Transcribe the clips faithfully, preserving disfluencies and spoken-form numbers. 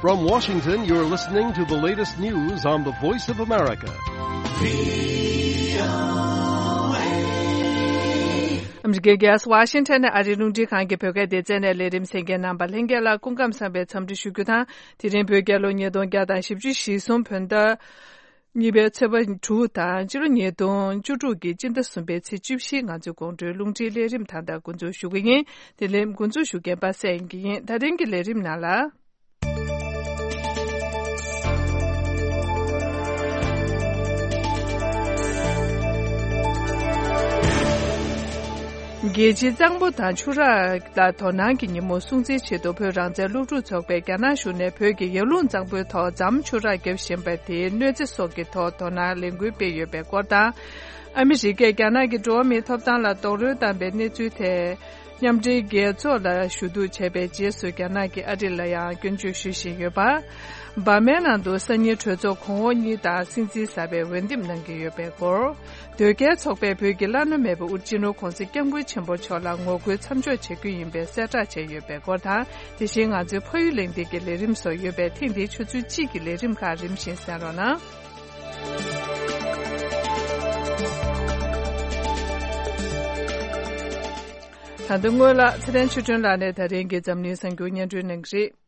From Washington, you're listening to the latest news on the Voice of America. ཨ་མི་རི་ཀའི་རྒྱལ་ས་ཝ་ཤིང་ཊོན་ནས་ཨ་རིའི་རླུང་འཕྲིན་ཁང་གི་བོད་སྐད་སྡེ་ཚན་ནས་ལས་རིམ་གསན་མཁན་རྣམ་པ་ལྷན་རྒྱས་ལ་སྐུ་ཁམས་བཟང་བའི་འཚམས་འདྲི་ཞུ་རྒྱུ་དང་། དེ་རིང་བོད་རྒྱལ་ལོ་ཉིས་སྟོང་བརྒྱ་དང་བཞི་བཅུ་ཞེ་གསུམ་བོད་ཟླ་གཉིས་པའི་ཚེས་པ་དྲུག་དང་། སྤྱི་ལོ་ཉིས་སྟོང་བཅུ་དྲུག་གི་སྤྱི་ཟླ་གསུམ་པའི་ཚེས་བཅུ་བཞི། ང་ཚོའི་དགོང་དྲོའི་རླུང་འཕྲིན་ལས་རིམ་ད་ལྟ་འགོ་འཛུགས་ཞུ་གི་ཡིན། དེ་ལས་འགོ་འཛུགས་ཞུ་མཁན་པ་སངས་དབྱངས་སྐྱིད་ཡིན། ད་རིང་གི་ལས་རིམ་ནང་ལ། རྒྱལ་སྤྱིའི་གཙང་པོ་དང་ཆུ་རགས་ལ་དོ་སྣང་གི་ཉིན་མོ་སྲུང་བརྩིའི་ཆེད་དུ། བོད་རང་བཙན་སློབ་ཕྲུག་ཚོགས་པས་རྒྱ་ནག་གཞུང་ནས་བོད་ཀྱི་ཡར་ཀླུང་གཙང་པོའི་ཐོག་ཛམ་ཆུ་རགས་བརྒྱབ་བཞིན་པ་དེའི་གནོད་འཚེ་སོགས་ཀྱི་ཐོག་དོ་སྣང་ལས་འགུལ་སྤེལ་ཡོད་པའི་སྐོར་དང་། ཨ་མི་རི་ཀས་རྒྱ་ནག་གི་འགྲོ་བ་མིའི་ཐོབ་ཐང་ལ་རྡོག་རོལ་བཏང་པའི་གནས་ཚུལ་ཐད། མཉམ་འབྲེལ་རྒྱལ་ཚོགས་ལ་ཞུ་གཏུག་བྱས་པའི་རྗེས་སུ། རྒྱ་ནག་གིས་ཨ་རི་ལ་ཡང་སྐྱོན་བརྗོད་ཞུ་བཞིན་ཡོད་པ། འབར་མའི་ནང་དུ་སང་ཉིན་གྲོས་ཚོགས་གོང་འོག་གཉིས་དང་སྲིད་འཛིན་གསར་པས་འོས་འདེམས་གནང་གི་ཡོད་པའི་སྐོར། དོལ་རྒྱལ་ཚོགས་པས་བོད་ཀྱི་བླ་ན་མེད་པ་ཨུ་རྒྱན་ཆེན་པོ་༧གོང་ས་༧སྐྱབས་མགོན་ཆེན་པོ་མཆོག་ལ་ངོ་རྒོལ་མཚམས་འཇོག་བྱེད་རྒྱུ་ཡིན་པའི་གསལ་བསྒྲགས་བྱས་ཡོད་པའི་སྐོར་དང་། དེ་བཞིན་ང་ཚོའི་ཕ་ཡུལ་གླེང་སྟེགས་ཀྱི་ལས་རིམ་སོགས་ཡོད་པས། ཐེངས་འདིའི་ཆུ་ཚོད་གཅིག་གི་ལས་རིམ་ཁག་རིམ་བཞིན་གསན་རོགས་གནང་། ད་ལྟ་སྔོན་ལ་ཚེ་བརྟན་ཆོས་སྒྲོན་ལགས་ནས་ད་རིང་གི་འཛམ་གླིང་གསར་འགྱུར་སྙན་སྒྲོན་གནང་གི་རེད།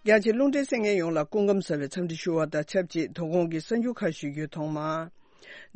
རྒྱ་ཆེ་རླུང་འཕྲིན་གསན་མཁན་ཡོངས་ལ་སྐུ་ཁམས་བཟང་བའི་འཚམས་འདྲི་ཞུ་བ་དང་ཆབས་ཅིག་དོ་དགོང་གི་གསར་འགྱུར་ཁག་ཞུ་རྒྱུའི་ཐོག་མར།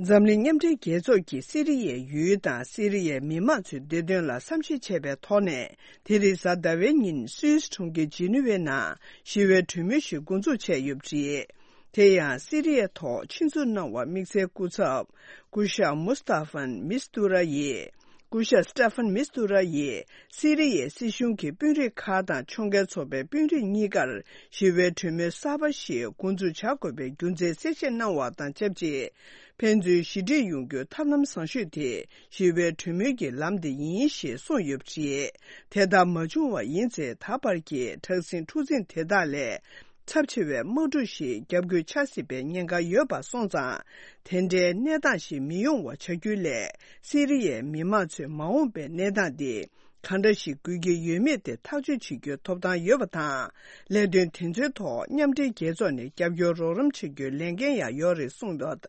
འཛམ་གླིང་མཉམ་འབྲེལ་རྒྱལ་ཚོགས་ཀྱིས་སི་རི་ཡའི་ཡུལ་དང་སི་རི་ཡའི་མི་མང་ཚོའི་བདེ་དོན་ལ་བསམ་ཤེས་བྱས་པའི་ཐོག་ནས། དེ་རིང་གཟའ་ཟླ་བའི་ཉིན་སུད་སི་གྲོང་ཁྱེར་ཇི་ནི་ཝའི་ནང་ཞི་བའི་གྲོས་མོལ་ཞིག་འགོ་འཛུགས་བྱས་ཡོད་པ་རེད། དེ་ཡང་སི་རི་ཡའི་ཐོག་ཆིངས་འཛུགས་གནང་བར་དམིགས་བསལ་སྐུ་ཚབ་སྐུ་ཞབས་མུ་སྟ་ཧྥན་མིས་ཏུ་ར་ཡིས། སྐུ་ཞབས་སི་ཏ་ཧྥན་མིས་ཏུ་ར་ཡིས་སི་རི་ཡའི་སྲིད་གཞུང་གི་དཔོན་རིགས་ཁག་དང་ཕྱོགས་འགལ་ཚོགས་པའི་དཔོན་རིགས་གཉིས་ཀར་ཞི་བའི་གྲོས་མོལ་གསར་པ་ཞིག་འགོ་འཛུགས་བྱ་དགོས་པའི་རྒྱུ་མཚན་གསལ་བཤད་གནང་བ་དང་ཆབས་ཅིག་ཕན་ཚུན་ཞི་འགྲིག་ཡོང་རྒྱུའི་ཐབས་ལམ་བཟང་ཤོས་དེ་ཞི་བའི་གྲོས་མོལ་གྱི་ལམ་དེ་ཡིན་ཞེས་གསུངས་ཡོད་པ་རེད། དེ་ལྟར་མ་བྱུང་བ་ཡིན་ཚེ། ད་བར་གྱི་དྲག་ཟིང་འཁྲུག་འཛིང་དེ་དག་ལས་ཚབས་ཆེ་བའི་དམག་འཁྲུག་ཞིག་བརྒྱབ་དགོས་ཆགས་སྲིད་པའི་ཉེན་ཁ་ཡོད་པ་སོང་ཙང་། དེ་འདྲའི་གནས་སྟངས་ཤིག་མི་ཡོང་བ་བྱ་རྒྱུའི་སླད། སི་རི་ཡའི་མི་མང་ཚོས་མ་འོངས་པའི་གནས་སྟངས་འདི་གང་འདྲ་ཞིག་དགོས་ཀྱི་ཡོད་མེད་དེ་ཐག་གཅོད་བྱེད་རྒྱུའི་ཐོབ་ཐང་ཡོད་པ་དང་། ལས་དོན་དེ་ཚོའི་ཐོག་མཉམ་འབྲེལ་རྒྱལ་ཚོགས་ནས་རྒྱབ་སྐྱོར་རོགས་རམ་བྱེད་རྒྱུའི་ལས་འགན་ཡང་ཡོད་རེད་གསུངས་ཡོད་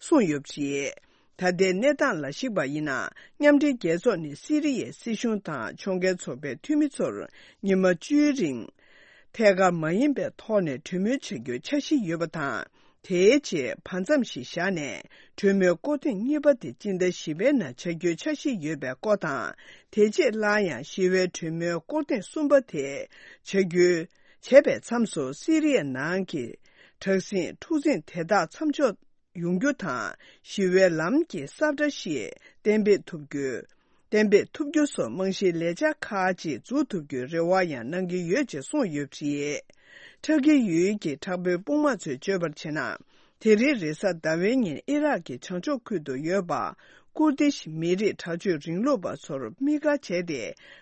གསུངས་ཡོད་པ་རེད། ད་ལྟའི་གནས་སྟངས་ལ་གཞིགས་པ་ཡིན་ན། མཉམ་འབྲེལ་རྒྱལ་ཚོགས་ནས་སི་རི་ཡའི་སྲིད་གཞུང་དང་ཕྱོགས་འགལ་ཚོགས་པའི་འཐུས་མི་ཚོར་ཉི་མ་བཅུའི་རིང་ཐད་ཀར་མ་ཡིན་པའི་ཐོག་ནས་གྲོས་མོལ་བྱ་རྒྱུའི་འཆར་གཞི་ཡོད་པ་དང་། དེའི་རྗེས་བར་མཚམས་ཤིག་བཞག་ནས་གྲོས་མོལ་སྐོར་ཐེངས་གཉིས་པ་དེ་སྤྱི་ཟླ་བཞི་པའི་ནང་བྱ་རྒྱུའི་འཆར་གཞི་ཡོད་པའི་སྐོར་དང་། དེ་རྗེས་སླར་ཡང་ཞི་བའི་གྲོས་མོལ་སྐོར་ཐེངས་གསུམ་པ་དེ་བྱ་རྒྱུའི་བྱས་པའི་མཚམས་སུ་སི་རི་ཡ་ནང་གི་དྲག་ཟིང་འཁྲུག་འཛིང་དེ་དག་མཚམས་འཇོག་ཡོང་རྒྱུ་དང་། ཞི་བའི་ལམ་གྱི་ས་བཀྲ་ཞིག་གཏན་འབེབས་ཐུབ་རྒྱུ། གཏན་འབེབས་ཐུབ་རྒྱུ་སོགས་རྨང་གཞིའི་ལས་འཆར་ཁག་ཅིག་འཛུགས་ཐུབ་རྒྱུའི་རེ་བ་ཡང་གནང་གི་ཡོད་ཅེས་གསུངས་ཡོད་པ་རེད། ཏུར་ཀི་ཡུལ་གྱི་དྲག་པོའི་དཔུང་དམག་ཚོས་བརྗོད་པར་བྱས་ན། དེ་རིང་རེས་གཟའ་ཟླ་བའི་ཉིན་ཨི་རག་གི་བྱང་ཕྱོགས་ཁུལ་དུ་ཡོད་པ། ཀུར་དིཤ་མི་རིགས་དྲག་སྤྱོད་རིང་ལུགས་པ་ཚོར་དམིགས་བཀར་བྱས་ཏེ།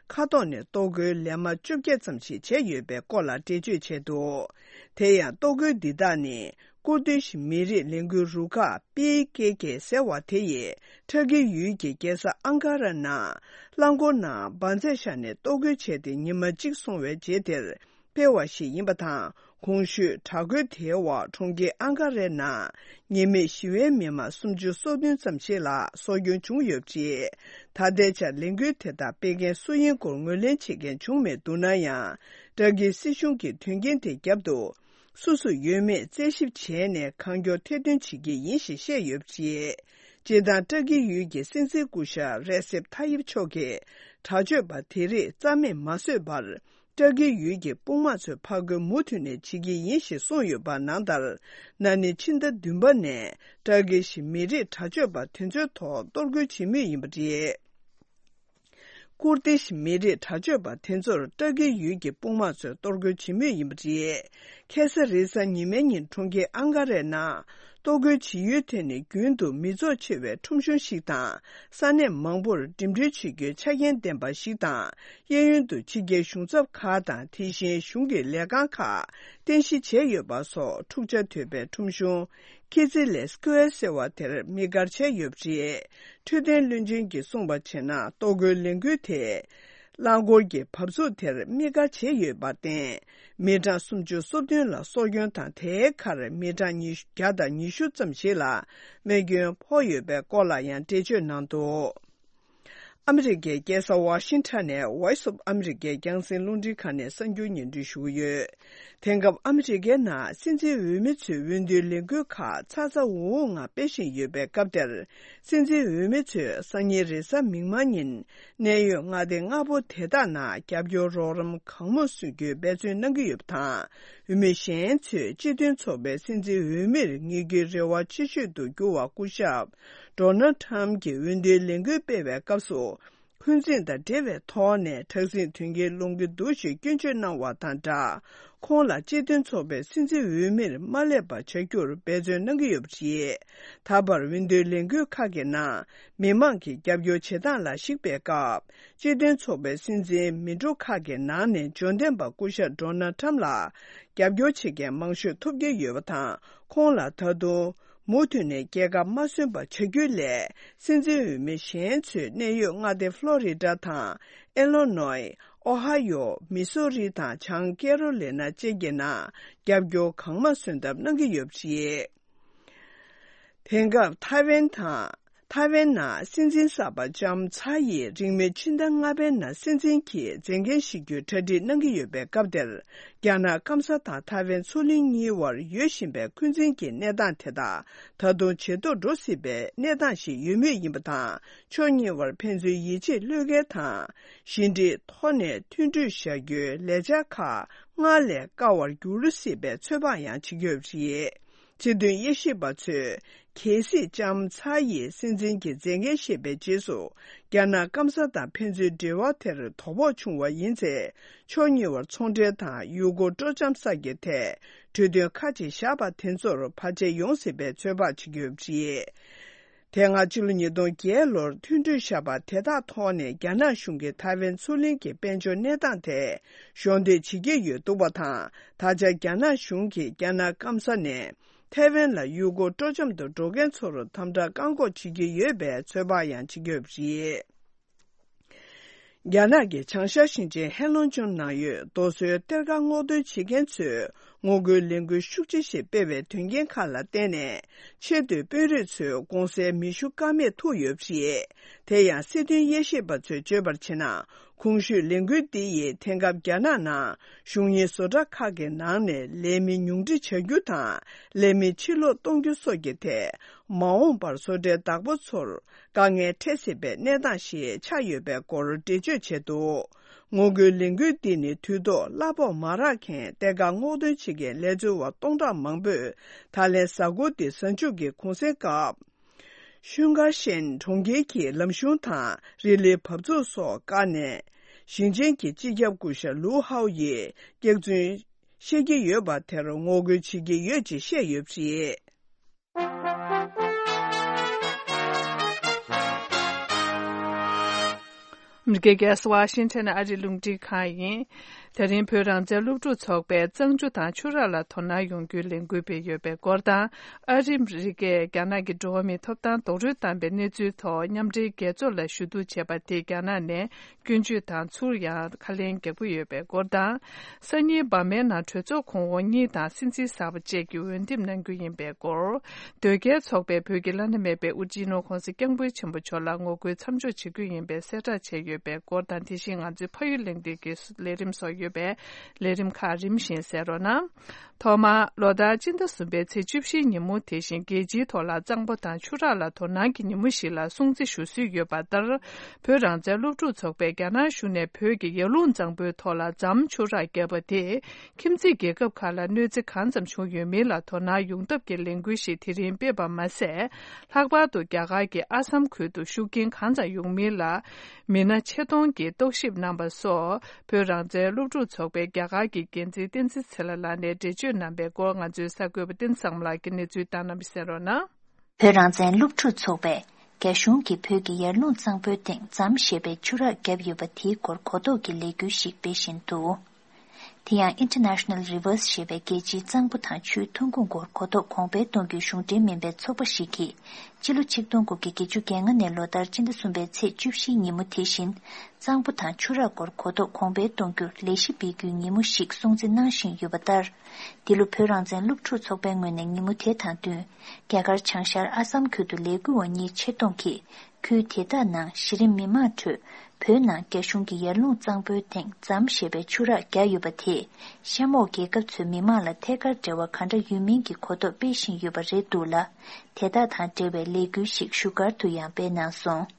མཁའ་ཐོག་ནས་གཏོར་རྒོལ་ལན་མ་བཅོ་བརྒྱད་ཙམ་ཞིག་བྱས་ཡོད་པའི་སྐོར་ལ་འགྲེལ་བརྗོད་བྱས་འདུག་དེ་ཡང་གཏོར་རྒོལ་འདི་དག་ནི། ཀུར་དིཤ་མི་རིགས་ལས་འགུལ་རུ་ཁག་པི་ཀེ་ཀེ་ཟེར་བ་དེ་ཡིས། ཏུར་ཀི་ཡུལ་གྱི་རྒྱལ་ས་ཨང་ཀ་ར་ནང་། རླངས་འཁོར་ནང་འབར་རྫས་བཞག་ནས་གཏོར་རྒོལ་བྱས་ཏེ། ཉི་མ་གཅིག་སོང་བའི་རྗེས་དེར། སྤེལ་བ་ཞིག་ཡིན་པ་དང་། གོང་ཞུས་དྲག་རྒོལ་དེའི་འོག་གྲོང་ཁྱེར་ཨང་ཀ་རའི་ནང་ཉེས་མེད་ཞི་བའི་མི་མང་སུམ་ཅུ་སོ་བདུན་ཙམ་ཞིག་ལ་སྲོག་སྐྱོན་བྱུང་ཡོད་པ་རེད། ད་ལྟའི་ཆར་ལས་འགུལ་དེ་དག་སྤེལ་མཁན་སུ་ཡིན་སྐོར་ངོས་ལེན་བྱེད་མཁན་བྱུང་མེད་འདུག་ན་ཡང་། ཏུར་ཀིའི་སྲིད་གཞུང་གིས་དོན་རྐྱེན་དེ་བརྒྱབ་འདུག་སུ་སུ་ཡོད་མེད་རྩད་ཞིབ་བྱས་ནས་གང་མགྱོགས་ཐེར་འདོན་བྱེད་ཀྱི་ཡིན་ཞེས་བཤད་ཡོད་པ་རེད། སྤྱིར་བཏང་ཏུར་ཀི་ཡུལ་གྱི་སྲིད་འཛིན་སྐུ་ཞབས་རེ་སེབ་ཐ་ཡིབ་མཆོག་གིས་དྲག་སྤྱོད་པ་དེ་རིགས་རྩ་མེད་མ་བཟོས་པར། ཏུར་ཀི་ཡུལ་གྱི་དཔུང་དམག་ཚོས་ཕར་རྒོལ་མུ་མཐུད་ནས་བྱེད་ཀྱི་ཡིན་ཞེས་གསུངས་ཡོད་པ་ནང་ལྟར། ན་ནིང་ཕྱི་ཟླ་བདུན་པ་ནས་ཏུར་ཀི་ཤི་མི་རིགས་དྲག་སྤྱོད་པ་དེ་ཚོའི་ཐོག་གཏོར་རྒོལ་བྱེད་མུས་ཡིན་པ་རེད། ཀུར་དིཤ་མི་རིགས་དྲག་སྤྱོད་པ་དེ་ཚོར་ཏུར་ཀི་ཡུལ་གྱི་དཔུང་དམག་ཚོས་གཏོར་རྒོལ་བྱེད་མུས་ཡིན་པ་རེད། ཁ་སང་རེས་གཟའ་ཉི་མའི་ཉིན་གྲོང་ཁྱེར་ཨང་ཀ་རའི་ནང་གཏོར་རྒོལ་བྱེད་ཡུལ་དེ་ནི་རྒྱུན་དུ་མི་ཚོགས་ཆེ་བའི་ཁྲོམ་གཞུང་ཞིག་དང་། ས་གནས་མང་པོར་འགྲིམ་འགྲུལ་བྱེད་རྒྱུའི་ཆ་རྐྱེན་ལྡན་པ་ཞིག་དང་། གཡས་གཡོན་དུ་ཕྱི་རྒྱལ་གཞུང་ཚབ་ཁག་དང་། དེ་བཞིན་གཞུང་གི་ལས་ཁང་ཁག་རྟེན་གཞི་བྱས་ཡོད་པ་སོགས་འཁྲུག་ཆ་དོད་པའི་ཁྲོམ་གཞུང་ཁི་ཛི་ལེ་སྐོར་ཟེར་བ་དེར་དམིགས་བཀར་བྱས་ཡོད་པ་རེད། འཕྲོད་བསྟེན་བློན་ཆེན་གྱིས་གསུངས་པར་བྱས་ན། གཏོར་རྒོལ་ལས་འགུལ་དེ་རླངས་འཁོར་གྱི་བབས་ཚུགས་དེར་དམིགས་བཀར་བྱས་ཡོད་པར་བརྟེན། མི་གྲངས་སུམ་ཅུ་སོ་བདུན་ལ་སྲོག་སྐྱོན་དང་། དེའི་ཁར་མི་གྲངས་ཉི་བརྒྱ་དང་ཉི་ཤུ་ཙམ་ཞིག་ལ་རྨས་སྐྱོན་ཕོག་ཡོད་པའི་སྐོར་ལ་ཡང་འགྲེལ་བརྗོད་གནང་འདུག་ཨ་མི་རི་ཀའི་རྒྱལ་ས་ཝ་ཤིང་ཊོན་ནས་Voice of America་རྒྱང་སྲིང་རླུང་འཕྲིན་ཁང་ནས་གསར་འགྱུར་སྙན་སྒྲོན་ཞུ་གི་ཡོད། དེང་སྐབས་ཨ་མི་རི་ཀའི་ནང་སྲིད་འཛིན་འོས་མི་ཚོའི་འོས་བསྡུའི་ལས་འགུལ་ཁག་ཚ་ཚ་འུར་འུར་ངང་སྤེལ་བཞིན་ཡོད་པའི་སྐབས་དེར། སྲིད་འཛིན་འོས་མི་ཚོས་སང་ཉིན་རེས་གཟའ་མིག་དམར་ཉིན་གནད་ཡོད་མངའ་སྡེ་ལྔ་པོ་དེ་དག་ནང་རྒྱབ་སྐྱོར་རོགས་རམ་གང་མང་སོན་རྒྱུའི་འབད་བརྩོན་གནང་གི་ཡོད་པ་དང་། འོས་མི་གཞན་ཚོས་སྤྱི་མཐུན་ཚོགས་པའི་སྲིད་འཛིན་འོས་མིར་ངེས་རྒྱུའི་རེ་བ་ཆེ་ཤོས་སུ་གྱུར་བ་སྐུ་ཞབས་Donald Trump་གྱིས་འོས་བསྡུའི་ལས་འགུལ་སྤེལ་བའི་སྐབས་སུ། འཁོན་འཛིན་དང་འབྲེལ་བའི་ཐོག་ནས་དྲག་ཟིང་དོན་རྐྱེན་སློང་གི་འདུག་ཞེས་སྐྱོན་བརྗོད་གནང་བ་དང་སྦྲགས། ཁོང་ལ་སྤྱི་མཐུན་ཚོགས་པའི་སྲིད་འཛིན་འོས་མིར་མ་སླེབས་པ་བྱ་རྒྱུར་འབད་བརྩོན་གནང་གི་ཡོད་པ་རེད། ད་བར་འོས་བསྡུའི་ལས་འགུལ་ཁག་གི་ནང་མི་མང་གི་རྒྱབ་སྐྱོར་བྱེད་སྟངས་ལ་གཞིགས་པའི་སྐབས། སྤྱི་མཐུན་ཚོགས་པའི་སྲིད་འཛིན་མི་འགྲོ་ཁག་གི་ནང་ནས་འབྱོར་ལྡན་པ་སྐུ་ཞབས་Donald Trump་ལ་རྒྱབ་སྐྱོར་བྱེད་མཁན་མང་ཤོས་ཐོབ་ཀྱི་ཡོད་པ་དང་། ཁོང་ལ་ད་དུང་མུ་མཐུད་ནས་རྒྱལ་ཁ་མ་སོན་པ་བྱ་རྒྱུ་ལས། སྲིད་འཛིན་འོས་མི་གཞན་ཚོས་གནད་ཡོད་མངའ་སྡེ་ཕློ་རི་ཌ་དང་། ཨེ་ལོ་ནོའི། ཨོ་ཧ་ཡོ། མི་སོ་རི་དང་། བྱང་ཀེ་རོ་ལི་ན་བཅས་ཀྱི་ནང་རྒྱབ་སྐྱོར་གང་མང་སོན་ཐབས་གནང་གི་ཡོད་པ་རེད། དེང་སྐབས་ཐའེ་ཝན་དང་། ཐའེ་ཝན་ནང་སྲིད་འཛིན་གསར་པ་ལྕམ་ཚ་ཡིས་རིང་མིན་ཕྱི་ཟླ་ལྔ་པའི་ནང་སྲིད་འཛིན་གྱི་མཛད་འགན་བཞེས་རྒྱུའི་གྲ་སྒྲིག་གནང་གི་ཡོད་པའི་སྐབས་དེར། རྒྱ་ནག་སྐམ་ས་དང་ཐའེ་ཝན་མཚོ་གླིང་གཉིས་བར་ཡོད་བཞིན་པའི་འཁོན་འཛིན་གྱི་གནས་སྟངས་དེ་དག་ད་དུང་ཇེ་སྡུག་འགྲོ་སྲིད་པའི་གནས་སྟངས་ཤིག་ཡོད་མུས་ཡིན་པ་དང་། ཕྱོགས་གཉིས་བར་ཕན་ཚུན་ཡིད་ཆེས་བློས་འགེལ་དང་། ཞི་འགྲིག་ཐོག་ནས་མཐུན་གྲོས་བཞག་རྒྱུའི་ལས་འཆར་ཁག་སྔར་ལས་དཀའ་བར་འགྱུར་སྲིད་པའི་ཚོད་དཔག་ཡང་བྱེད་ཀྱི་ཡོད་པ་རེད། སྤྱི་མཐུན་དབྱེ་ཞིབ་པ་ཚོས། གལ་སྲིད་ལྕམ་ཚ་ཡིས་སྲིད་འཛིན་གྱི་མཛད་འགན་བཞེས་པའི་རྗེས་སུ། རྒྱ་ནག་སྐམ་ས་དང་ཕན་ཚུན་འབྲེལ་བ་དེར་དོ་ཕོག་བྱུང་བ་ཡིན་ཚེ། ཕྱོགས་གཉིས་བར་ཚོང་འབྲེལ་དང་ཡུལ་སྐོར་སྤྲོ་འཆམ་གསར་གྱི་ཐད་གྲོས་མཐུན་ཁག་ཅིག་བཞག་པ་དེ་ཚོར་བར་ཆད་ཡོང་སྲིད་པའི་ཚོད་དཔག་བྱེད་ཀྱི་ཡོད་པ་རེད། དེ་སྔ་ཕྱི་ལོ་ཉིས་སྟོང་བརྒྱད་ལོར་མཐུན་གྲོས་བཞག་པ་དེ་དག་ཐོག་ནས་རྒྱ་ནག་གཞུང་གིས་ཐའེ་ཝན་མཚོ་གླིང་གི་དཔལ་འབྱོར་གནས་སྟངས་དེ་གཞོགས་འདེགས་བྱེད་ཀྱི་ཡོད་འདུག་པ་དང་། ད་ཆ་རྒྱ་ནག་གཞུང་གིས་རྒྱ་ནག་སྐམ་ས་ནས། ཐའེ་ཝན་ལ་ཡུལ་སྐོར་སྤྲོ་འཆམ་དུ་འགྲོ་མཁན་ཚོར་དམ་དྲག་བཀག་འགོག་བྱེད་ཀྱི་ཡོད་པའི་ཚོད་དཔག་ཡང་བྱེད་ཀྱི་ཡོད་པ་རེད། རྒྱ་ནག་གི་བྱང་ཤར་ཞིང་ཆེན་ཧེ་ལོང་ལྗོངས་ནང་ཡོད་རྡོ་སོལ་གཏེར་ཁ་སྔོག་འདོན་བྱེད་མཁན་ཚོས་ངོ་རྒོལ་ལས་འགུལ་ཤུགས་ཆེ་ཞིག་སྤེལ་བའི་དོན་རྐྱེན་ཁག་ལ་བརྟེན་ནས། ཆེས་མཐོའི་དཔོན་རིགས་ཚོས་གུང་སེང་མེ་ཤུགས་དཀར་མེ་འཐུ་ཡོད་པ་རེད། དེ་ཡང་སྲིད་དོན་དབྱེ་ཞིབ་པ་ཚོས་བརྗོད་པར་བྱས་ན། གོང་ཞུས་ལས་འགུལ་འདི་ཡིས་དེང་སྐབས་རྒྱ་ནག་ནང་གཞུང་གཉེར་བཟོ་གྲྭ་ཁག་གི་ནང་ནས་ལས་མི་ཉུང་འཕྲི་བྱ་རྒྱུ་དང་། ལས་མི་ཕྱིར་ལོག་གཏོང་རྒྱུ་སོགས་ཀྱི་ཐད། མ་འོངས་པར་བཟོ་གྲྭའི་བདག་པོ་ཚོར་དཀའ་ངལ་འཕྲད་སྲིད་པའི་གནས་སྟངས་ཤིག་ཆགས་ཡོད་པའི་སྐོར་འགྲེལ་བརྗོད་བྱས་འདུག་ངོ་རྒོལ་ལས་འགུལ་འདི་ནི་དུས་ཐོག་གླ་ཕོགས་མ་རག་མཁན་གཏེར་ཁ་སྔོག་འདོན་བྱེད་མཁན་ལས་བཟོ་བ་སྟོང་ཕྲག་མང་པོས་ད་ལན་གཟའ་འཁོར་འདི་གཟའ་མཇུག་གི་གུང་སེང་སྐབས། ཤུན་ཀར་ཤན་གྲོང་ཁྱེར་གྱི་ལམ་གཞུང་དང་རི་ལིའི་བབས་ཚུགས་སོགས་བཀག་ནས། ཞིང་ཆེན་གྱི་སྤྱི་ཁྱབ་སྐུ་ཞབས་ལུའུ་ཧའོ་ཡིས་སྐྱག་རྫུན་བཤད་ཀྱི་ཡོད་པ་དེར་ངོ་རྒོལ་བྱེད་ཀྱི་ཡོད་ཅེས་བཤད་ཡོད་པ་རེད། ཨ་མི་རི་ཀའི་རྒྱལ་ས་ཝ་ཤིང་ཊོན་ཨ་རིའི་རླུང་འཕྲིན་ཁང་ཡིན། དེ་རིང་བོད་རང་བཙན་སློབ་ཕྲུག་ཚོགས་པས་གཙང་ཆུ་དང་ཆུ་རགས་ལ་དོ་སྣང་ཡོང་རྒྱུའི་ལས་འགུལ་སྤེལ་ཡོད་པའི་སྐོར་དང་། ཨ་རི་ཨ་མི་རི་ཀས་རྒྱ་ནག་གི་འགྲོ་བ་མིའི་ཐོབ་ཐང་རྡོག་རོལ་བཏང་པའི་གནས་ཚུལ་ཐོག་མཉམ་འབྲེལ་རྒྱལ་ཚོགས་ལ་ཞུ་གཏུག་བྱས་པ་དེས་རྒྱ་ནག་ནས་སྐྱོན་བརྗོད་དང་ཚུར་ཡང་ཁ་ལན་རྒྱག་གི་ཡོད་པའི་སྐོར་དང་། སང་ཉིན་འབར་མའི་ནང་གྲོས་ཚོགས་གོང་འོག་གཉིས་དང་སྲིད་འཛིན་གསར་པ་བཅས་ཀྱིས་འོས་འདེམས་གནང་རྒྱུ་ཡིན་པའི་སྐོར། དོལ་རྒྱལ་ཚོགས་པས་བོད་ཀྱི་བླ་ན་མེད་པའི་དབུ་སྤྱི་ནོར་༸གོང་ས་༸སྐྱབས་མགོན་ཆེན་པོ་མཆོག་ལ་ངོ་རྒོལ་མཚམས་འཇོག་བྱེད་རྒྱུ་ཡིན་པའི་གསལ་བསྒྲགས་བྱས་ཡོད་པའི་སྐོར་དང་། དེ་བཞིན་ང་ཚོའི་ཕ་ཡུལ་གླེང་སྟེགས་ཀྱི་ལས་རིམ་སོགས་ཡོད་པས། ལས་རིམ་ཁག་རིམ་བཞིན་གསན་རོགས་གནང་། ཐོག་མར་ལོ་ལྟར་སྤྱི་ཟླ་གསུམ་པའི་ཚེས་བཅུ་བཞིའི་ཉིན་མོ་དེ་བཞིན་རྒྱལ་སྤྱིའི་ཐོག་ལ་གཙང་པོ་དང་ཆུ་རགས་ལ་དོ་སྣང་གི་ཉིན་མོ་ཞིག་ལ་སྲུང་བརྩི་ཞུ་སྲོལ་ཡོད་པ་ལྟར། བོད་རང་བཙན་སློབ་ཕྲུག་ཚོགས་པས་རྒྱ་ནག་གཞུང་ནས་བོད་ཀྱི་ཡར་ཀླུང་གཙང་པོའི་ཐོག་ལ་ཛམ་ཆུ་རགས་བརྒྱབ་པ་དེས་ཁྱིམ་མཚེས་རྒྱལ་ཁབ་ཁག་ལ་གནོད་འཚེ་གང་ཙམ་བྱུང་ཡོད་མིན་ལ་དོ་སྣང་ཡོང་ཐབས་ཀྱི་ལས་འགུལ་ཞིག་དེ་རིང་སྤེལ་བ་མ་ཟད། ལྷག་པར་དུ་རྒྱ་གར་གྱི་ཨ་སམ་ཁུལ་དུ་ཤུགས་རྐྱེན་གང་ཙམ་ཡོང་མིན་ལ་མི་སྣ་ཆེད་གཏོང་གིས་རྟོག་ཞིབ་གནང་པ་སོགས། བོད་རང་བཙན་སློབ་ཕྲུག་ཚོགས་པའི་རྒྱ་གར་གྱི་འགན་འཛིན་བསྟན་འཛིན་ཚེ་ལྷ་ལགས་ནས་འགྲེལ་བརྗོད། གནང་པའི་སྐོར་ང་ཚོའི་གསར་འགོད་པ་བསྟན་འཛིན་བཟང་མོ་ལགས་ཀྱིས་གནས་ཚུལ་བཏང་གནང་བ་གསན་རོགས་གནང་། བོད་རང་བཙན་སློབ་ཕྲུག་ཚོགས་པས་རྒྱ་གཞུང་གིས་བོད་ཀྱི་ཡར་ཀླུང་གཙང་པོའི་སྟེང་ཛམ་ཞེས་པའི་ཆུ་རགས་བརྒྱབ་ཡོད་པ་དེའི་སྐོར་གོ་རྟོགས་ཀྱི་ལས་འགུལ་ཞིག་སྤེལ་བཞིན་འདུག་དེ་ཡང་International Rivers ཞེས་པའི་རྒྱལ་སྤྱིའི་གཙང་པོ་དང་ཆུའི་ཐོན་ཁུངས་སྐོར་གོ་རྟོགས་གོང་འཕེལ་གཏོང་རྒྱུའི་གཞུང་འབྲེལ་མིན་པའི་ཚོགས་པ་ཞིག་གིས། སྤྱི་ལོ་ཆིག་སྟོང་དགུ་བརྒྱ་བརྒྱད་ཅུ་གྱ་ལྔ་ནས་ལོ་ལྟར་སྤྱི་ཟླ་གསུམ་པའི་ཚེས་བཅུ་བཞིའི་ཉིན་མོ་དེ་བཞིན། གཙང་པོ་དང་ཆུ་རགས་སྐོར་གོ་རྟོགས་གོང་འཕེལ་གཏོང་རྒྱུར་ལས་གཞི་སྤེལ་རྒྱུའི་ཉིན་མོ་ཞིག་སྲུང་བརྩི་གནང་བཞིན་ཡོད་པ་ལྟར། འདི་ལོ་བོད་རང་བཙན་སློབ་ཕྲུག་ཚོགས་པའི་ངོས་ནས་ཉིན་མོ་དེ་དང་བསྟུན། རྒྱ་གར་བྱང་ཤར་ཨ་སམ་ཁུལ་དུ་ལས་འགུལ་བ་གཉིས་ཆེད་གཏོང་གིས། ཁུལ་དེ་དག་ནང་གཞི་རིམ་མི་མང་ཁྲོད། བོད་ནང་རྒྱ་གཞུང་གིས་ཡར་ཀླུང་གཙང་པོའི་སྟེང་ཛམ་ཞེས་པའི་ཆུ་རགས་བརྒྱབ་ཡོད་པ་དེས། གཤམ་འོག་རྒྱལ་ཁབ་ཚོའི་མི་མང་ལ་ཐད་ཀར་འབྲེལ་བ་ག་འདྲ་ཡོད་མིན་གྱི་གོ་རྟོགས་སྤེལ་བཞིན་ཡོད་པ་རེད་འདུག་ལ། དེ་དག་དང་འབྲེལ་བའི་ལས་འགུལ་ཞིག་བཞུགས་སྒར་དུ་ཡང་སྤེལ་གནང་སོང་།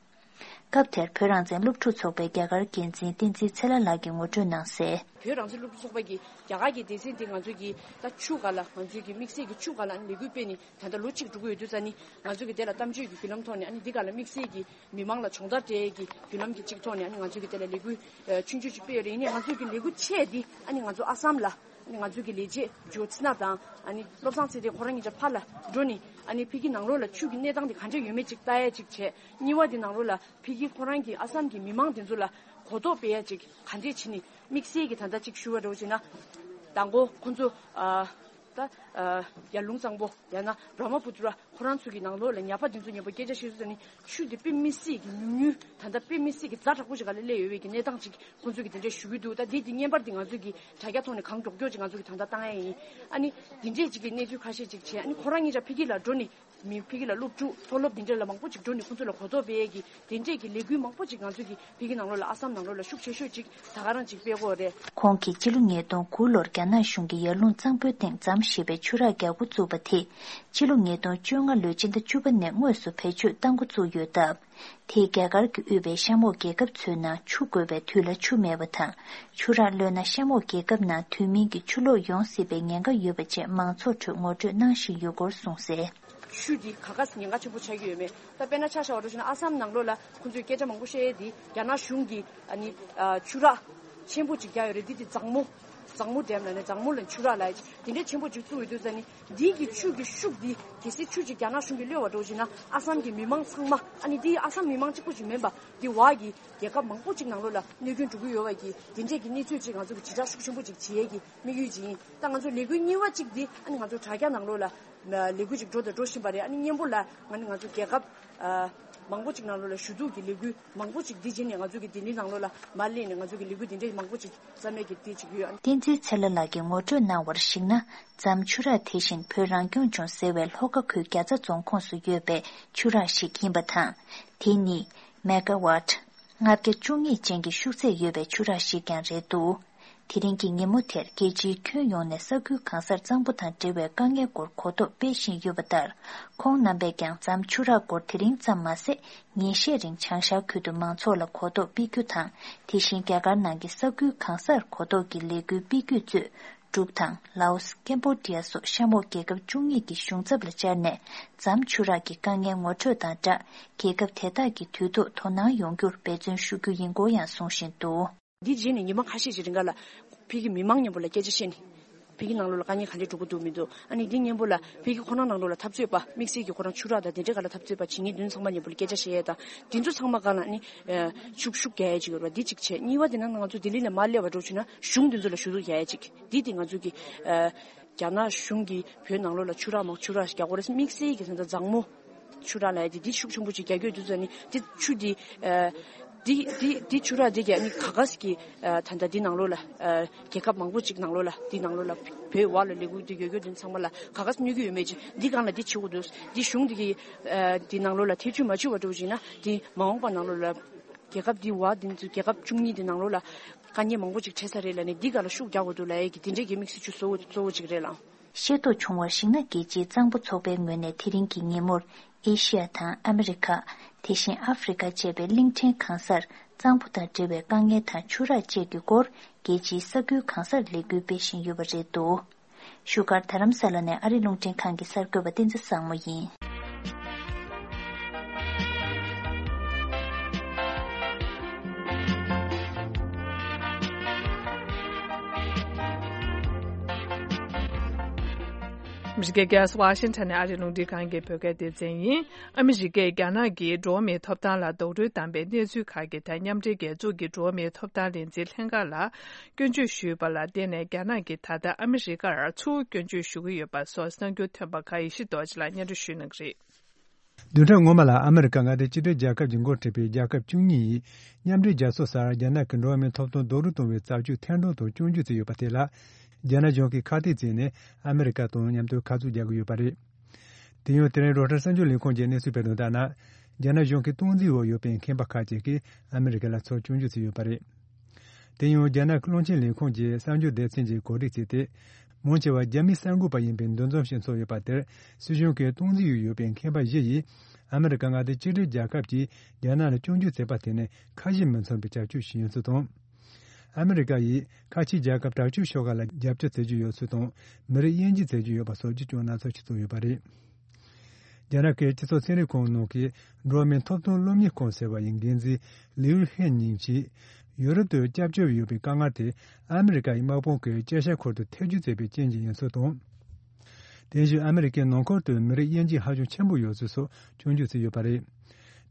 སྐབས་དེར་བོད་རང་བཙན་སློབ་ཕྲུག་ཚོགས་པའི་རྒྱ་གར་འགན་འཛིན་བསྟན་འཛིན་ཚེ་ལྷ་ལགས་ཀྱིས་ངོ་སྤྲོད་གནང་གསལ། བོད་རང་བཙན་སློབ་ཕྲུག་ཚོགས་པ་གིས་རྒྱ་གར་གྱི་སྡེ་ཚན་འདི་ང་ཚོ་གི་ད་ཆུ་སྒང་ལ་ང་ཚོའི་གི་དམིགས་བསལ་གྱི་ཆུ་སྒང་ལ་ལས་འགུལ་སྤེལ་ནས་ད་ལྟ་ལོ་གཅིག་འགྲོ་གི་ཡོད་དུས་ཙ་ནི་ང་ཚོ་གི་དེ་ལ་གཏམ་བརྗོད་ཀྱི་བརྒྱུད་ལམ་ཐོག་ནས་ཨ་ནི་འདི་སྒང་ལ་དམིགས་བསལ་གྱི་མི་མང་ལ་སྦྱོང་བརྡར་སྤྲད་ཀྱི་བརྒྱུད་ལམ་གྱི་གཅིག་ཐོག་ནས་ཨ་ནི་ང་ཚོ་གི་དེ་ལ་ལས་འགུལ་ཆུང་ཆུང་ཅིག་སྤེལ་ཡོད་རེད། ཡིན་ནའི་ང་ཚོ་གི་ལས་འགུལ་ཆེ་འདི་ཨ་ནི་ང་ཚོ་ཨ་སམ་ལ། ཨ་ནི་ང་ཚོའི་གི་ལས་བྱེད་ཇོ་ཚི་ན་དང་ཨ་ནི་བློ་བཟང་ཚེ་བརྟན་ཁོ་རང་གཉིས་ཆ་ཕར་ལ་འགྲོ་ནི་ཨ་ནི་ཕ་གི་ནང་ལོགས་ལ་ཆུ་གི་གནས་སྟངས་དེ་ག་འདྲ་ཡོད་མེད་ཅིག་ལྟ་ཡ་ཅིག་བྱས། གཉིས་པ་དེ་ནང་ལོགས་ལ་ཕ་གི་ཁོ་རང་གི་ཨ་སམ་གི་མི་མང་དེ་ཚོ་ལ་གོ་རྟོགས་སྤེལ་ཡ་ཅིག་ག་འདྲས་བྱས་ནི་དམིགས་བསལ་གི་ད་ལྟ་ཅིག་ཞུ་བ་འདྲ་བོ་བྱས་ན། མདང་དགོང་ཁོང་ཚོ་ཨ་ད་ཨ་ཡར་ཀླུང་གཙང་པོ་ཡང་ན་བྷྲ་མ་པུ་ཏྲ་ཁོ་རང་ཚོ་གི་ནང་ལོགས་ལ་ཉ་པ་དེ་ཚོ་མཉམ་པོ་སྐད་ཆ་བཤད་དུས་ཙ་ནི། ཆུ་དེ་དཔེ་མི་སྲིད་ཀྱི་ཉུང་ཉུང་ད་ལྟ་དཔེ་མི་སྲིད་ཀྱི་ཛ་དྲག་པོ་ཞིག་ག་ལ་སླེབས་ཡོད་པའི་གི་གནས་སྟངས་ཅིག་ཁོང་ཚོས་ཀྱི་དེ་འདྲས་ཞུ་གི་འདུག་ད་དེ་དེ་བརྙན་པར་དེ་ང་ཚོས་ཀྱི་དྲ་རྒྱ་ཐོག་ནས་གང་མགྱོགས་མགྱོགས་ཅིག་ང་ཚོས་ཀྱི་ད་ལྟ་བཏང་ཡ་ཡིན། ཨ་ནི་དེ་འདྲས་ཅིག་གི་གནས་ཚུལ་ཁ་ཤས་ཅིག་བྱས། ཨ་ནི་ཁོ་རང་གཉིས་ཆ་ཕ་གི་ལ་འགྲོ་ནས་མི་ཕ་གི་ལ་སློབ་ཕྲུག་མཐོ་སློབ་དེ་འདྲས་ལ་མང་པོ་ཅིག་འགྲོ་ནས་ཁོང་ཚོ་ལ་གོ་རྟོགས་སྤེལ་ཡས་ཀྱི་དེ་འདྲས་ཀྱི་ལས་འགུལ་མང་པོ་ཅིག་ང་ཚོས་ཀྱི་ཕ་གི་ནང་ལོགས་ལ་ཨ་སམ་ནང་ལོགས་ལ་ཤུགས་ཆེ་ཤོས་ཅིག་ད་ག་རང་ཅིག་སྤེལ་གོ་རེད། ཁོང་གིས་ཕྱི་ལོ་ཉིས་སྟོང་དགུ་ལོར་རྒྱ་ནག་གཞུང་གིས་ཡར་ཀླུང་གཙང་པོའི་སྟེང་ཛམ་ཞེས་པའི་ཆུ་རགས་རྒྱག་འགོ་བཙུགས་པ་དེ། ཕྱི་ལོ་ཉིས་སྟོང་བཅོ་ལྔ་ལོའི་ཕྱི་ཟླ་བཅུ་པ་ནས་དངོས་སུ་བེད་སྤྱོད་གཏང་འགོ་བཙུགས་ཡོད་སྟབས། དེས་རྒྱ་གར་གྱིས་དབུས་པའི་གཤམ་འོག་རྒྱལ་ཁབ་ཚོའི་ནང་ཆུ་དགོས་པའི་དུས་ལ་ཆུ་མེད་པ་དང་། ཆུ་རགས་གློད་ན་གཤམ་འོག་རྒྱལ་ཁབ་ནང་དུས་མིན་གྱི་ཆུ་ལོག་ཡོང་སྲིད་པའི་ཉེན་ཁ་ཡོད་པ་བཅས་མང་ཚོགས་ཁྲོད་ངོ་སྤྲོད་གནང་བཞིན་ཡོད་སྐོར་གསུངས་གསལ། ཆུ་འདི་ག་ག་ཉེན་ཁ་ཆེན་པོ་ཆགས་ཀྱི་ཡོད་མེད། ད་དཔེར་ན་ཆ་བཞག་པ་འདྲ་བྱས་ན་ཨ་སམ་ནང་ལོགས་ལ་ཁོང་ཚོས་སྐད་ཆ་མང་པོ་བཤད་ཡས་འདི་རྒྱ་ནག་གཞུང་གིས་ཨ་ནི་ཨ་ཆུ་རགས་ཆེན་པོ་ཅིག་རྒྱག་ཡོད་རེད། འདི་དེ་ཛང་མོ་ཛང་མོ་ཌེམ་ལབ་ནས་ཛང་མོ་ལ་ཆུ་རགས་ལབ་ཡས་དེ་འདྲའི་ཆེན་པོ་ཅིག་བཙུགས་ཡོད་དུས་ཙ་ནི། འདི་གི་ཆུ་གི་ཤུགས་འདི་གལ་སྲིད་ཆུ་ཅིག་རྒྱ་ནག་གཞུང་གིས་གློད་པ་འདྲ་བྱས་ན་ཨ་སམ་གི་མི་མང་ཚང་མ། ཨ་ནི་འདི་ཨ་སམ་མི་མང་གཅིག་པོ་ཅིག་མིན་པ་འདི་བར་གྱི་རྒྱལ་ཁབ་མང་པོ་ཅིག་ནང་ལོགས་ལ་གནོད་སྐྱོན་འགྲོ་གི་ཡོད་པ་གི་དེ་འདྲས་ཀྱི་གནས་ཚུལ་ཅིག་ང་ཚོ་གི་དྲིལ་བསྒྲགས་ཤུགས་ཆེན་པོ་ཅིག་བྱེད་ཡས་ཀྱི་དམིགས་ཡུལ་ཅིག་ཡིན། ད་ང་ཚོ་ལས་འགུལ་གཉིས་པ་ཅིག་འདི་ཨ་ནི་ང་ཚོ་དྲ་རྒྱ་ནང་ལོགས་ལ་ལས་འགུལ་ཅིག་འགྲོ་དང་འགྲོ་བཞིན་པ་རེད། ཨ་ནི་སྔོན་པོ་ལ་ང་ནི་ང་ཚོ་རྒྱལ་ཁབ་ཨ་མང་པོ་ཅིག་ནང་ལོགས་ལ་ཞུ་གཏུག་གི་ལས་འགུལ་མང་པོ་ཅིག་འདི་བྱས་ནས་ང་ཚོ་གི་ལྡི་ལི་ནང་ལོགས་ལ་མར་སླེབས་ནས་ང་ཚོ་གི་ལས་འགུལ་འདི་འདྲའི་མང་པོ་ཅིག་རྩ་མེད་ཀྱི་འདི་ཅིག་ཡོད། ཨ་ནི། བསྟན་འཛིན་ཚེ་ལྷ་ལགས་ཀྱིས་ངོ་སྤྲོད་གནང་བར་གཞིགས་ན། ཛམ་ཆུ་རགས་དེ་བཞིན་བོད་རང་སྐྱོང་ལྗོངས་ཟེར་བའི་ལྷོ་ཁ་ཁུལ་རྒྱ་ཚ་རྫོང་ཁོངས་སུ་ཡོད་པའི་ཆུ་རགས་ཤིག་ཡིན་པ་དང་། དེ་ནི་མེ་ག་ཝཊ་ལྔ་བརྒྱ་བཅུ་གཉིས་ཅན་གྱི་ཤུགས་ཚད་ཡོད་པའི་ཆུ་རགས་ཤིག་ཀྱང་རེད་འདུག་དེ་རིང་གི་ཉིན་མོ་དེར་རྒྱལ་སྤྱིའི་ཁྱོན་ཡོངས་ནས་ས་ཁུལ་གང་སར་གཙང་པོ་དང་འབྲེལ་བའི་དཀའ་ངལ་སྐོར་གོ་རྟོགས་སྤེལ་བཞིན་ཡོད་པ་ལྟར། ཁོང་རྣམ་པས་ཀྱང་ཛམ་ཆུ་རགས་སྐོར་དེ་རིང་ཙམ་མ་ཟད། ཉིན་ཤས་རིང་བྱང་ཤར་ཁུལ་དུ་མང་ཚོགས་ལ་གོ་རྟོགས་སྤེལ་རྒྱུ་དང་། དེ་བཞིན་རྒྱ་གར་ནང་གི་ས་ཁུལ་གང་སར་གོ་རྟོགས་ཀྱི་ལས་འགུལ་སྤེལ་རྒྱུ་གཙོས། འབྲུག་དང་། ལའོ་སི། ཀེམ་བོ་ཌི་ཡ་སོགས་གཤམ་འོག་རྒྱལ་ཁབ་བཅུ་གཉིས་ཀྱི་གཞུང་ཚབ་ལ་བཅར་ནས། ཛམ་ཆུ་རགས་ཀྱི་དཀའ་ངལ་ངོ་སྤྲོད་དང་སྦྲགས། རྒྱལ་ཁབ་དེ་དག་གིས་དུས་ཐོག་དོ་སྣང་ཡོང་རྒྱུར་འབད་བརྩོན་ཞུ་རྒྱུ་ཡིན་སྐོར་ཡང་གསུང་བཞིན་འདུག་འདི་རྗེས་ནས་ཉི་མ་ཁ་ཤས་ཀྱི་རིང་ག་ལ་ཕ་གི་མི་མང་མཉམ་པོ་ལ་སྐད་ཆ་བཤད་ནས། ཕ་གི་ནང་ལོགས་ལ་དཀའ་ངལ་ག་འདྲས་འགྲོ་གི་འདུག་མི་འདུག་ཨ་ནི་འདི་མཉམ་པོ་ལ་ཕ་གི་ཁོ་རང་ནང་ལོགས་ལ་འཐབ་རྩོད་པ་དམིགས་བསལ་གྱི་ཁོ་རང་ཆུ་རགས་དང་དེ་འདྲའི་སྒང་ལ་འཐབ་རྩོད་པ་བྱེད་མཁན་དེ་ཚོ་ཚང་མ་མཉམ་པོ་ལ་སྐད་ཆ་བཤད་ཡས་དང་། དེ་ཚོ་ཚང་མ་སྒང་ལ་ཨ་ནི་ཨ་ཤུགས་ཤུགས་རྒྱག་ཡས་ཅིག་ཡོད་རེད་པ། འདི་གཅིག་བྱས། གཉིས་པ་དེ་ན་ང་ཚོ་ལྡི་ལི་ལ་མར་སླེབས་པ་འདྲ་བྱུང་ན་གཞུང་དེ་ཚོ་ལ་ཞུ་གཏུག་རྒྱག་ཡས་ཅིག་འདི་དེ་ང་ཚོ་གི་ཨ་རྒྱ་ནག་གཞུང་གིས་བོད་ནང་ལོགས་ལ་ཆུ་རགས་མང་ཆུ་རགས་རྒྱག་གོ་རེད། དམིགས་བསལ་གྱི་ད་ལྟ་ཛང་མོ་ཆུ་རགས་ལབ་ཡ་དེ་འདི་ཤུགས་ཆེན་པོ་ཅིག་རྒྱག་རྒྱུ་ཡོད་དུས་ཙ་ནི་འདི་ཆུ་འདི་ཨ་འདི་འདི་འདི་ཆུ་རགས་འདི་གི་ཨ་ནི་ག་ག་ས་གི་ཨ་ད་ལྟ་འདི་ནང་ལོགས་ལ་ཨ་རྒྱལ་ཁབ་མང་པོ་ཅིག་ནང་ལོགས་ལ་འདི་ནང་ལོགས་ལ་བོད་བར་ལ་ལས་འགུལ་འདི་ཡོད་རྒྱུ་འདི་ཚང་མ་ལ་ག་ག་ས་གནོད་ཀྱི་ཡོད་མེད་ཅིག་འདི་སྒང་ལ་འདི་བྱེད་དགོས་འདུག་འདི་གཞུང་འདི་གི་ཨ་འདི་ནང་ལོགས་ལ་ཐེ་བྱུས་མ་བྱུས་པ་འགྲོ་བཞིན་ན་འདི་མ་འོངས་པ་ནང་ལོགས་ལ་རྒྱལ་ཁབ་འདི་བར་འདི་ཚོ་རྒྱལ་ཁབ་བཅུ་གཉིས་འདི་ནང་ལོགས་ལ་དཀའ་ངལ་མང་པོ་ཅིག་འཕྲད་ས་རེད་ལབ་ནས་འདི་སྒང་ལ་ཤུགས་རྒྱག་དགོས་འདུག་ལབ་ཡས་ཀྱི་འདི་འདྲས་ཀྱི་དམིགས་བསལ་ཆུ་གཙོ་བོ་གཙོ་བོ་ཅིག་རེད་ལགས། ཤེས་རྟོགས་བྱུང་བར་གཞིགས་ན། རྒྱལ་སྤྱིའི་གཙང་པོ་ཚོགས་པའི་ངོས་ནས་དེ་རིང་གི་ཉིན་མོར་ཨེ་ཤི་ཡ་དང་ཨ་མི་རི་ཀ། དེ་བཞིན་ཨ་ཧྥེ་རི་ཀ་བཅས་པའི་གླིང་ཕྲན་གང་སར་གཙང་པོ་དང་འབྲེལ་བའི་དཀའ་ངལ་དང་ཆུ་རགས་བཅས་ཀྱི་སྐོར་རྒྱལ་སྤྱིའི་ས་ཁུལ་གང་སར་ལས་འགུལ་སྤེལ་བཞིན་ཡོད་པ་རེད་འདུག་བཞུགས་སྒར་རྡ་རམ་ས་ལ་ནས་ཨ་རི་རླུང་འཕྲིན་ཁང་གི་གསར་འགོད་པ་བསྟན་འཛིན་བཟང་མོ་ཡིན། ཨ་མི་རི་ཀའི་རྒྱལ་ས་ཝ་ཤིང་ཊོན་ནས་ཨ་རིའི་རླུང་འཕྲིན་ཁང་གི་བོད་སྐད་སྡེ་ཚན་ཡིན། ཨ་མི་རི་ཀས་རྒྱ་ནག་གིས་འགྲོ་བ་མིའི་ཐོབ་ཐང་ལ་རྡོག་རོལ་བཏང་པའི་གནས་ཚུལ་ཁག་གི་ཐད་མཉམ་འབྲེལ་རྒྱལ་ཚོགས་ཀྱི་འགྲོ་བ་མིའི་ཐོབ་ཐང་ལས་འཛིན་ལྷན་ཁང་ལ་སྐྱོན་བརྗོད་ཞུས་པ་ལ་བརྟེན་ནས། རྒྱ་ནག་གིས་ད་ལྟ་ཨ་མི་རི་ཀར་ཚུར་སྐྱོན་བརྗོད་ཞུ་གི་ཡོད་པ་སོགས་གསར་འགྱུར་ཐོན་པ་ཁག་ཡེ་ཤེས་རྡོ་རྗེ་ལགས་སྙན་སྒྲོན་ཞུ་གནང་གི་རེད། བདུན་ཕྲག་སྔོན་མ་ལ་ཨ་མི་རི་ཀ་མངའ་སྡེ་གཅིག་སྒྲིལ་རྒྱལ་ཁབ་ཀྱིས་འགོ་ཁྲིད་པའི་རྒྱལ་ཁབ་བཅུ་གཉིས་ཡིས་མཉམ་འབྲེལ་རྒྱལ་ཚོགས་སར་རྒྱ་ནག་གི་འགྲོ་བ་མིའི་ཐོབ་ཐང་རྡོག་རོལ་གཏོང་བའི་བྱ་སྤྱོད་ཐེར་འདོན་དང་སྐྱོན་བརྗོད་བྱས་ཡོད་པ་དེ་ལ། རྒྱ་ནག་གཞུང་གིས་ཁ་གཏད་བྱས་ནས་ཨ་མི་རི་ཀ་དང་མཉམ་དུ་ཁ་མཆུ་རྒྱག་གི་ཡོད་པ་རེད། དེ་ཡང་དེ་རིང་རོའི་ཊར་གསར་འགྱུར་ལས་ཁང་གིས་གནས་ཚུལ་སྤེལ་དོན་ལྟར་ན། རྒྱ་ནག་གཞུང་གི་སྟངས་འཛིན་འོག་ཡོད་པའི་མཁས་པ་ཁག་ཅིག་གིས་ཨ་མི་རི་ཀ་ལ་ཚུར་སྐྱོན་བརྗོད་བྱས་ཡོད་པ་རེད། དེ་ཡང་རྒྱ་ནག་གི་རླུང་འཕྲིན་ལས་ཁང་གི་གསར་འགྱུར་སྡེ་ཚན་གྱིས་གོ་སྒྲིག་བྱས་ཏེ། མང་ཆེ་བ་རྒྱ་མིའི་གསར་འགོད་པ་ཡིན་པའི་འདུ་འཛོམས་ཤིག་ཚོགས་ཡོད་པ་དེར། སྲིད་གཞུང་གི་སྟངས་འཛིན་འོག་ཡོད་པའི་མཁས་པ་བཞི་ཡིས། ཨ་མི་རི་ཀ་མངའ་སྡེ་གཅིག་སྒྲིལ་རྒྱལ་ཁབ་ཀྱིས་རྒྱ་ནག་ལ་སྐྱོན་བརྗོད་བྱས་པ་དེ་ནི་ཁ་ཞེ་མི་མཚུངས་པའི་བྱ་སྤྱོད་ཞིག་ཡིན་ཚུལ་དང་། ཨ་མི་རི་ཀ་ཡིས་ཁ་ཆེའི་རྒྱལ་ཁབ་དྲག་སྤྱོད་ཤོག་ཁག་ལ་རྒྱབ་སྐྱོར་བྱེད་ཀྱི་ཡོད་ཚུལ་དང་། མི་རིགས་དབྱེ་འབྱེད་བྱེད་ཀྱི་ཡོད་པ་སོགས་ཀྱི་སྐྱོན་སྣ་ཚོགས་ཤིག་བཙུགས་ཡོད་པ་རེད། རྒྱ་ནག་གི་སྤྱི་ཚོགས་ཚན་རིག་ཁང་ནང་གི་འགྲོ་བ་མིའི་ཐོབ་ཐང་སློབ་གཉེར་ཁང་ཟེར་བ་ཡི་འགན་འཛིན་ལིའུ་ཧེ་ཉིང་གིས། ཡུ་རོབ་ཏུ་སྐྱབས་བཅོལ་བ་ཡོད་པའི་དཀའ་ངལ་དེ་ཨ་མི་རི་ཀ་ཡི་དམག་དཔུང་གིས་དཔྱད་ཞིབ་ཁུལ་དུ་ཐེ་བྱུས་བྱས་པའི་རྐྱེན་གྱིས་ཡིན་ཚུལ་དང་། དེ་བཞིན་ཨ་མི་རི་ཀའི་ནང་ཁུལ་དུ་མི་རིགས་དབྱེ་འབྱེད་ཧ་ཅང་ཆེན་པོ་ཡོད་ཚུལ་སོགས་སྐྱོན་བརྗོད་བྱས་ཡོད་པ་རེད།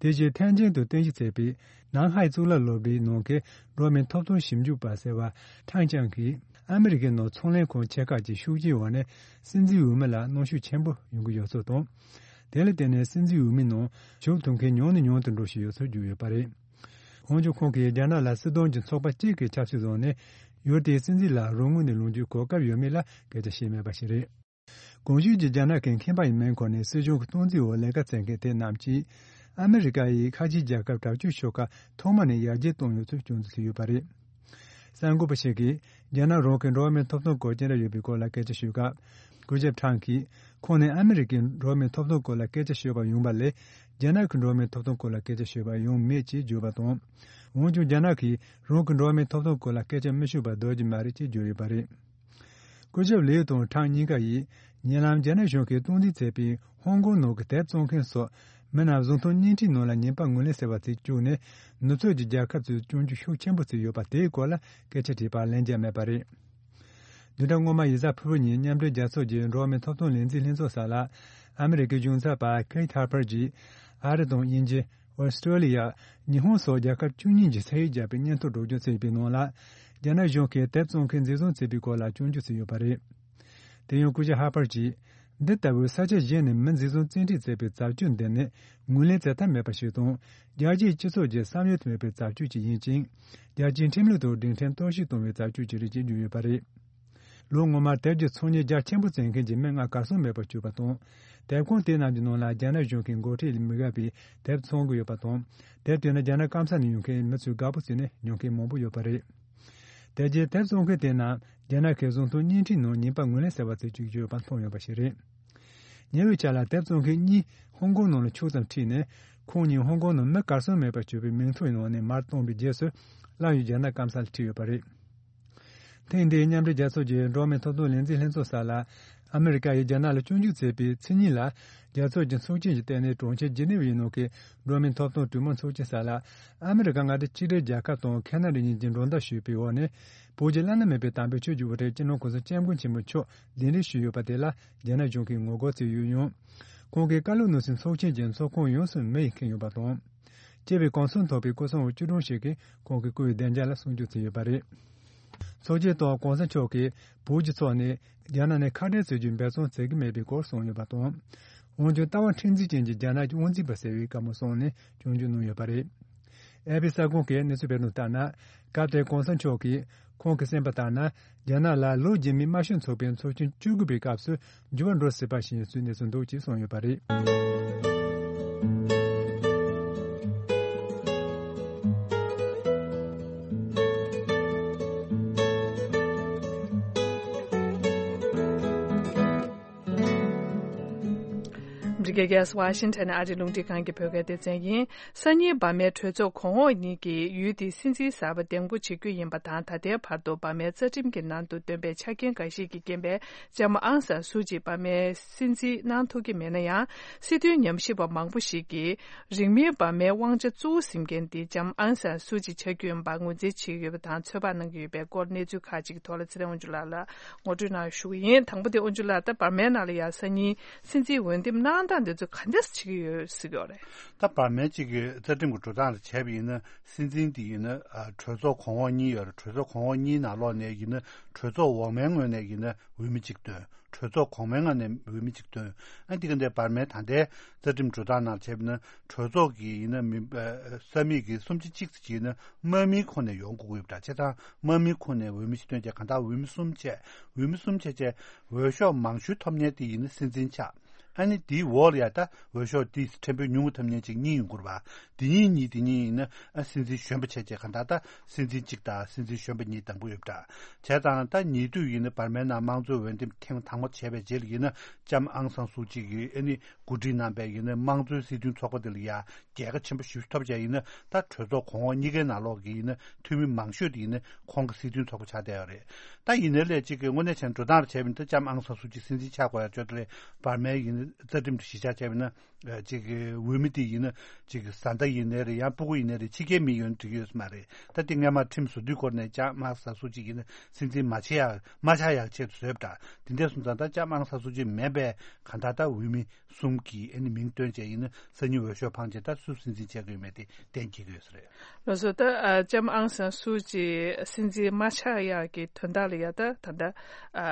དེ་བཞིན་ཐེན་ཅིན་དུ་རྟེན་གཞི་བྱས་པའི་ནན་ཧའེ་གཙུག་ལག་སློབ་གྲྭའི་ནང་གི་འགྲོ་བ་མིའི་ཐོབ་ཐང་ཞིབ་འཇུག་པ་ཟེར་བ་ཁྲང་ཅང་གིས། ཨ་མི་རི་ཀའི་ནང་ཚོང་ལས་ཁང་ཆེ་ཁག་ཅིག་ཤུགས་རྐྱེན་འོག་ནས་སྲིད་འཛིན་འོས་མི་ལ་གནོན་ཤུགས་ཆེན་པོ་ཡོང་གི་ཡོད་ཚུལ་དང་། དེ་ལ་བརྟེན་ནས་སྲིད་འཛིན་འོས་མིའི་ནང་ཞུགས་ཐུབ་མཁན་ཉུང་ནས་ཉུང་དུ་འགྲོ་བཞིན་ཡོད་ཚུལ་བརྗོད་ཡོད་པ་རེད། འོན་ཀྱང་ཁོང་གིས་རྒྱ་ནག་ལ་སྲིད་དོན་གྱི་ཚོགས་པ་གཅིག་གིས་ཆབ་སྲིད་བཟུང་ནས་ཡུལ་དེའི་སྲིད་འཛིན་ལ་རང་ངོས་ནས་ལངས་རྒྱུའི་གོ་སྐབས་ཡོད་མེད་ལ་སྐད་ཆ་བཤད་མེད་པ་ཞིག་རེད། གོང་ཞུས་ཀྱི་རྒྱ་ནག་གི་མཁས་པ་ཡི་མིང་འཁོད་ནས་སྲིད་གཞུང་གི་སྟངས་འཛིན་འོག་ལས་ཀ་བྱེད་མཁན་དེ་རྣམས་ཀྱིས། ཨ་མི་རི་ཀ་ཡིས་ཁ་ཆེའི་རྒྱལ་ཁབ་དྲག་སྤྱོད་ཤོག་ཁག་ཐོག་མ་ནས་ཡར་རྒྱས་བཏང་ཡོད་ཚུལ་སྐྱོན་འཛུགས་བྱས་ཡོད་པ་རེད། གསར་འགོད་པ་ཞིག་གིས་རྒྱ་ནག་རང་གི་འགྲོ་བ་མིའི་ཐོབ་ཐང་སྐོར་ཅི་འདྲ་ཡོད་པའི་སྐོར་ལ་སྐད་ཆ་ཞུས་སྐབས། སྐུ་ཞབས་ཁྲང་གིས། ཁོང་ནི་ཨ་མི་རི་ཀའི་འགྲོ་བ་མིའི་ཐོབ་ཐང་སྐོར་ལ་སྐད་ཆ་ཤོད་པར་ཡོང་བ་ལས། རྒྱ་ནག་གི་འགྲོ་བ་མིའི་ཐོབ་ཐང་སྐོར་ལ་སྐད་ཆ་ཤོད་པར་ཡོང་མེད་ཅེས་བརྗོད་པ་དང་། འོན་ཀྱང་རྒྱ་ནག་གིས་རང་གི་འགྲོ་བ་མིའི་ཐོབ་ཐང་སྐོར་ལ་སྐད་ཆ་མི་ཤོད་པར་སྡོད་ཀྱི་མ་རེད་ཅེས་བརྗོད་ཡོད་པ་རེད། སྐུ་ཞབས་ལིའུ་དང་ཁྲང་གཉིས་ཀ་ཡིས། ཉེ་ལམ་རྒྱ་ནག་གཞུང་གིས་སྟངས་འཛིན་བྱས་པའི་ཧོང་ཀོང་ནང་གི་དེབ་བཙོང་མཁན་སོགས་མི་རྣམས་གཟེངས་རྟགས་བརྙན་འཕྲིན་ནང་ལ་ཉེས་པ་ངོས་ལེན་ཟེར་བ་དེ་བཅུག་ནས། ནུབ་ཕྱོགས་ཀྱི་རྒྱལ་ཁབ་ཚོས་སྐྱོན་བརྗོད་ཤུགས་ཆེན་པོ་བྱས་ཡོད་པ་དེའི་སྐོར་ལ་སྐད་ཆ་དྲིས་པར་ལན་རྒྱག་མེད་པ་རེད། བདུན་ཕྲག་སྔོན་མ་ཡིག་གཟའ་ཕུར་བུ་ཉིན་མཉམ་འབྲེལ་རྒྱལ་ཚོགས་ཀྱི་འགྲོ་བ་མིའི་ཐོབ་ཐང་ལས་འཛིན་ལྷན་ཚོགས་སར་ལ། ཨ་མི་རི་ཀའི་གཞུང་ཚབ་པ་ཁེ་ཐི་ཧར་པར་གྱིས། ཨ་རི་དང་དབྱིན་ཇི། ཨོ་སི་ཀྲོ་ལི་ཡ། ཉི་ཧོང་སོགས་རྒྱལ་ཁབ་བཅུ་གཉིས་ཀྱི་ཚད་ཡིག་བརྒྱབ་པའི་སྙན་ཐོ་སྒྲོག་སྦྱང་བྱས་པའི་ནང་ལ། རྒྱ་ནག་གཞུང་གིས་དེབ་བཙོང་མཁན་འཛིན་བཟུང་བྱས་པའི་སྐོར་ལ་སྐྱོན་བརྗོད་བྱས་ཡོད་པ་རེད། དེ་ཡང་སྐུ་ཞབས་ཧར་པར་གྱིས། འདི་ལྟ་བུའི་ས་ཆ་གཞན་ནས་མི་འཛིན་བཟུང་བཙན་ཁྲིད་བྱས་པའི་བྱ་སྤྱོད་འདི་ནི་ངོས་ལེན་བྱེད་ཐབས་མེད་པ་ཞིག་དང་། རྒྱལ་སྤྱིའི་སྤྱི་ཚོགས་ཀྱི་བསམ་ཡུལ་དུ་མེད་པའི་བྱ་སྤྱོད་ཅིག་ཡིན་ཅིང་། རྒྱལ་སྤྱིའི་ཁྲིམས་ལུགས་དང་སྒྲིག་ཁྲིམས་གཏོར་བཤིག་གཏོང་བའི་བྱ་སྤྱོད་ཅིག་རེད་ཅེས་བརྗོད་ཡོད་པ་རེད། ལོ་སྔོན་མར་དེབ་ཀྱི་ཚོང་གཉེར་རྒྱ་ཆེན་པོ་བྱེད་མཁན་གྱི་མི་ལྔ་གར་སོང་མེད་པར་གྱུར་པ་དང་། དེབ་ཁང་དེ་རྣམས་ཀྱི་ནང་ལ་རྒྱ་ནག་གཞུང་གི་འགོ་ཁྲིད་ལས་མི་དགའ་བའི་དེབ་འཚོང་གི་ཡོད་པ་དང་། དེབ་དེ་ནི་རྒྱ་ནག་སྐམ་ས་ནས་ཡོང་མཁན་མི་ཚོས་དགའ་པོ་བྱས་ནས་ཉོ་མཁན་མང་པོ་ཡོད་པ་རེད། དེ་རྗེས་དེབ་བཙོང་མཁན་དེ་རྣམས་རྒྱ་ནག་གི་གཟེངས་རྟགས་བརྙན་འཕྲིན་ནང་ཉེས་པ་ངོས་ལེན་ཟེར་བ་དེ་བཅུག་རྒྱུ་ཡོད་པ་མཐོང་ཡོད་པ་ཞིག་རེད། ཉེ་བའི་ཆར་ལ་དེབ་བཙོང་མཁན་གཉིས་ཧོང་ཀོང་ནང་ལ་ཕྱོགས་ཙམ་ཁྲིད་ནས། ཁོང་གཉིས་ཧོང་ཀོང་ནང་མི་གར་སོང་མེད་པར་གྱུར་པའི་མིང་ཐོའི་ནང་ནས་མར་བཏོན་པའི་རྗེས་སུ། སླར་ཡང་རྒྱ་ནག་སྐམ་ས་ལ་ཁྲིད་ཡོད་པ་རེད། ཐེངས་འདིའི་མཉམ་འབྲེལ་རྒྱལ་ཚོགས་ཀྱི་འགྲོ་བ་མིའི་ཐོབ་ཐང་ལས་འཛིན་ལྷན་ཚོགས་སར་ལ། ཨ་མི་རི་ཀ་ཡིས་རྒྱ་ནག་ལ་སྐྱོན་བརྗོད་བྱས་པའི་ཚེས་གཉིས་ལ། རྒྱལ་ཚོགས་ཀྱི་ཚོགས་ཆེན་གྱི་སྟེང་ནས་གྲོང་ཁྱེར་ཇི་ནི་ཝའི་ནང་གི་འགྲོ་བ་མིའི་ཐོབ་ཐང་གྲོས་མོལ་ཚོགས་ཆེན་སར་ལ། ཨ་མི་རི་ཀ་མངའ་སྡེ་གཅིག་སྒྲིལ་རྒྱལ་ཁབ་དང་ཁེ་ན་ཌ་གཉིས་ཀྱིས་མགྲོན་བརྡ་ཞུས་པའི་འོག་ནས། བོད་ཀྱི་བླ་ན་མེད་པའི་དམ་པའི་ཆོས་ཀྱི་དབུ་ཁྲིད་སྤྱི་ནོར་གོང་ས་སྐྱབས་མགོན་ཆེན་པོ་མཆོག་གདན་འདྲེན་ཞུས་ཡོད་པ་དེ་ལ་རྒྱ་ནག་གཞུང་གིས་ངོ་རྒོལ་བྱས་ཡོད་ཡང་། ཁོང་གིས་བཀའ་སློབ་གནང་སའི་ཚོགས་ཆེན་གྱི་ཚོགས་ཁང་ཡོངས་སུ་མེ་ཡིས་ཁེངས་ཡོད་པ་དང་། སྐྱེས་པའི་གོ་མཚོན་ཐོགས་པའི་སྐུ་སྲུང་བ་བཅུ་གྲངས་ཤིག་གིས་ཁོང་གི་སྐུའི་བདེ་འཇགས་ལ་སྲུང་སྐྱོབ་བྱས་ཡོད་པ་རེད། ཚོགས་ཆེན་ཐོག་གོང་ས་མཆོག་གིས་བོད་ཀྱི་ཕྱོགས་ནས་རྒྱ་ནག་ནས་ཁ་བྲལ་བྱེད་རྒྱུའི་འབད་བརྩོན་བྱེད་ཀྱི་མེད་པའི་སྐོར་གསུངས་ཡོད་པ་དང་། འོན་ཀྱང་ལྟ་བ་མཁྲེགས་འཛིན་ཅན་གྱི་རྒྱ་ནག་གི་དབང་འཛིན་པ་ཟེར་བའི་བཀའ་མོལ་གསུངས་ནས་སྐྱོན་བརྗོད་གནང་ཡོད་པ་རེད། ཨེ་པི་གསར་ཁང་གིས་གནས་ཚུལ་སྤེལ་དོན་ལྟར་ན། སྐབས་དེར་གོང་ས་མཆོག་གིས་ཁོང་གིས་གསུངས་པ་ལྟར་ན། རྒྱ་ནག་ལ་ལོ་རྗེས་མའི་དམར་ཤོག་ཚོགས་པའི་ཚོགས་ཆེན་བཅུ་དགུ་པའི་སྐབས་སུ་འགྱུར་བ་འགྲོ་སྲིད་པ་ཞིག་ཡིན་ཚུལ་གནས་ཚུལ་འདུག་ཅེས་གསུངས་ཡོད་པ་རེད། ཨ་མི་རི་ཀའི་རྒྱལ་ས་ཝ་ཤིང་ཊོན་ནས་ཨ་རིའི་རླུང་འཕྲིན་ཁང་གི་བོད་སྐད་སྡེ་ཚན་ཡིན། སང་ཉིན་འབར་མའི་གྲོས་ཚོགས་གོང་འོག་གཉིས་ཀྱིས་ཡུལ་དེའི་སྲིད་འཛིན་གསར་པ་འདེམས་བསྐོ་བྱེད་རྒྱུ་ཡིན་པ་དང་། ད་ལྟའི་བར་དུ་འབར་མའི་རྩ་ཁྲིམས་ཀྱི་ནང་དུ་བཏོན་པའི་ཆ་རྐྱེན་འགའ་ཞིག་གིས་རྐྱེན་པས་ལྕམ་ཨང་སང་སུའུ་ཅི་འབར་མའི་སྲིད་འཛིན་གནང་ཐུབ་ཀྱི་མེད་ན་ཡང་། སྲིད་དོན་ཉམས་ཞིབ་པ་མང་པོ་ཞིག་གིས་རིང་མིན་འབར་མའི་དབང་ཆ་གཙོ་བོ་ཟིན་མཁན་དེ་ལྕམ་ཨང་སང་སུའུ་ཅི་ཆགས་རྒྱུ་ཡིན་པ་ངོས་འཛིན་བྱེད་ཀྱི་ཡོད་པ་དང་། ཚོད་དཔག་གནང་གི་ཡོད་པའི་སྐོར་གནས་ཚུལ་ཁག་ཅིག་གི་ཐོག་ལ་ཚེ་རིང་དབང་ཕྱུག་ལགས་ལ་ངོ་སྤྲོད་གནང་ཞུ་གི་ཡིན། དང་པོ་དེ་དབང་ཕྱུག་ལགས། ད་འབར་མའི་ནང་ལ་ཡང་སང་ཉིན་སྲིད་འཛིན་འོས་འདེམས་གནང་སྟངས་འདི་ཚོ་ག་འདྲས་བྱེད་ཀྱི་ཡོད་ཟེར་གྱི་ཡོད་རེད། ད་འབར་མའི་གཅིག་གི་རྩ་ཁྲིམས་ཀྱི་འགྲོ་སྟངས་ལ་བྱས་པ་ཡིན་ན། སྲིད་འཛིན་དེ་ཡིན་ན་ཨ་གྲོས་ཚོགས་གོང་འོག་གཉིས་ཡོད་རེད། གྲོས་ཚོགས་གོང་འོག་གཉིས་ནང་ལོགས་ནས་ཡིན་ན་གྲོས་ཚོགས་འོག་མའི་ངོས་ནས་ཡིན་ན་འོས་མི་གཅིག་བཏོན། གྲོས་ཚོགས་གོང་མའི་ངོས་ནས་འོས་མི་གཅིག་བཏོན། ཨ་འདི་ག་འདྲའི་འབར་མའི་ད་ལྟའི་རྩ་ཁྲིམས་འགྲོ་སྟངས་ནང་བྱས་པ་ཡིན་ན། གྲོས་ཚོགས་ཀྱི་ཡིན་ན་མི་ས་མིག་གི་སུམ་ཆ་གཅིག་ཙམ་ཡིན་ན་དམག་མིའི་ཁོངས་ནས་ཡོང་དགོས་ཀྱི་ཡོད་པ་འདྲ། བྱས་ཙང་དམག་མིའི་ཁོངས་ནས་འོས་མི་ཞིག་བཏོན་བྱས། གང་ལྟར་འོས་མི་གསུམ་བྱས། འོས་མི་གསུམ་བྱས་བྱས་འོས་ཤོག་མང་ཤོས་ཐོབ་མཁན་དེ་ཡིན་ན་སྲིད་འཛིན་ཆགས། ཨ་ནི་དེའི་འོག་ལ་ཡ་ད་འོས་ཤོག་དེ་ཕྲན་བུ་ཉུང་ངུ་ཐོབ་མཁན་ཅིག་གཉིས་ཡོང་གི་རེད་པ། དེ་གཉིས་གཉིས་དེ་གཉིས་ཡིན་ན་ཨ་སྲིད་འཛིན་གཞོན་པ་བྱས་བྱས། གང་ལྟར་ད་སྲིད་འཛིན་གཅིག་དང་སྲིད་འཛིན་གཞོན་པ་གཉིས་དང་པོ་ཡོད་པ་འདྲ། བྱས་ཙང་ད་ཉེ་དུས་ཡིན་ན་འབར་མའི་ནང་དམངས་གཙོའི་འོས་འདེམས་ཐེངས་དང་པོ་བྱས་པའི་རྗེས་ལ་ཡིན་ན་ལྕམ་ཨང་སང་སུའུ་ཅི་གིས་ཨ་ནི་གོ་སྒྲིག་གནང་པའི་ཡིན་ན་དམངས་གཙོའི་སྲིད་དོན་ཚོགས་པ་དེ་ལ་ཡ་རྒྱལ་ཁ་ཆེན་པོ་ཞེ་པོ་ཐོབ་བྱས། ཡིན་ན་ད་གྲོས་ཚོགས་གོང་འོག་གཉིས་ཀའི་ནང་ལོགས་ཀྱི་ཡིན་ན་འཐུས་མི་མང་ཤོས་དེ་ཡིན་ན་ཁོང་གི་སྲིད་དོན་ཚོགས་པ་ཆགས་བསྡད་ཡོད་རེད། ད་ཡིན་ནའི་ལས་གཅིག་གི་དངོས་གནས་བྱས་ན་འགྲོ་སྟངས་ལ་བྱས་པ་ཡིན་ན། ད་ལྕམ་ཨང་སང་སུའུ་ཅི་སྲིད་འཛིན་ཆགས་དགོས་ཡ་ཅོ་དེ་ལས་འབར་མའི་ཡིན་ན་རྩ་ཁྲིམས་དེ་གཞི་བཞག་བྱས་པ་ཡིན་ན། ཨ་གཅིག་གི་འོས་མི་དེ་ཡིན་ན་གཅིག་གི་བཟའ་ཟླ་ཡིན་ནའི་རེད། ཡང་སྤུ་གུ་ཡིན་ནའི་རེད། ཕྱི་རྒྱལ་མི་ཡོད་ན་འགྲིག་གི་ཡོད་ས་མ་རེད། ད་དེ་སྔས་མ་ཁྲིམས་བཟོ་དུས་སྐོར་ནས་ལྕམ་ཨང་སང་སུའུ་ཅི་ཡིན་ན་སྲིད་འཛིན་མ་བྱེད་ཡ་མ་ཆགས་ཡ་ཆེད་དུ་བཟོས་པ་འདྲ། དེ་འདྲ་སོང་ཙང་ད་ལྕམ་ཨང་སང་སུའུ་ཅི་མེད་པའི་གང་ལྟར་ད་འོས་མི་གསུམ་གྱི་ཨ་ནི་མིང་བཏོན་བྱས། ཡིན་ན་སང་ཉིན་འོས་ཤོག་འཕངས་བྱས་ད་སུ་སྲིད་འཛིན་བྱེད་དགོས་མེད་དེ་གཏན་འཁེལ་གྱི་ཡོད་ས་རེད། ལགས་སོ། ད་ཨ་ལྕམ་ཨང་སང་སུའུ་ཅི་སྲིད་འཛིན་མ་ཆགས་ཡག་གི་དོན་དག་ལ་ཡ་ད་ད་ལྟ་ཨ་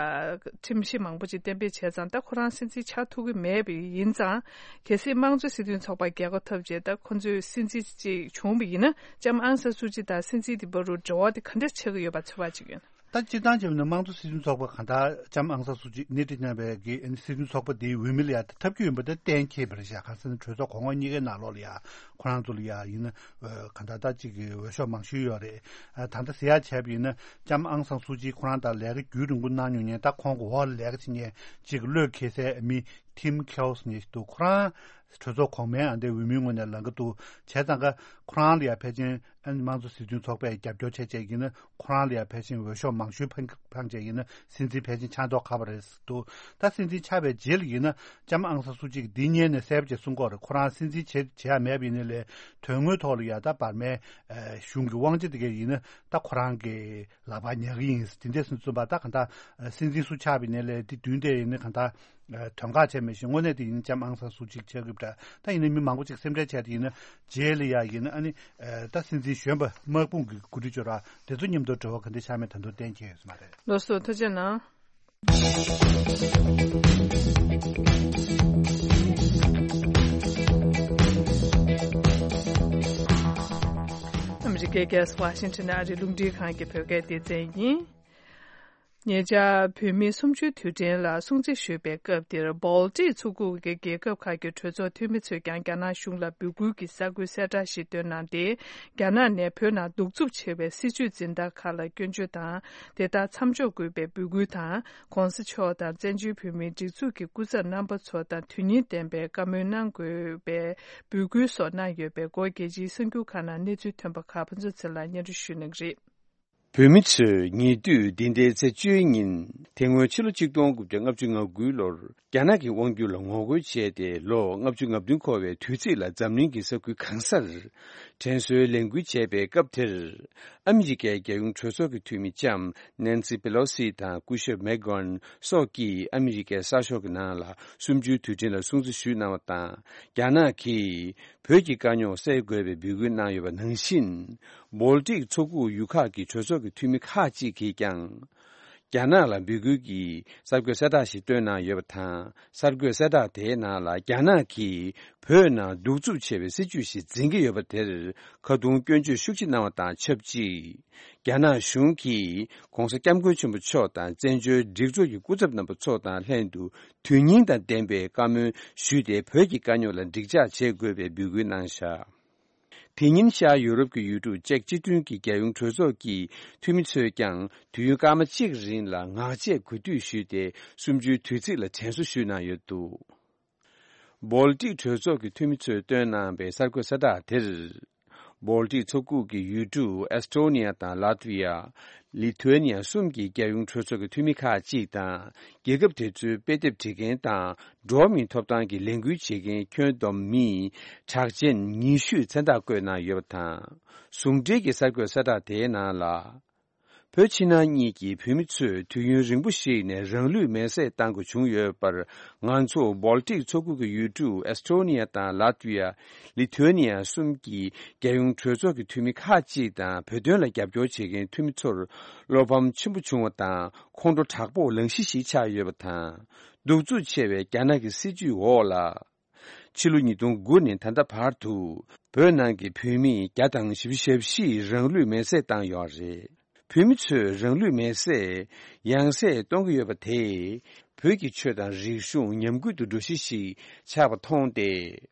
ཁྲིམས་གཞི་མང་པོ་ཅིག་གཏན་འབེབས་བྱས་ཙང་། ད་ཁོ་རང་སྲིད་འཛིན་ཆགས་ཐུབ་ཀྱི་མེད་པ་ཡིན་ཙང་། གལ་སྲིད་དམངས་གཙོའི་སྲིད་དོན་ཚོགས་པ་རྒྱལ་ཁ་ཐོབ་རྗེས་ད་ཁོ་ཚོའི་སྲིད་འཛིན་ཅིག་བྱུང་བ་ཡིན་ན། ལྕམ་ཨང་སང་སུའུ་ཅི་དང་སྲིད་འཛིན་དེ་བར་དུ་འབྲེལ་བ་དེ་ག་འདྲ་ཆགས་ཀྱི་ཡོད་པ་ཚོད་དཔག་བྱེད་ཀྱི་ཡོད་ན། ད་སྤྱིར་བཏང་བྱས་པ་ན་དམངས་གཙོ་སྲིད་དོན་ཚོགས་པ་གང་ལྟར་ལྕམ་ཨང་སང་སུའུ་ཅི་སྣེ་ཁྲིད་གནང་བའི་གི་སྲིད་དོན་ཚོགས་པ་དེའི་འོས་མི་ལ་ཡ་ད་ཐབས་སྐྱོ་ཡིན་པ་དེ་གཏན་འཁེལ་བ་རེད་ཤག་གང་ཟེར་ན་གྲོས་ཚོགས་གོང་འོག་གཉིས་ཀའི་ནང་ལོགས་ལ་ཡ་ཁོ་རང་ཚོ་ལ་ཡ་ཡིན་ན་གང་ལྟར་ད་གཅིག་གི་འོས་ཤོག་མང་ཤོས་ཡོད་རེད། ད་ལྟ་ཟེར་ཡ་བྱས་པ་ཡིན་ན་ལྕམ་ཨང་སང་སུའུ་ཅི་ཁོ་རང་དང་ལས་ཀ་རྒྱུན་རིང་པོ་གནང་མྱོང་མཁན། ད་ཁོང་གི་འོག་ལ་ལས་ཀ་བྱེད་མཁན་གཅིག་བློས་འཁེལ་སའི་མི་ཐིམ་ཁེའོ་སི་ནས་འདུག་ཁོ་རང་གྲོས་ཚོགས་གོང་མའི་ཨ་འདའི་འོས་མིའི་ངོས་ནས་ལངས་ཀྱི་འདུག་བྱས་ཙང་ཀ་ཁོ་རང་ལ་ཡ་ཕལ་ཆེར་ཨ་ནི་དམངས་གཙོ་སྲིད་དོན་ཚོགས་པས་རྒྱབ་སྐྱོར་བྱས་བྱས་ཡིན་ན་ཁོ་རང་ལ་ཡ་ཕལ་ཆེར་འོས་ཤོག་མང་ཤོས་འཕངས་འཕངས་བྱས་ཡིན་ན་སྲིད་འཛིན་ཕལ་ཆེར་ཆགས་མདོག་ཁ་པོ་རེད་འདུག་ད་སྲིད་འཛིན་ཆགས་པའི་རྗེས་ལ་ཡིན་ན་ལྕམ་ཨང་སང་སུའུ་ཅི་གིས་འདི་སྔོན་ནས་གསལ་པོ་བྱས་གསུང་གི་ཡོད་རེད། ཁོ་རང་སྲིད་འཛིན་བྱེད་བྱེད་ཡ་མེད་པ་ཡིན་ནའི་ལས་དོན་དངོས་ཐོག་ལ་ཡ་ད་འབར་མའི་གཞུང་གི་དབང་ཆ་དེ་ག་ཡིན་ན་ད་ཁོ་རང་གི་ལག་པར་ཉར་གི་ཡིན། དེ་འདྲ་སོང་ཙང་ད་གང་ལྟར་སྲིད་འཛིན་སུ་ཆགས་པ་ཡིན་ནའི་ལས་དེ་མདུན་དེ་ཡིན་ན་གང་ལྟར་དོན་ཁག་ཆེ་མེད་ཞིང་། དངོས་གནས་དེ་ཡིན་ན་ལྕམ་ཨང་སང་སུའུ་ཅི་ཆགས་ཀྱི་ཡོད་པ་འདྲ། ད་ཡིན་ན་མི་མང་པོ་ཅིག་སེམས་ཁྲལ་བྱས་དེ་ཡིན་ན་རྗེས་ལ་ཡ་ཡིན་ན་ཨ་ནི་ད་སྲིད་འཛིན་གཞོན་པ་དམག་དཔུང་གི་འགོ་ཁྲིད་ཅོ་ར་དེ་ཚོ་མཉམ་དུ་འབྲེལ་བ་ག་འདྲ་ཆགས་མེད་ད་དུང་གཏན་འཁེལ་ཡོད་ས་མ་རེད། ལགས་སོ། ཐུགས་རྗེ་གནང་། ཨ་མི་རི་ཀའི་རྒྱལ་ས་ཝ་ཤིང་ཊོན་ནས་ཨ་རིའི་རླུང་འཕྲིན་ཁང་གི་བོད་སྐད་སྡེ་ཚན་ཡིན། ཉེ་ཆར་བོད་མིའི་གསུམ་བཅུའི་དུས་དྲན་ལ་སྲུང་བརྩི་ཞུས་པའི་སྐབས་དེར། བོལ་ཏིག་མཚོ་ཁུག་གི་རྒྱལ་ཁབ་ཁག་གི་གྲོས་ཚོགས་འཐུས་མི་ཚོས་ཀྱང་རྒྱ་ནག་གཞུང་ལ་འབོད་སྐུལ་གྱི་གསར་འགོད་གསལ་བསྒྲགས་ཤིག་བཏོན་གནང་སྟེ། རྒྱ་ནག་ནས་བོད་ནང་གདུག་རྩུབ་ཆེ་བའི་སྲིད་བྱུས་འཛིན་སྟངས་ཁག་ལ་སྐྱོན་བརྗོད་དང་། དེ་དག་མཚམས་འཇོག་དགོས་པའི་འབོད་སྐུལ་དང་། ༸གོང་ས་མཆོག་དང་བཙན་བྱོལ་བོད་མིའི་སྒྲིག་འཛུགས་ཀྱི་སྐུ་ཚབ་རྣམ་པ་ཚོ་དང་དོན་སྙིང་ལྡན་པའི་བཀའ་མོལ་གནང་དགོས་པའི་འབོད་སྐུལ་སོགས་གནང་ཡོད་པའི་སྐོར། རྒྱལ་སྤྱིའི་གསར་འགྱུར་ཁག་ནང་གནས་ཚུལ་ཐོན་པ་ཁག་ཕུན་ཚོགས་ཚེ་ལགས་སྙན་སྒྲོན་ཞུ་གནང་གི་རེད། བོད་མི་ཚོས་ཉེ་དུས་འདི་ཟླའི་ཚེས་བཅུའི་ཉིན། དེ་སྔོན་ཕྱི་ལོ་ཆིག་སྟོང་དགུ་བརྒྱ་ལྔ་བཅུ་ང་དགུའི་ལོར་རྒྱ་ནག་གི་དབང་སྒྱུར་ལ་ངོ་རྒོལ་བྱས་ཏེ་ལོ་ལྔ་བཅུ་ང་བདུན་འཁོར་བའི་དུས་ཚིགས་ལ་འཛམ་གླིང་གི་ས་ཁུལ་གང་སར་དྲན་གསོའི་ལས་འགུལ་བྱས་པའི་སྐབས་དེར། ཨ་མི་རི་ཀའི་རྒྱལ་ཡོངས་གྲོས་ཚོགས་ཀྱི་འཐུས་མི་ལྕམ་ནན་སི་པེ་ལོ་སི་དང་སྐུ་ཞབས་མེག་གྷོན་སོགས་ཀྱིས་ཨ་མི་རི་ཀའི་གསར་ཤོག་གི་ནང་ལ་གསུམ་བཅུའི་དུས་དྲན་ལ་སྲུང་བརྩི་ཞུས་གནང་བ་དང་། རྒྱ་ནག་གིས་བོད་ཀྱི་དཀའ་རྙོག་སེལ་དགོས་པའི་འབོད་སྐུལ་གནང་ཡོད་པ་ནང་བཞིན། བོལ་ཏིག་མཚོ་ཁུག་ཡུལ་ཁག་གི་གྲོས་ཚོགས་ཀྱི་འཐུས་མི་ཁག་ཅིག་གིས་ཀྱང་། རྒྱ་ནག་ལ་འབོད་སྐུལ་གྱི་གསར་འགོད་གསལ་བསྒྲགས་ཤིག་བཏོན་གནང་ཡོད་པ་དང་། གསར་འགོད་གསལ་བསྒྲགས་དེའི་ནང་ལ་རྒྱ་ནག་གིས་བོད་ནང་གདུག་རྩུབ་ཆེ་བའི་སྲིད་བྱུས་ཤིག་འཛིན་གྱི་ཡོད་པ་དེར་ཁ་རྡུང་སྐྱོན་བརྗོད་ཤུགས་ཆེ་གནང་བ་དང་ཆབས་ཅིག་རྒྱ་ནག་གཞུང་གིས་༸གོང་ས་༸སྐྱབས་མགོན་ཆེན་པོ་མཆོག་དང་བཙན་བྱོལ་སྒྲིག་འཛུགས་ཀྱི་སྐུ་ཚབ་རྣམ་པ་ཚོ་དང་ལྷན་དུ་དོན་སྙིང་དང་ལྡན་པའི་བཀའ་མོལ་ཞུས་ཏེ། བོད་ཀྱི་དཀའ་རྙོག་ལ་འགྲིག་འཇགས་བྱེད་དགོས་པའི་འབོད་སྐུལ་གནང་བཞག་དེ་ཉིན་ཤར་ཡུ་རོབ་ཀྱི་ཡུལ་གྲུ་ཅེཀ་སྤྱི་མཐུན་གྱི་རྒྱལ་ཡོངས་གྲོས་ཚོགས་ཀྱི་འཐུས་མི་ཚོས་ཀྱང་དུས་ཡུན་སྐར་མ་གཅིག་རིང་ལ་ངག་བཅད་གུས་འདུད་ཞུས་ཏེ། གསུམ་བཅུའི་དུས་ཚིགས་ལ་དྲན་གསོ་ཞུས་གནང་ཡོད་འདུག་སྦོལ་ཏིག་གྲོས་ཚོགས་ཀྱི་འཐུས་མི་ཚོས་བཏོན་གནང་པའི་གསར་འགོད་གསལ་བསྒྲགས་དེར། སྦོལ་ཏིག་ཚོགས་ཁུལ་གྱི་ཡུལ་གྲུ་ཨེ་སི་ཊོ་ནི་ཡ་དང་ལ་ཏི་ཝི་ཡ། ལི་ཐུ་ཨེ་ནི་ཡ་གསུམ་གྱི་རྒྱལ་ཡོངས་གྲོས་ཚོགས་ཀྱི་འཐུས་མི་ཁག་ཅིག་དང་། རྒྱལ་ཁབ་དེ་ཚོའི་དཔེ་དེབ་བྲིས་མཁན་དང་། འགྲོ་བ་མིའི་ཐོབ་ཐང་གི་ལས་འགུལ་བྱེད་མཁན་ཁྱོན་བསྡོམས་མི་གྲགས་ཅན་ཉི་ཤུས་མཚན་རྟགས་བཀོད་གནང་ཡོད་པ་དང་། ཟུང་འབྲེལ་གྱི་གསར་འགོད་གསལ་བསྒྲགས་དེའི་ནང་ལ། བོད་ཕྱི་ནང་གཉིས་ཀྱི་བོད་མི་ཚོས་དུས་ཡུན་རིང་པོ་ཞིག་ནས་རང་ལུས་མེར་སྲེག་བཏང་དགོས་བྱུང་ཡོད་པར། ང་ཚོ་སྦོལ་ཏིག་ཚོགས་ཁུལ་གྱི་ཡུལ་གྲུ་ཨེ་སི་ཊོ་ནི་ཡ་དང་ལ་ཏི་ཝི་ཡ། ལི་ཐུ་ཨེ་ནི་ཡ་གསུམ་གྱི་རྒྱལ་ཡོངས་གྲོས་ཚོགས་ཀྱི་འཐུས་མི་ཁག་ཅིག་དང་། བོད་དོན་ལ་རྒྱབ་སྐྱོར་བྱེད་མཁན་འཐུས་མི་ཚོར་བློ་ཕམ་ཆེན་པོ་བྱུང་བ་དང་། ཁོང་ཁྲོ་དྲག་པོ་ལངས་གཞི་ཞིག་ཆགས་ཡོད་པ་དང་། གདུག་རྩུབ་ཆེ་བའི་རྒྱ་ནག་གི་སྲིད་ཇུས་འོག་ལ། ཕྱི་ལོ་ཉིས་སྟོང་དགུ་ནས་ད་ལྟ་བར་དུ། བོད་ནང་གི་བོད་མི་བརྒྱ་དང་བཞི་བཅུ་ཞེ་བཞི་རང་ལུས་མེར་སྲེག་བཏང་ཡོད་རེད། བོད་མི་ཚོས་རང་ལུས་མེར་སྲེག་ཡང་སྲིད་གཏོང་གི་ཡོད་པ་དེས། བོད་ཀྱི་ཆོས་དང་རིག་གཞུང་ཉམས་རྒུད་དུ་འགྲོ་གཞི་ཞིག་ཆགས་པ་མཐོང་སྟེ།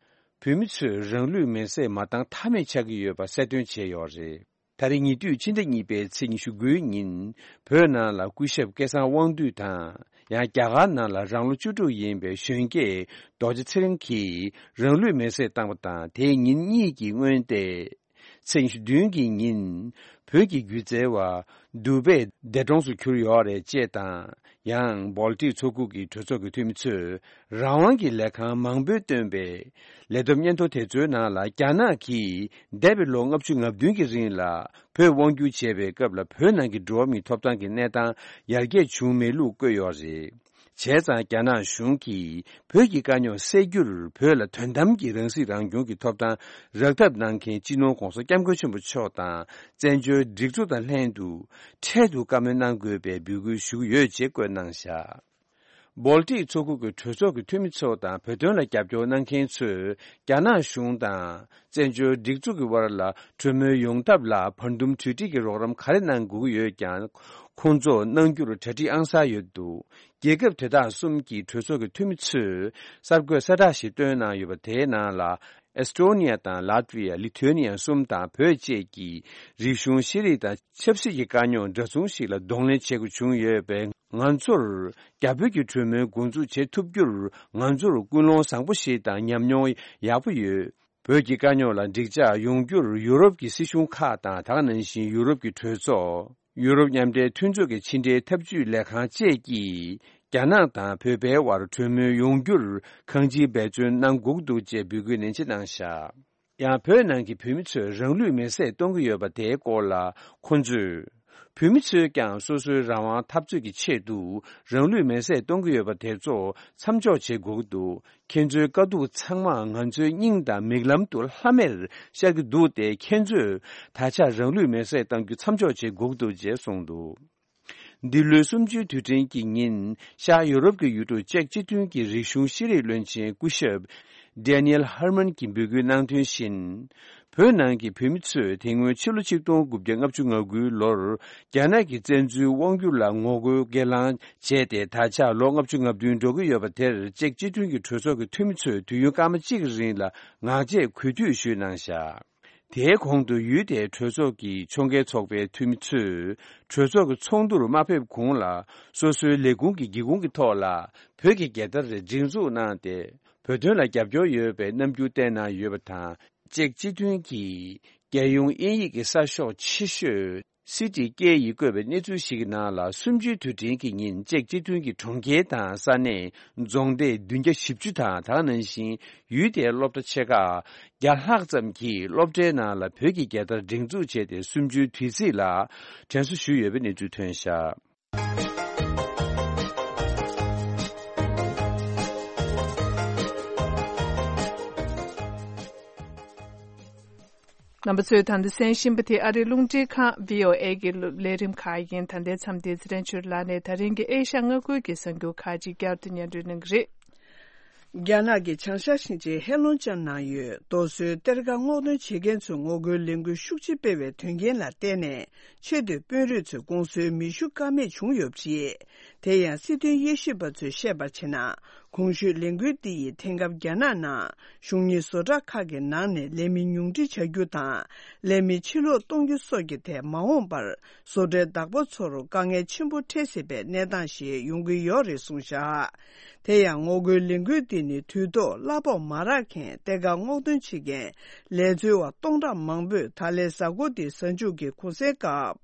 བོད་མི་ཚོས་རང་ལུས་མེར་སྲེག་མ་བཏང་ཐབས་མེད་ཆགས་ཀྱི་ཡོད་པ་གསལ་སྟོན་བྱས་ཡོད་རེད། ད་རེས་ཉེ་དུས་ཕྱི་ཟླ་གཉིས་པའི་ཚེས་ཉི་ཤུ་དགུའི་ཉིན། བོད་ནང་ལ་སྐུ་ཞབས་སྐལ་བཟང་དབང་འདུས་དང་། ཡང་རྒྱ་གར་ནང་ལ་རང་ལོ་བཅུ་དྲུག་ཡིན་པའི་གཞོན་སྐྱེས་རྡོ་རྗེ་ཚེ་རིང་གིས་རང་ལུས་མེར་སྲེག་བཏང་བ་དང་། དེའི་ཉིན་གཉིས་ཀྱི་སྔོན་ཏེ། ཚེས་ཉི་ཤུ་བདུན་གྱི་ཉིན། བོད་ཀྱི་སྒྱུ་རྩལ་བ། དུ་བྷེ་འདས་གྲོངས་སུ་གྱུར་ཡོད་རེད་ཅེས་དང་། ཡང་སྦོལ་ཏིག་ཚོགས་ཁུལ་གྱི་གྲོས་ཚོགས་ཀྱི་འཐུས་མི་ཚོས་རང་དབང་གི་ལས་ཁང་མང་པོས་བཏོན་པའི་ལས་བསྡོམས་སྙན་ཐོ་དེ་ཚོའི་ནང་ལ། རྒྱ་ནག་གིས་འདས་པའི་ལོ་ལྔ་བཅུ་ང་བདུན་གྱི་རིང་ལ་བོད་དབང་སྒྱུར་བྱས་པའི་སྐབས་ལ། བོད་ནང་གི་འགྲོ་བ་མིའི་ཐོབ་ཐང་གི་གནས་སྟངས་ཡར་རྒྱས་བྱུང་མེད་ལུགས་བཀོད་ཡོད་རེད། བྱས་ཙང་རྒྱ་ནག་གཞུང་གིས་བོད་ཀྱི་དཀའ་རྙོག་སེལ་རྒྱུར། བོད་ལ་དོན་དམ་གྱི་རང་སྲིད་རང་སྐྱོང་གི་ཐོབ་ཐང་རག་ཐབས་གནང་མཁན་སྤྱི་ནོར་༸གོང་ས་༸སྐྱབས་མགོན་ཆེན་པོ་མཆོག་དང་བཙན་བྱོལ་སྒྲིག་འཛུགས་དང་ལྷན་དུ་འཕྲལ་དུ་བཀའ་མོལ་གནང་དགོས་པའི་འབོད་སྐུལ་ཞུ་གི་ཡོད་ཅེས་བཀོད་གནང་བཞག་སྦོལ་ཏིག་ཚོགས་ཁུལ་གྱི་གྲོས་ཚོགས་ཀྱི་འཐུས་མི་ཚོ་དང་། བོད་དོན་ལ་རྒྱབ་སྐྱོར་གནང་མཁན་ཚོས་རྒྱ་ནག་གཞུང་དང་བཙན་བྱོལ་སྒྲིག་འཛུགས་ཀྱི་དབར་ལ་གྲོས་མོལ་ཡོང་ཐབས་ལ་བར་འདུམ་གྲོས་འགྲིག་གི་རོགས་རམ་ག་རེ་གནང་དགོས་ཀྱི་ཡོད་ཀྱང་། ཁོང་ཚོ་གནང་རྒྱུར་གྲ་སྒྲིག་ཨང་གསར་ཡོད་འདུག་རྒྱལ་ཁབ་དེ་དག་གསུམ་གྱི་གྲོས་ཚོགས་ཀྱི་འཐུས་མི་ཚོས་གསར་འགོད་གསལ་བསྒྲགས་ཤིག་བཏོན་གནང་ཡོད་པ། དེའི་ནང་ལ། ཨེ་སི་ཊོ་ནི་ཡ་དང་ལ་ཏི་ཝི་ཡ། ལི་ཐུ་ཨེ་ནི་ཡ་གསུམ་དང་བོད་བཅས་ཀྱི་རིག་གཞུང་ཤེས་རིག་དང་ཆབ་སྲིད་ཀྱི་དཀའ་རྙོག་འདྲ་མཚུངས་ཤིག་ལ་གདོང་ལེན་བྱེད་དགོས་བྱུང་ཡོད་པས། ང་ཚོར་རྒྱ་བོད་ཀྱི་གྲོས་མོལ་འགོ་འཛུགས་བྱེད་ཐུབ་རྒྱུར། ང་ཚོར་ཀུན་སློང་བཟང་པོ་ཞིག་དང་ཉམས་མྱོང་ཡག་པོ་ཡོད། བོད་ཀྱི་དཀའ་རྙོག་ལ་འགྲིག་འཇགས་ཡོང་རྒྱུར་ཡུ་རོབ་ཀྱི་སྲིད་གཞུང་ཁག་དང་། དེ་ག་ནང་བཞིན་ཡུ་རོབ་ཀྱི་གྲོས་ཚོགས། ཡུ་རོབ་མཉམ་འབྲེལ་མཐུན་ཚོགས་ཀྱི་ཕྱི་འབྲེལ་ཐབས་ཇུས་ལས་ཁང་བཅས་ཀྱིས་རྒྱ་ནག་དང་བོད་པའི་དབར་གྲོས་མོལ་ཡོང་རྒྱུར་གང་ཅིའི་འབད་བརྩོན་གནང་དགོས་འདུག་ཅེས་འབོད་སྐུལ་ནན་ཆེ་གནང་བཞག་ཡང་བོད་ནང་གི་བོད་མི་ཚོས་རང་ལུས་མེར་སྲེག་གཏོང་གི་ཡོད་པ་དེའི་སྐོར་ལ་ཁོང་ཚོས། བོད་མི་ཚོས་ཀྱང་སོ་སོའི་རང་དབང་འཐབ་རྩོད་ཀྱི་ཆེད་དུ་རང་ལུས་མེར་སྲེག་གཏོང་གི་ཡོད་པ་དེ་ཚོ་མཚམས་འཇོག་བྱེད་དགོས་ཀྱི་འདུག་ཁྱེད་ཚོའི་དཀའ་སྡུག་ཚང་མ་ང་ཚོའི་སྙིང་དང་མིག་ལམ་དུ་ལྷམ་མེར་ཤར་གྱི་འདུག་སྟེ། ཁྱེད་ཚོས་ད་ཆ་རང་ལུས་མེར་སྲེག་གཏང་རྒྱུ་མཚམས་འཇོག་བྱེད་དགོས་ཀྱི་འདུག་ཅེས་གསུངས་འདུག་འདི་ལོའི་གསུམ་བཅུའི་དུས་དྲན་གྱི་ཉིན། ཤར་ཡོ་རོབ་ཀྱི་ཡུལ་གྲུ་ཅེཀ་སྤྱི་མཐུན་གྱི་རིག་གཞུང་ཤེས་རིག་བློན་ཆེན་སྐུ་ཞབས་Daniel Herman གྱིས་འབོད་སྐུལ་གནང་དོན་བཞིན། བོད་ནང་གི་བོད་མི་ཚོས་དེ་སྔོན་ཕྱི་ལོ་ཆིག་སྟོང་དགུ་བརྒྱ་ལྔ་བཅུ་ང་དགུའི་ལོར་རྒྱ་ནག་གི་བཙན་འཛུལ་དབང་སྒྱུར་ལ་ངོ་རྒོལ་སྒེར་ལངས་བྱས་ཏེ། ད་ཆ་ལོ་ལྔ་བཅུ་ང་བདུན་འགྲོ་གི་ཡོད་པ་དེར། ཅེཀ་སྤྱི་མཐུན་གྱི་གྲོས་ཚོགས་ཀྱི་འཐུས་མི་ཚོས་དུས་ཡུན་སྐར་མ་གཅིག་གི་རིང་ལ་ངག་བཅད་གུས་འདུད་ཞུས་གནང་བཞག་དེའི་གོང་དུ་ཡུལ་དེའི་གྲོས་ཚོགས་ཀྱི་ཕྱོགས་འགལ་ཚོགས་པའི་འཐུས་མི་ཚོས་གྲོས་ཚོགས་ཀྱི་ཚོགས་འདུར་མ་ཕེབས་གོང་ལ། སོ་སོའི་ལས་ཁུངས་ཀྱི་སྒེའུ་ཁུང་གི་ཐོག་ལ་བོད་ཀྱི་རྒྱལ་དར་སྒྲེང་འཛུགས་གནང་སྟེ། བོད་དོན་ལ་རྒྱབ་སྐྱོར་ཡོད་པའི་རྣམ་འགྱུར་བསྟན་གནང་ཡོད་པ་དང་། ཅེཀ་སྤྱི་མཐུན་གྱི་རྒྱལ་ཡོངས་དབྱིན་ཡིག་གི་གསར་ཤོག་ཆེ་ཤོས་སི་ཏི་སྐད་ཡིག་བཀོད་པའི་གནས་ཚུལ་ཞིག་གི་ནང་ལ། གསུམ་བཅུའི་དུས་དྲན་གྱི་ཉིན། ཅེཀ་སྤྱི་མཐུན་གྱི་གྲོང་ཁྱེར་དང་ས་གནས་རྫོང་སྡེ་བདུན་བརྒྱ་བཞི་བཅུ་དང་། དེ་ག་ནང་བཞིན་ཡུལ་དེའི་སློབ་གྲྭ་ཆེ་ཁག་བརྒྱ་ལྷག་ཙམ་གྱིས་སློབ་གྲྭའི་ནང་ལ་བོད་ཀྱི་རྒྱལ་དར་སྒྲེང་འཛུགས་བྱས་ཏེ། གསུམ་བཅུའི་དུས་ཚིགས་ལ་དྲན་གསོ་ཞུས་ཡོད་པའི་གནས་ཚུལ་ཐོན་བཞག་རྣམ་པ་ཚོས་ད་ལྟ་གསན་བཞིན་པ་དེ་ཨ་རིའི་རླུང་འཕྲིན་ཁང་བྷི་ཨོ་ཨེ་གི་ལས་རིམ་ཁག་ཡིན། ད་ལྟའི་མཚམས་འདིར་ཚེ་རིང་ཆོས་ལགས་ནས་ད་རིང་གི་ཨེ་ཤ་མངའ་ཁུལ་གྱི་གསར་འགྱུར་ཁག་ཅིག་བསྐྱར་དུ་སྙན་སྒྲོན་གནང་གི་རེད། རྒྱ་ནག་གི་བྱང་ཤར་ཞིང་ཆེན་ཧེ་ལོང་ཅན་ནང་ཡོད་རྡོ་སོལ་གཏེར་ཁ་སྔོག་འདོན་བྱེད་མཁན་ཚོས་ངོ་རྒོལ་ལས་འགུལ་ཤུགས་ཆེ་སྤེལ་བའི་དོན་རྐྱེན་ལ་བརྟེན་ནས། ཆེས་མཐོའི་དཔོན་རིགས་ཚོས་གོང་སོལ་མེ་ཤུགས་བཀག་མེད་བྱུང་ཡོད་པ་རེད། དེ་ཡང་སྲིད་དོན་དབྱེ་ཞིབ་པ་ཚོས་བཤད་པར་བྱས་ན། གོང་ཞུས་ལས་འགུལ་འདི་ཡིས་དེང་སྐབས་རྒྱ་ནག་ནང་གཞུང་གཉེར་བཟོ་གྲྭ་ཁག་གི་ནང་ནས་ལས་མི་ཉུང་འཕྲི་བྱ་རྒྱུ་དང་། ལས་མི་ཕྱིར་ལོག་གཏོང་རྒྱུ་སོགས་ཀྱི་ཐད་མ་འོངས་པར་བཟོ་གྲྭའི་བདག་པོ་ཚོར་དཀའ་ངལ་ཆེན་པོ་འཕྲད་སྲིད་པའི་གནས་སྟངས་ཤིག་ཡོང་གི་ཡོད་རེད་གསུངས་བཞག་དེ་ཡང་ངོ་རྒོལ་ལས་འགུལ་འདི་ནི་དུས་ཐོག་གླ་ཕོགས་མ་རག་མཁན་གཏེར་ཁ་སྔོག་འདོན་བྱེད་མཁན་ལས་འཚོལ་བ་སྟོང་ཕྲག་མང་པོས་ད་ལན་གཟའ་འཁོར་འདིའི་གཟའ་མཇུག་གི་གུང་སེང་སྐབས།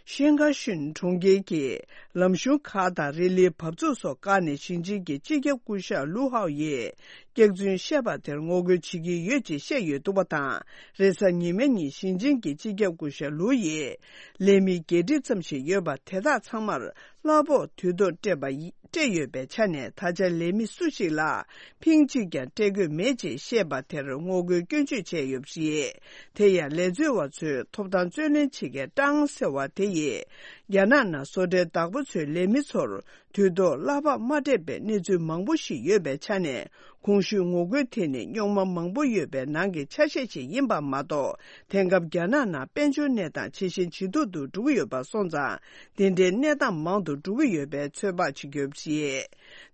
ཤིན་ཁ་ཤུན་གྲོང་ཁྱེར་གྱི་ལམ་གཞུང་ཁག་དང་རི་ལིའི་བབས་ཚུགས་སོགས་བཀག་ནས་ཞིང་ཆེན་གྱི་སྤྱི་ཁྱབ་སྐུ་ཞབས་ལུའུ་ཧའོ་ཡིས་སྐྱག་རྫུན་བཤད་པ་དེར་ངོ་རྒོལ་བྱེད་ཀྱི་ཡོད་ཅེས་བཤད་ཡོད་འདུག་པ་དང་། རེས་གཟའ་ཉི་མའི་ཉིན་ཞིང་ཆེན་གྱི་སྤྱི་ཁྱབ་སྐུ་ཞབས་ལུའུ་ཡིས་ལས་མི་བརྒྱད་ཁྲི་ཙམ་ཞིག་ཡོད་པ་དེ་དག་ཚང་མར་གླ་ཕོགས་དུས་ཐོག་སྤྲད་པ་ཡི་སྤྲད་ཡོད་པའི་ཆ་ནས་ད་ཆ་ལས་མི་སུ་ཞིག་ལ་ཕིང་གཅིག་ཀྱང་སྤྲད་དགོས་མེད་ཅེས་བཤད་པ་དེར་ངོ་རྒོལ་སྐྱོན་བརྗོད་བྱས་ཡོད་པ་རེད། དེ་ཡང་ལས་འཚོལ་བ་ཚོའི་ཐོབ་ཐང་རྩོད་ལེན་བྱེད་མཁན་ཀྲང་ཟེར་བ་དེ་ཡིས་རྒྱ་ནག་ནང་བཟོ་གྲྭའི་བདག་པོ་ཚོས་ལས་མི་ཚོར་དུས་ཐོག་གླ་ཕོགས་མ་སྤྲད་པའི་གནས་ཚུལ་མང་པོ་ཞིག་ཡོད་པའི་ཆ་ནས། གོང་ཞུས་ངོ་རྒོལ་དེ་ནི་རྙོག་མ་མང་པོ་ཡོད་པའི་ནང་གི་ཆ་ཤས་ཤིག་ཡིན་པ་མ་གཏོགས། དེང་སྐབས་རྒྱ་ནག་ནང་དཔལ་འབྱོར་གནས་སྟངས་ཇེ་ཞན་ཇེ་སྡུག་ཏུ་འགྲོ་གི་ཡོད་པ་སོང་ཙང་། འདི་འདྲའི་གནས་སྟངས་མང་དུ་འགྲོ་གི་ཡོད་པའི་ཚོད་དཔག་བྱེད་ཀྱི་ཡོད་པ་རེད།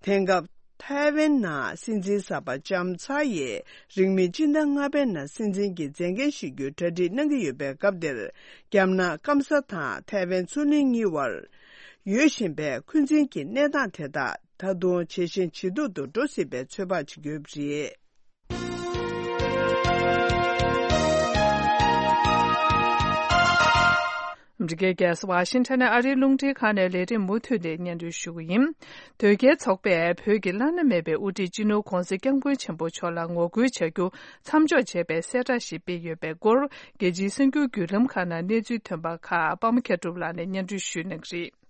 དེང་སྐབས་ཐའེ་ཝན་ནང་སྲིད་འཛིན་གསར་པ་ལྕམ་ཚ་ཡིས་རིང་མིན་སྤྱི་ཟླ་ལྔ་པའི་ནང་སྲིད་འཛིན་གྱི་མཛད་འགན་བཞེས་རྒྱུའི་གྲ་སྒྲིག་གནང་གི་ཡོད་པའི་སྐབས་འདིར། རྒྱ་ནག་སྐམ་ས་དང་ཐའེ་ཝན་མཚོ་གླིང་གཉིས་བར་ཡོད་བཞིན་པའི་འཁོན་འཛིན་གྱི་གནས་སྟངས་དེ་དག་ད་དུང་ཇེ་ཞན་ཇེ་སྡུག་ཏུ་འགྲོ་སྲིད་པའི་ཚོད་དཔག་བྱེད་ཀྱི་ཡོད་པ་རེད། ཨ་མི་རི་ཀའི་རྒྱལ་ས་ཝ་ཤིང་ཊོན་ནས་ཨ་རིའི་རླུང་འཕྲིན་ཁང་ནས་ལས་རིམ་མུ་མཐུད་ནས་སྙན་སྒྲོན་ཞུ་གི་ཡིན། དོལ་རྒྱལ་ཚོགས་པས་བོད་ཀྱི་བླ་ན་མེད་པའི་དབུ་ཁྲིད་སྤྱི་ནོར་༧གོང་ས་༧སྐྱབས་མགོན་ཆེན་པོ་མཆོག་ལ་ངོ་རྒོལ་བྱ་རྒྱུ་མཚམས་འཇོག་བྱས་པའི་གསལ་བསྒྲགས་ཤིག་སྤེལ་ཡོད་པའི་སྐོར། རྒྱལ་སྤྱིའི་གསར་འགྱུར་བརྒྱུད་ལམ་ཁག་ནང་གནས་ཚུལ་ཐོན་པ་ཁག་པདྨ་མཁས་གྲུབ་ལགས་ནས་སྙན་སྒྲོན་ཞུ་གནང་གི་རེད།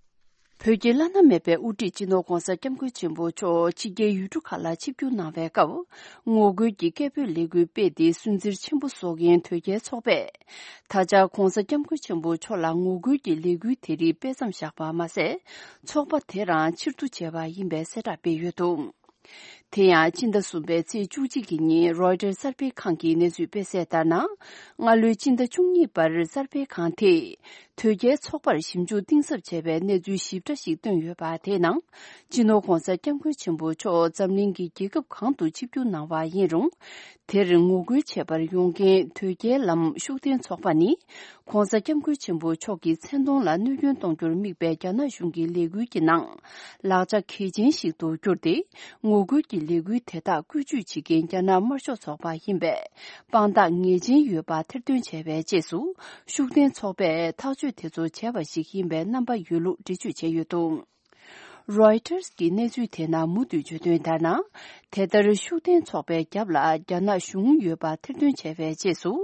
བོད་ཀྱི་བླ་ན་མེད་པའི་དབུ་ཁྲིད་སྤྱི་ནོར་༧གོང་ས་༧སྐྱབས་མགོན་ཆེན་པོ་མཆོག་ཕྱི་རྒྱལ་ཡུལ་གྲུ་ཁག་ལ་ཆིབས་བསྒྱུར་གནང་བའི་སྐབས། ངོ་རྒོལ་གྱི་སྐད་འབོད་ལས་འགུལ་སྤེལ་ཏེ་སུན་གཙེར་ཆེན་པོ་བཟོ་མཁན་དོལ་རྒྱལ་ཚོགས་པས། ད་ཆ་༧གོང་ས་༧སྐྱབས་མགོན་ཆེན་པོ་མཆོག་ལ་ངོ་རྒོལ་གྱི་ལས་འགུལ་དེ་རིགས་སྤེལ་མཚམས་བཞག་པ་མ་ཟད། ཚོགས་པ་དེ་རང་ཕྱིར་བསྡུ་བྱས་པ་ཡིན་པའི་གསལ་བསྒྲགས་སྤེལ་ཡོད་འདུག་དེ་ཡང་སྤྱི་ཟླ་གསུམ་པའི་ཚེས་བཅུ་གཅིག་གི་ཉིན་རོའི་ཊར་གསར་སྤེལ་ཁང་གིས་གནས་ཚུལ་སྤེལ་གསལ་ལྟར་ན། སྔ་ལོའི་སྤྱི་ཟླ་བཅུ་གཉིས་པར་གསར་སྤེལ་ཁང་དེས་དོལ་རྒྱལ་ཚོགས་པར་ཞིབ་འཇུག་གཏིང་ཟབ་བྱས་པའི་གནས་ཚུལ་ཞིབ་ཕྲ་ཞིག་བཏོན་ཡོད་པ་དེའི་ནང་། སྤྱི་ནོར་༧གོང་ས་༧སྐྱབས་མགོན་ཆེན་པོ་མཆོག་འཛམ་གླིང་གི་རྒྱལ་ཁབ་གང་དུ་ཆིབས་བསྒྱུར་གནང་བ་ཡིན་རུང་། དེར་ངོ་རྒོལ་བྱེད་པར་ཡོང་མཁན་དོལ་རྒྱལ་ལམ་ཤུགས་ལྡན་ཚོགས་པ་ནི། ༧གོང་ས་༧སྐྱབས་མགོན་ཆེན་པོ་མཆོག་གི་མཚན་མཐོང་ལ་གནོད་སྐྱོན་གཏོང་རྒྱུར་དམིགས་པའི་རྒྱ་ནག་གཞུང་གི་ལས་འགུལ་གྱི་ནང་། ལག་ཆ་གལ་ཆེན་ཞིག་ཏུ་གྱུར་ཏེ། ངོ་རྒོལ་གྱི་ལས་འགུལ་དེ་དག་བཀོལ་སྤྱོད་བྱེད་མཁན་རྒྱ་ནག་དམར་ཤོག་ཚོགས་པ་ཡིན་པས། དཔང་རྟགས་ངེས་ཅན་ཡོད་པ་ཐེར་འདོན་བྱས་པའི་རྗེས་སུ། ཤུགས་ལྡན་ཚོགས་པས་ཐག་གཅོད་དེ་ཚོ་བྱས་པ་ཞིག་ཡིན་པའི་རྣམ་པ་ཡོད་ལུགས་འགྲེལ་བརྗོད་བྱས་ཡོད་འདུག་རོའི་ཊར་གྱི་གནས་ཚུལ་དེ་ནང་མུ་མཐུད་བརྗོད་དོན་ལྟར་ན། དེ་ལྟར་ཤུགས་ལྡན་ཚོགས་པའི་རྒྱབ་ལ་རྒྱ་ནག་གཞུང་ཡོད་པ་ཐེར་འདོན་བྱས་པའི་རྗེས་སུ།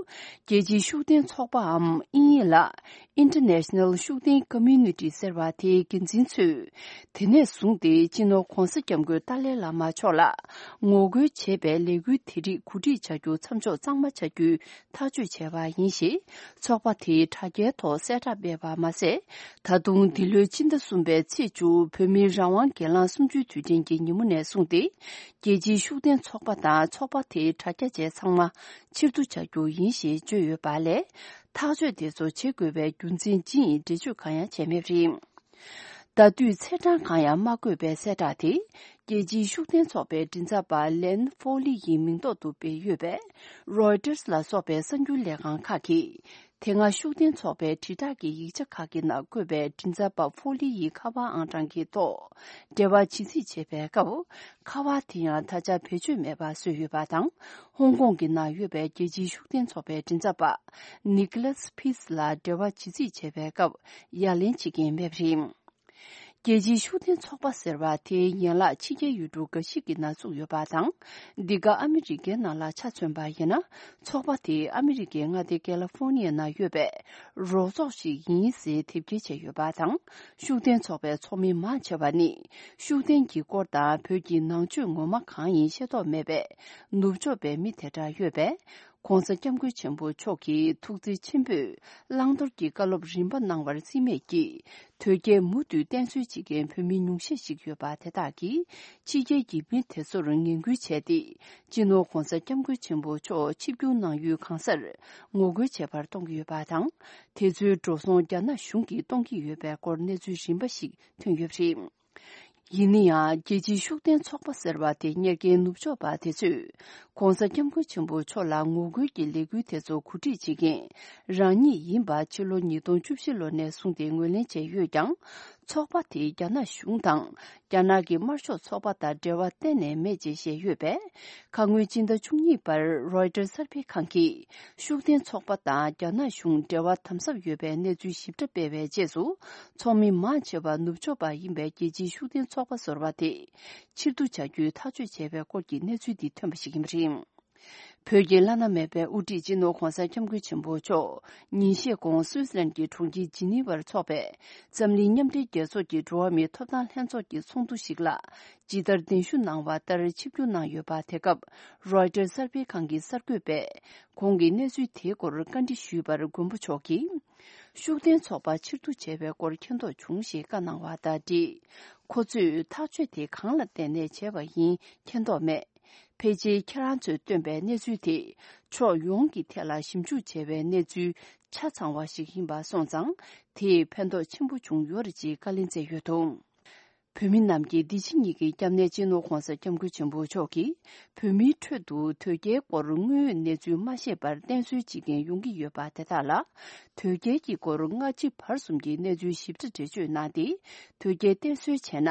རྒྱལ་སྤྱིའི་ཤུགས་ལྡན་ཚོགས་པའམ་དབྱིན་ཡིག་ལ་International ཤུགས་ལྡན་Community ཟེར་བ་དེའི་འགན་འཛིན་ཚོས། དེ་ནས་བཟུང་སྟེ་སྤྱི་ནོར་༧གོང་ས་༧སྐྱབས་མགོན་ཏཱ་ལའི་བླ་མ་མཆོག་ལ་ངོ་རྒོལ་བྱེད་པའི་ལས་འགུལ་དེ་རིགས་གོ་སྒྲིག་བྱ་རྒྱུ་མཚམས་འཇོག་གཙང་མ་བྱ་རྒྱུའི་ཐག་གཅོད་བྱས་པ་ཡིན་ཞེས། ཚོགས་པ་དེས་དྲ་རྒྱའི་ཐོག་གསལ་བསྒྲགས་སྤེལ་བ་མ་ཟད། ད་དུང་འདི་ལོའི་སྤྱི་ཟླ་གསུམ་པའི་ཚེས་བཅུ་བོད་མིའི་རང་དབང་སྒེར་ལངས་གསུམ་བཅུའི་དུས་དྲན་གྱི་ཉིན་མོ་ནས་བཟུང་སྟེ། རྒྱལ་སྤྱིའི་ཤུགས་ལྡན་ཚོགས་པ་དང་ཚོགས་པ་དེའི་དྲ་རྒྱ་བཅས་ཚང་མ་ཕྱིར་བསྡུ་བྱ་རྒྱུ་ཡིན་ཞེས་བརྗོད་ཡོད་པ་ལས། ཐག་གཅོད་དེ་ཚོ་བྱེད་དགོས་པའི་རྒྱུ་མཚན་ཅི་ཡིན་འགྲེལ་བརྗོད་གང་ཡང་བྱས་མེད་པ་རེད། ཟླ་དུས་ཚེས་གྲངས་གང་ཡང་མ་བཀོད་པའི་གསལ་བསྒྲགས་དེ། རྒྱལ་སྤྱིའི་ཤུགས་ལྡན་ཚོགས་པའི་མགྲིན་ཚབ་པ་ལན་ཧྥོ་ལི་ཡི་མིང་ཐོག་ཏུ་སྤེལ་ཡོད་པས། རོའི་ཊར་ལ་སོགས་པའི་གསར་འགྱུར་ལས་ཁང་ཁག་གིས། དེ་སྔ་ཤུགས་ལྡན་ཚོགས་པའི་དྲིལ་བསྒྲགས་ཀྱི་ཡིག་ཆ་ཁག་གི་ནང་བཀོད་པའི་མགྲིན་ཚབ་པ་ཧྥོ་ལི་ཡི་ཁ་པར་ཨང་གྲངས་ཀྱི་ཐོག་འབྲེལ་བ་བྱེད་རྩིས་བྱེད་པའི་སྐབས། ཁ་པར་དེ་ཡང་ད་ཆ་བེད་སྤྱོད་མེད་པ་བཟོས་ཡོད་པ་དང་། ཧོང་ཀོང་གི་ནང་ཡོད་པའི་རྒྱལ་སྤྱིའི་ཤུགས་ལྡན་ཚོགས་པའི་མགྲིན་ཚབ་པ་ནི་ཀི་ལཱས་ཕིས་ལ་འབྲེལ་བ་བྱེད་རྩིས་བྱེད་པའི་སྐབས་ཡ་ལན་བྱེད་མཁན་མེད་པ་རེད། རྒྱལ་སྤྱིའི་ཤུགས་ལྡན་ཚོགས་པ་ཟེར་བ་དེའི་ཡན་ལག་ཕྱི་རྒྱལ་ཡུལ་གྲུ་འགའ་ཞིག་གི་ནང་བཙུགས་ཡོད་པ་དང་། འདི་ག་ཨ་མི་རི་ཀའི་ནང་ལ་ཆ་མཚོན་པ་ཡིན་ན། ཚོགས་པ་དེ་ཨ་མི་རི་ཀའི་མངའ་སྡེ་ཀེ་ལ་ཧྥོ་ནི་ཡ་ནང་ཡོད་པའི་རོགས་ཚོགས་ཤིག་ཡིན་ཟེར་དེབ་སྐྱེལ་བྱས་ཡོད་པ་དང་། ཤུགས་ལྡན་ཚོགས་པའི་ཚོགས་མི་མང་ཆེ་བ་ནི། ཤུགས་ལྡན་གྱི་སྐོར་དང་བོད་ཀྱི་ནང་ཆོས་ངོ་མ་གང་ཡིན་ཤེས་རྟོགས་མེད་པའི་ནུབ་ཕྱོགས་པའི་མི་དེ་འདྲ་ཡོད་པས། ྋགོང་ས་ྋསྐྱབས་མགོན་ཆེན་པོ་མཆོག་གིས་ཐུགས་བརྩེ་ཆེན་པོས་བླང་དོར་གྱི་བཀའ་སློབ་རིམ་པ་གནང་བར་རྩིས་མེད་ཀྱིས། དོལ་རྒྱལ་མུ་མཐུད་བསྟེན་གསོལ་བྱེད་མཁན་བོད་མི་ཉུང་ཤས་ཤིག་ཡོད་པ་དེ་དག་གིས། ཕྱི་རྒྱལ་གྱི་མི་དེ་ཚོར་ངན་སྐུལ་བྱས་ཏེ། སྤྱི་ནོར་ྋགོང་ས་ྋསྐྱབས་མགོན་ཆེན་པོ་མཆོག་ཆིབས་བསྒྱུར་གནང་ཡུལ་གང་སར་ངོ་རྒོལ་བྱེད་པར་གཏོང་གི་ཡོད་པ་དང་། དེ་ཚོའི་འགྲོ་སོང་རྒྱ་ནག་གཞུང་གིས་གཏོང་གི་ཡོད་པའི་སྐོར་གནས་ཚུལ་རིམ་པ་ཞིག་ཐོན་ཡོད་པ་རེད། ཡིན་ན་ཡང་རྒྱལ་སྤྱིའི་ཤུགས་ལྡན་ཚོགས་པ་ཟེར་བ་དེ་གཉེར་མཁན་ནུབ་ཕྱོགས་པ་དེ་ཚོས་༸གོང་ས་༸སྐྱབས་མགོན་ཆེན་པོ་མཆོག་ལ་ངོ་རྒོལ་གྱི་ལས་འགུལ་དེ་ཚོ་གོ་སྒྲིག་བྱེད་མཁན་རང་ཉིད་ཡིན་པ་ཕྱི་ལོ་ཉིས་སྟོང་བཅུ་བཞི་ལོ་ནས་བཟུང་སྟེ་ངོས་ལེན་བྱས་ཡོད་ཀྱང་། ཚོགས་པ་དེས་རྒྱ་ནག་གཞུང་དང་རྒྱ་ནག་གི་དམར་ཤོག་ཚོགས་པ་དང་འབྲེལ་བ་གཏན་ནས་མེད་ཅེས་བཤད་ཡོད་པས། ཁ་སྔོན་སྤྱི་ཟླ་བཅུ་གཉིས་པར་རོའི་ཊར་གསར་སྤེལ་ཁང་གིས་ཤུགས་ལྡན་ཚོགས་པ་དང་རྒྱ་ནག་གཞུང་འབྲེལ་བ་དམ་ཟབ་ཡོད་པའི་གནས་ཚུལ་ཞིབ་ཕྲ་སྤེལ་བའི་རྗེས་སུ། ཚོགས་མི་མང་ཆེ་བ་ནུབ་ཕྱོགས་པ་ཡིན་པའི་རྒྱལ་སྤྱིའི་ཤུགས་ལྡན་ཚོགས་པ་ཟེར་བ་དེ་ཕྱིར་བསྡུ་བྱ་རྒྱུའི་ཐག་གཅོད་བྱས་པའི་སྐོར་གྱི་གནས་ཚུལ་འདི་ཐོན་པ་ཞིག་ཡིན་པ་རེད། བོད་ཀྱི་བླ་ན་མེད་པའི་དབུ་ཁྲིད་སྤྱི་ནོར་༸གོང་ས་༸སྐྱབས་མགོན་ཆེན་པོ་མཆོག་ཉིན་ཤས་གོང་སུད་སི་ལན་གྱི་གྲོང་ཁྱེར་ཇི་ནི་ཝར་འཚོགས་པའི་འཛམ་གླིང་མཉམ་འབྲེལ་རྒྱལ་ཚོགས་ཀྱི་འགྲོ་བ་མིའི་ཐོབ་ཐང་ལྷན་ཚོགས་ཀྱི་ཚོགས་འདུ་ཞིག་ལ་ཇི་ལྟར་གདན་ཞུ་གནང་བ་ལྟར་ཆིབས་བསྒྱུར་གནང་ཡོད་པ། དེ་སྐབས་རོའི་ཊར་གསར་སྤེལ་ཁང་གི་གསར་འགོད་པས་གོང་གི་གནས་ཚུལ་དེའི་སྐོར་བཀའ་འདྲི་ཞུས་པར། མགོན་པོ་མཆོག་གིས་ཤུགས་ལྡན་ཚོགས་པ་ཕྱིར་བསྡུ་བྱས་པའི་སྐོར་མཁྱེན་རྟོགས་བྱུང་ཞེས་བཀའ་གནང་བ་དང་འབྲེལ། ཁོ་ཚོས་ཐག་གཅོད་དེ་གང་ལ་བརྟེན་ནས་བྱས་པ་ཡིན་མཁྱེན་རྟོགས་མེད། ཕལ་ཆེར་ཁྱེད་རང་ཚོས་བཏོན་པའི་གནས་ཚུལ་དེ་ཕྱོགས་ཡོངས་ཀྱི་ཐད་ལ་ཞིབ་འཇུག་བྱས་པའི་གནས་ཚུལ་ཆ་ཚང་བ་ཞིག་ཡིན་པ་སོང་ཙང་། དེས་ཕན་ཐོགས་ཆེན་པོ་བྱུང་ཡོད་རེད་ཅེས་བཀའ་ལན་སྩལ་ཡོད་འདུག་བོད་མི་རྣམས་ཀྱི་བདེ་སྐྱིད་ཉིད་ཀྱི་སྐྱབས་གནས་སྤྱི་ནོར་༸གོང་ས་༸སྐྱབས་མགོན་ཆེན་པོ་མཆོག་གིས་བོད་མིའི་ཁྲོད་དུ་དོལ་རྒྱལ་སྐོར་དངོས་ཡོད་གནས་ཚུལ་མ་ཤེས་པར་བསྟེན་གསོལ་བྱེད་མཁན་ཡོང་གི་ཡོད་པ་དེ་དག་ལ། དོལ་རྒྱལ་གྱི་སྐོར་སྔ་ཕྱི་བར་གསུམ་གྱི་གནས་ཚུལ་ཞིབ་ཕྲ་འགྲེལ་བརྗོད་གནང་སྟེ། དོལ་རྒྱལ་བསྟེན་གསོལ་བྱས་ན།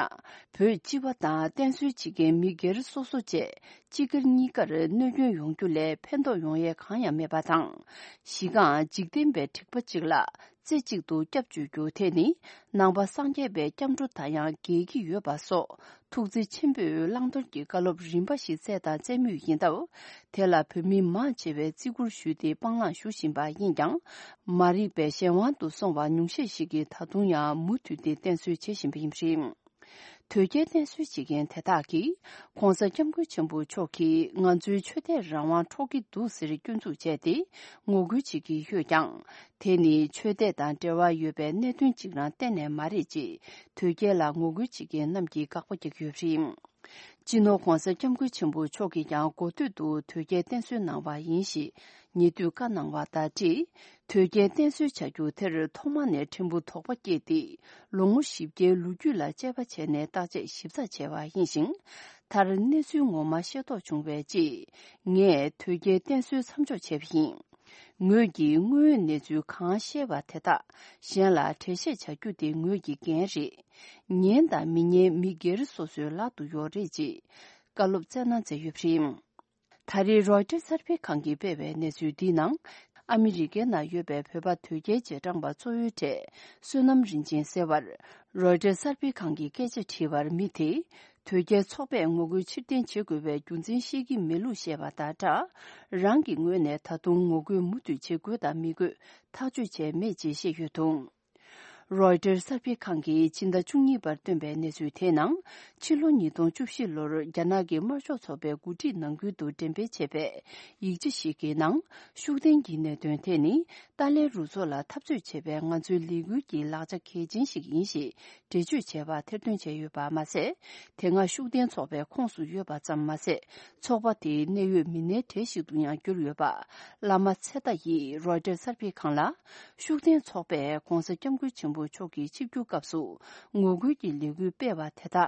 བོད་སྤྱི་པ་དང་བསྟེན་གསོལ་བྱེད་མཁན་མི་སྒེར་སོ་སོ་བཅས་སྤྱི་སྒེར་གཉིས་ཀར་གནོད་སྐྱོན་ཡོང་རྒྱུ་ལས་ཕན་ཐོགས་ཡོང་ཡས་གང་ཡང་མེད་པ་དང་། གཞི་རྐང་འཇིག་རྟེན་པའི་འཁྲིག་པ་གཅིག་ལ་རྩེ་གཅིག་ཏུ་སྐྱབས་བཅོལ་རྒྱུ་དེ་ནི་ནང་པ་སངས་རྒྱས་པའི་སྐྱབས་འགྲོ་དང་ཡང་འགལ་གྱི་ཡོད་པ་སོགས། ཐུགས་བརྩེ་ཆེན་པོས་བླང་དོར་གྱི་བཀའ་སློབ་རིམ་པ་ཞིག་སྩལ་དང་སྩལ་མུས་ཡིན་སྟབས། དེ་ལ་བོད་མི་མང་ཆེ་བས་བརྩི་བཀུར་ཞུས་ཏེ་སྤང་བླང་ཞུ་བཞིན་པ་ཡིན་ཀྱང་། མ་རིག་པའི་གཞན་དབང་དུ་སོང་བ་ཉུང་ཤས་ཤིག་གིས་ད་དུང་ཡང་མུ་མཐུད་དེ་བསྟེན་གསོལ་བྱེད་བཞིན་པ་ཡིན་པ་རེད། དོལ་རྒྱལ་བསྟེན་གསོལ་བྱེད་མཁན་དེ་དག་གིས་༸གོང་ས་༸སྐྱབས་མགོན་ཆེན་པོ་མཆོག་གིས་ང་ཚོའི་ཆོས་དད་རང་དབང་འཕྲོག་གི་འདུག་ཟེར་སྐྱོན་འཛུགས་བྱས་ཏེ་ངོ་རྒོལ་བྱེད་ཀྱི་ཡོད་ཀྱང་། དེ་ནི་ཆོས་དད་དང་འབྲེལ་བ་ཡོད་པའི་གནད་དོན་གཅིག་རང་གཏན་ནས་མ་རེད་ཅེས་དོལ་རྒྱལ་ལ་ངོ་རྒོལ་བྱེད་མཁན་རྣམས་ཀྱིས་དགག་པ་རྒྱག་གི་ཡོད་པ་རེད། སྤྱི་ནོར་༸གོང་ས་༸སྐྱབས་མགོན་ཆེན་པོ་མཆོག་གིས་ཀྱང་འགོ་སྟོད་དུ་དོལ་རྒྱལ་བསྟེན་གསོལ་གནང་བ་ཡིན་ཞེས་ཉེ་དུས་བཀའ་གནང་བ་དང་འབྲེལ། དོལ་རྒྱལ་བསྟེན་གསོལ་བྱ་རྒྱུ་དེར་ཐོག་མ་ནས་ཕྲན་བུ་དོགས་པ་སྐྱེས་ཏེ། ལོ་ངོ་བཞི་བརྒྱའི་ལོ་རྒྱུས་ལ་དཔྱད་པ་བྱས་ནས་བརྟག་དཔྱད་ཞིབ་ཚགས་བྱས་པ་ཡིན་ཞིང་། མཐར་གནས་ཚུལ་ངོ་མ་ཤེས་རྟོགས་བྱུང་བའི་རྗེས། ངས་དོལ་རྒྱལ་བསྟེན་གསོལ་མཚམས་འཇོག་བྱས་པ་ཡིན། ངོས་ཀྱིས་དངོས་ཡོད་གནས་ཚུལ་གང་ཤེས་པ་དེ་དག་གཞན་ལ་འགྲེལ་བཤད་བྱ་རྒྱུ་དེ་ངོས་ཀྱི་འགན་རེད། ཉན་དང་མི་ཉན་མི་སྒེར་སོ་སོའི་ལག་ཏུ་ཡོད་རེད་ཅེས་བཀའ་སློབ་སྩལ་གནང་མཛད་ཡོད་པ་རེད། ད་རེས་རོའི་ཊར་གསར་སྤེལ་ཁང་གིས་སྤེལ་བའི་གནས་ཚུལ་འདིའི་ནང་། ཨ་མི་རི་ཀའི་ནང་ཡོད་པའི་བོད་པ་དོལ་རྒྱལ་རྗེས་འབྲང་པ་གཙོ་བོའི་གྲས་བསོད་ནམས་རིན་ཆེན་ཟེར་བར། རོའི་ཊར་གསར་སྤེལ་ཁང་གིས་སྐད་ཆ་དྲིས་པར་མི་དེས། དོལ་རྒྱལ་ཚོགས་པས་ངོ་རྒོལ་ཕྱིར་འཐེན་བྱེད་དགོས་པའི་རྒྱུ་མཚན་བཤད་ཀྱི་མེད་ལུགས་བཤད་པ་དང་སྦྲགས། རང་གི་ངོས་ནས་ད་དུང་ངོ་རྒོལ་མུ་མཐུད་བྱེད་དགོས་དང་མི་དགོས་ཐག་གཅོད་བྱས་མེད་ཅེས་བཤད་ཡོད་འདུག་རོའི་ཊར་གསར་སྤེལ་ཁང་གིས་ཕྱི་ཟླ་བཅུ་གཉིས་པར་བཏོན་པའི་གནས་ཚུལ་དེའི་ནང་། ཕྱི་ལོ་ཉིས་སྟོང་བཅུ་བཞི་ལོར་རྒྱ་ནག་གི་དམར་ཤོག་ཚོགས་པའི་འགོ་ཁྲིད་ནང་ཁུལ་དུ་འགྲེམས་སྤེལ་བྱས་པའི་ཡིག་ཆ་ཞིག་གི་ནང་། ཤུགས་ལྡན་གྱི་གནད་དོན་དེ་ནི། ཏཱ་ལའི་རུ་ཚོགས་ལ་འཐབ་རྩོད་བྱེད་པའི་ང་ཚོའི་ལས་འགུལ་གྱི་ལག་ཆ་གལ་ཆེན་ཞིག་ཡིན་ཞེས་འགྲེལ་བརྗོད་བྱས་པ་ཐེར་འདོན་བྱས་ཡོད་པ་མ་ཟད། དེ་སྔ་ཤུགས་ལྡན་ཚོགས་པའི་ཁོངས་སུ་ཡོད་པ་ཙམ་མ་ཟད། ཚོགས་པ་དེའི་གནད་ཡོད་མི་སྣའི་གྲས་ཤིག་ཏུ་ཡང་གྱུར་ཡོད་པ། བླ་མ་ཚེ་རྟ་ཡིས་རོའི་ཊར་གསར་སྤེལ་ཁང་ལ། ཤུགས་ལྡན་ཚོགས་པས་༸གོང་ས་༸སྐྱབས་མགོན་ཆེན་པོ་མཆོག་གི་ཆིབས་བསྒྱུར་སྐབས་སུ་ངོ་རྒོལ་གྱི་ལས་འགུལ་སྤེལ་བ་དེ་དག་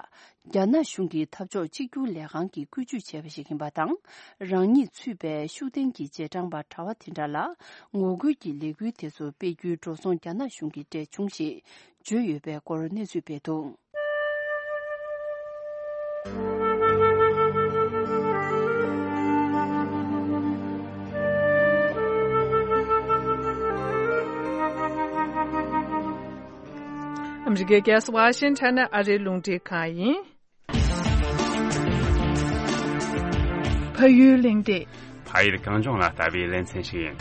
རྒྱ་ནག་གཞུང་གི་འཐབ་ཕྱོགས་གཅིག་གྱུར་ལས་ཁང་གིས་བཀོལ་སྤྱོད་བྱས་པ་ཞིག་ཡིན་པ་དང་། རང་ཉིད་ཚུད་པའི་ཤུགས་ལྡན་གྱི་རྗེས་འབྲང་པ་གྲྭ་བ་དེ་འདྲ་ལ་ངོ་རྒོལ་གྱི་ལས་འགུལ་དེ་ཚོ་སྤེལ་རྒྱུའི་འགྲོ་སོང་རྒྱ་ནག་གཞུང་གིས་སྤྲད་བྱུང་ཞེས་བརྗོད་ཡོད་པའི་སྐོར་གནས་ཚུལ་སྤེལ་འདུག་ཨ་མི་རི་ཀའི་རྒྱལ་ས་ཝ་ཤིང་ཊོན་ནས་ཨ་རིའི་རླུང་འཕྲིན་ཁང་ཡིན། ཕ་ཡུལ་གླེང་སྟེགས། ཕ་ཡུལ་གངས་ལྗོངས་ལ་ལྟ་བའི་ལེ་ཚན་ཞིག་ཡིན།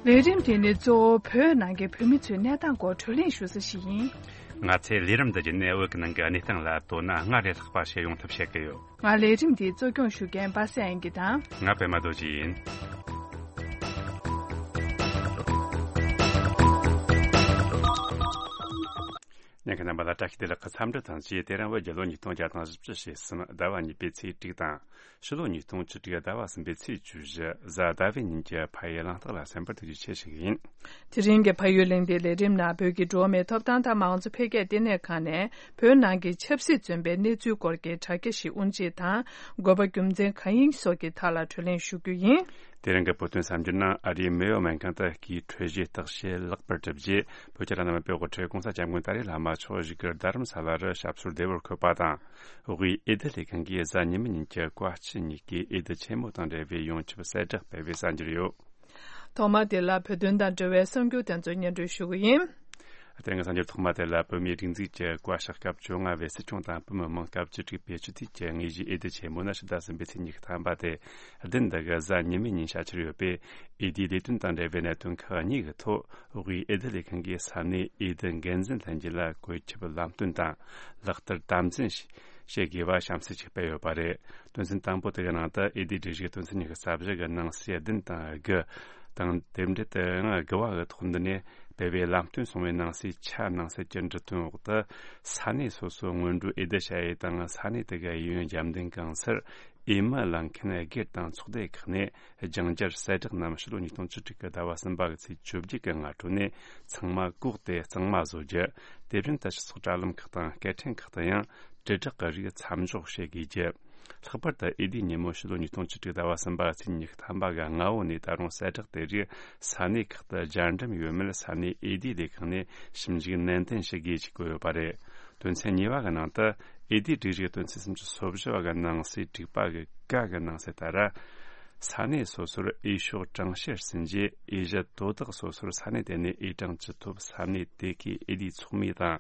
ལས་རིམ་དེ་ནི་གཙོ་བོ་བོད་ནང་གི་བོད་མི་ཚོའི་གནས་སྟངས་སྐོར་བགྲོ་གླེང་ཞུ་ས་ཞིག་ཡིན། ང་ཚོས་ལས་རིམ་འདི་བརྒྱུད་ནས་བོད་ཀྱི་ནང་གི་གནས་སྟངས་ལ་དོ་སྣང་སྔར་ལས་ལྷག་པ་བྱེད་ཡོང་ཐབས་བྱེད་ཀྱི་ཡོད། ང་ལས་རིམ་འདི་གཙོ་སྐྱོང་ཞུ་མཁན་པ་སངས་དབྱངས་སྐྱིད་དང་། ང་པད་མ་རྡོ་རྗེ་ཡིན། ཁྱེད་རྣམ་པ་ལ་བཀྲ་ཤིས་བདེ་ལེགས་ཀྱི་འཚམས་འདྲི་དང་བཅས། དེ་རིང་བོད་རྒྱལ་ལོ་ཉིས་སྟོང་བརྒྱ་དང་བཞི་བཅུ་ཞེ་གསུམ། ཟླ་བ་གཉིས་པའི་ཚེས་དྲུག་དང་། ཕྱི་ལོ་ཉིས་སྟོང་བཅུ་དྲུག་ཟླ་བ་གསུམ་པའི་ཚེས་བཅུ་བཞི། གཟའ་ཟླ་བའི་ཉིན་གྱི་ཕ་ཡུལ་གླེང་སྟེགས་ལ་གསན་པར་ཐུགས་རྗེ་ཆེ་ཞུ་གི་ཡིན། དེ་རིང་གི་ཕ་ཡུལ་གླེང་སྟེགས་ལས་རིམ་ནང་བོད་ཀྱི་འགྲོ་བ་མིའི་ཐོབ་ཐང་དང་མང་གཙོ་འཕེལ་རྒྱས་ལྟེ་གནས་ཁང་ནས་བོད་ནང་གི་ཆབ་སྲིད་བཙོན་པའི་གནས་ཚུལ་སྐོར་གྱི་དྲ་རྒྱ་ཞིག་དབུ་འབྱེད་དང་། དགོས་པ་རྒྱུ་མཚན་གང་ཡིན་སོགས་ཀྱི་ཐད་ལ་གྲོས་གླེང་ཞུ་རྒྱུ་ཡིན། དེ་རིང་གི་བོད་དོན་གསར་འགྱུར་ནང་ཨ་རིའི་མེ་ཡོ་སྨན་ཁང་དུ་སྐུའི་འཕྲོད་བཞེས་རྟགས་བཤད་ལེགས་པར་གྲུབ་རྗེས། བོད་ཀྱི་བླ་ན་མེད་པའི་དབུ་ཁྲིད་༸གོང་ས་༸སྐྱབས་མགོན་ཏཱ་ལའི་བླ་མ་མཆོག་བཞུགས་སྒར་རྡ་རམ་ས་ལ་རུ་ཞབས་སོར་བདེ་བར་འཁོད་པ་དང་། དབུས་འོས་བསྡུ་ལས་ཁང་གིས་གཟའ་ཉི་མའི་ཉིན་གྱི་བཀའ་སྤྱི་གཉིས་ཀའི་འོས་བསྡུ་ཆེན་མོ་དང་འབྲེལ་བའི་ཡོངས་ཁྱབ་གསལ་བསྒྲགས་སྤེལ་བའི་གསར་འགྱུར་ཡོད། ཐོག་མ་དེ་ལ་བོད་དོན་དང་འབྲེལ་བའི་གསར་འགྱུར་དེ་ཚོ་སྙན་སྒྲོན་ཞུ་གི་ཡིན། དེ་རིང་གི་གསར་འགྱུར་ཐོག་མ་དེ་ལ། བོད་མིའི་སྒྲིག་འཛུགས་ཀྱི་བཀའ་ཤག་སྐབས་བཅོ་ལྔ་པའི་སྲིད་སྐྱོང་དང་བོད་མི་མང་སྐབས་བཅུ་དྲུག་པའི་སྤྱི་འཐུས་ཀྱི་དངོས་གཞིའི་འོས་བསྡུ་ཆེན་མོ་ནི་ཕྱི་ཟླ་གསུམ་པའི་ཚེས་ཉི་ཤུ་ཐམ་པ་སྟེ། བདུན་འདི་གི་གཟའ་ཉི་མའི་ཉིན་བྱ་འཆར་ཡོད་པས། འོས་བསྡུའི་ལས་དོན་དང་འབྲེལ་བའི་གནད་དོན་ཁག་གཉིས་ཀྱི་ཐོག་དབུས་འོས་བསྡུ་ལས་ཁང་གིས་ས་གནས་འོས་བསྡུ་འགན་འཛིན་ལྷན་རྒྱས་ལ་བཀོད་ཁྱབ་ལམ་སྟོན་དང་། ལག་བསྟར་དམ་འཛིན་བྱེད་དགོས་པ་བྱམས་བརྩེ་ཞིག་སྤེལ་ཡོད་པ་རེད། དོན་ཚན་དང་པོ་དེ་གི་ནང་དུ། འོས་བསྡུའི་སྒྲིག་གཞི་དོན་ཚན་ཉི་ཤུ་རྩ་བཞི་གི་ནང་གསེས་བདུན་དང་དགུ་དང་། དེ་འབྲེལ་དུ་ཡང་དགུ་བ་གི་ཐོག་འདི་ནས་སྤེལ་བའི་ལམ་སྟོན་སོང་བའི་ནང་གསེས་ཆ་ནང་གསེས་ཀྱི་འབྲི་དོན་འོག་ཏུ། ས་གནས་སོ་སོའི་སྔོན་འགྲོའི་འོས་བསྡུ་བྱ་ཡུལ་དང་། ས་གནས་དེ་གི་གཡས་གཡོན་རྒྱབ་མདུན་གང་སར་འོས་མི་ལེན་མཁན་སྒེར་དང་ཚོགས་སྡེ་ཁག་ནས་སྦྱང་བརྡར་གསལ་བསྒྲགས་རྣམས་ཕྱི་ལོ་ཉིས་སྟོང་བཅུ་དྲུག་གི་ཟླ་བ་གསུམ་པ་གི་ཚེས་བཅོ་བརྒྱད་ཀྱི་སྔ་དྲོ་ནས་ཚང་མ་བཀོག་སྟེ་གཙང་མ་བཟོ་རྒྱུ། དེ་བཞིན་དུ་སྤྱི་ཚོགས་དྲ་ལམ་ཁག་དང་སྐད་འཕྲིན་ཁག་ཏུ་ཡང་དྲིལ་བསྒྲགས་ཀྱི་རིགས་མཚམས་འཇོག་བྱེད་དགོས་རྒྱུ། ལྷག་པར་དུ་འོས་བསྡུའི་ཉིན་མོ་ཕྱི་ལོ་ཉིས་སྟོང་བཅུ་དྲུག་ཟླ་བ་གསུམ་པ་ཚེས་ཉི་ཤུ་ཐམ་པ་གི་སྔ་བོ་ནས་ད་རུང་གསལ་བསྒྲགས་དེ་རིགས་ས་གནས་ཁག་ཏུ་སྦྱར་འགྲེམས་ཡོད་མེད་ས་གནས་འོས་བསྡུའི་ལས་ཁང་ནས་ཞིབ་འཇུག་ནན་ཏན་བྱེད་དགོས་ཞེས་བཀོད་ཡོད་པ་རེད། དོན་ཚན་གཉིས་པ་གི་ནང་དུ། འོས་བསྡུའི་སྒྲིག་གཞི་དོན་ཚན་སུམ་ཅུ་སོ་བཞི་བ་གི་ནང་གསེས་དྲུག་པ་གི་ཀ་གི་ནང་གསེས་ལྟར། ས་གནས་སོ་སོར་འོས་ཤོག་གྲངས་བཤེར་ཟིན་རྗེས། འོས་གཞི་དོ་བདག་སོ་སོར་ས་གནས་དེ་ནས་འོས་གྲངས་ཅི་ཐོབ་ས་གནས་དེ་གའི་འོས་བསྡུའི་ཚོགས་མི་དང་།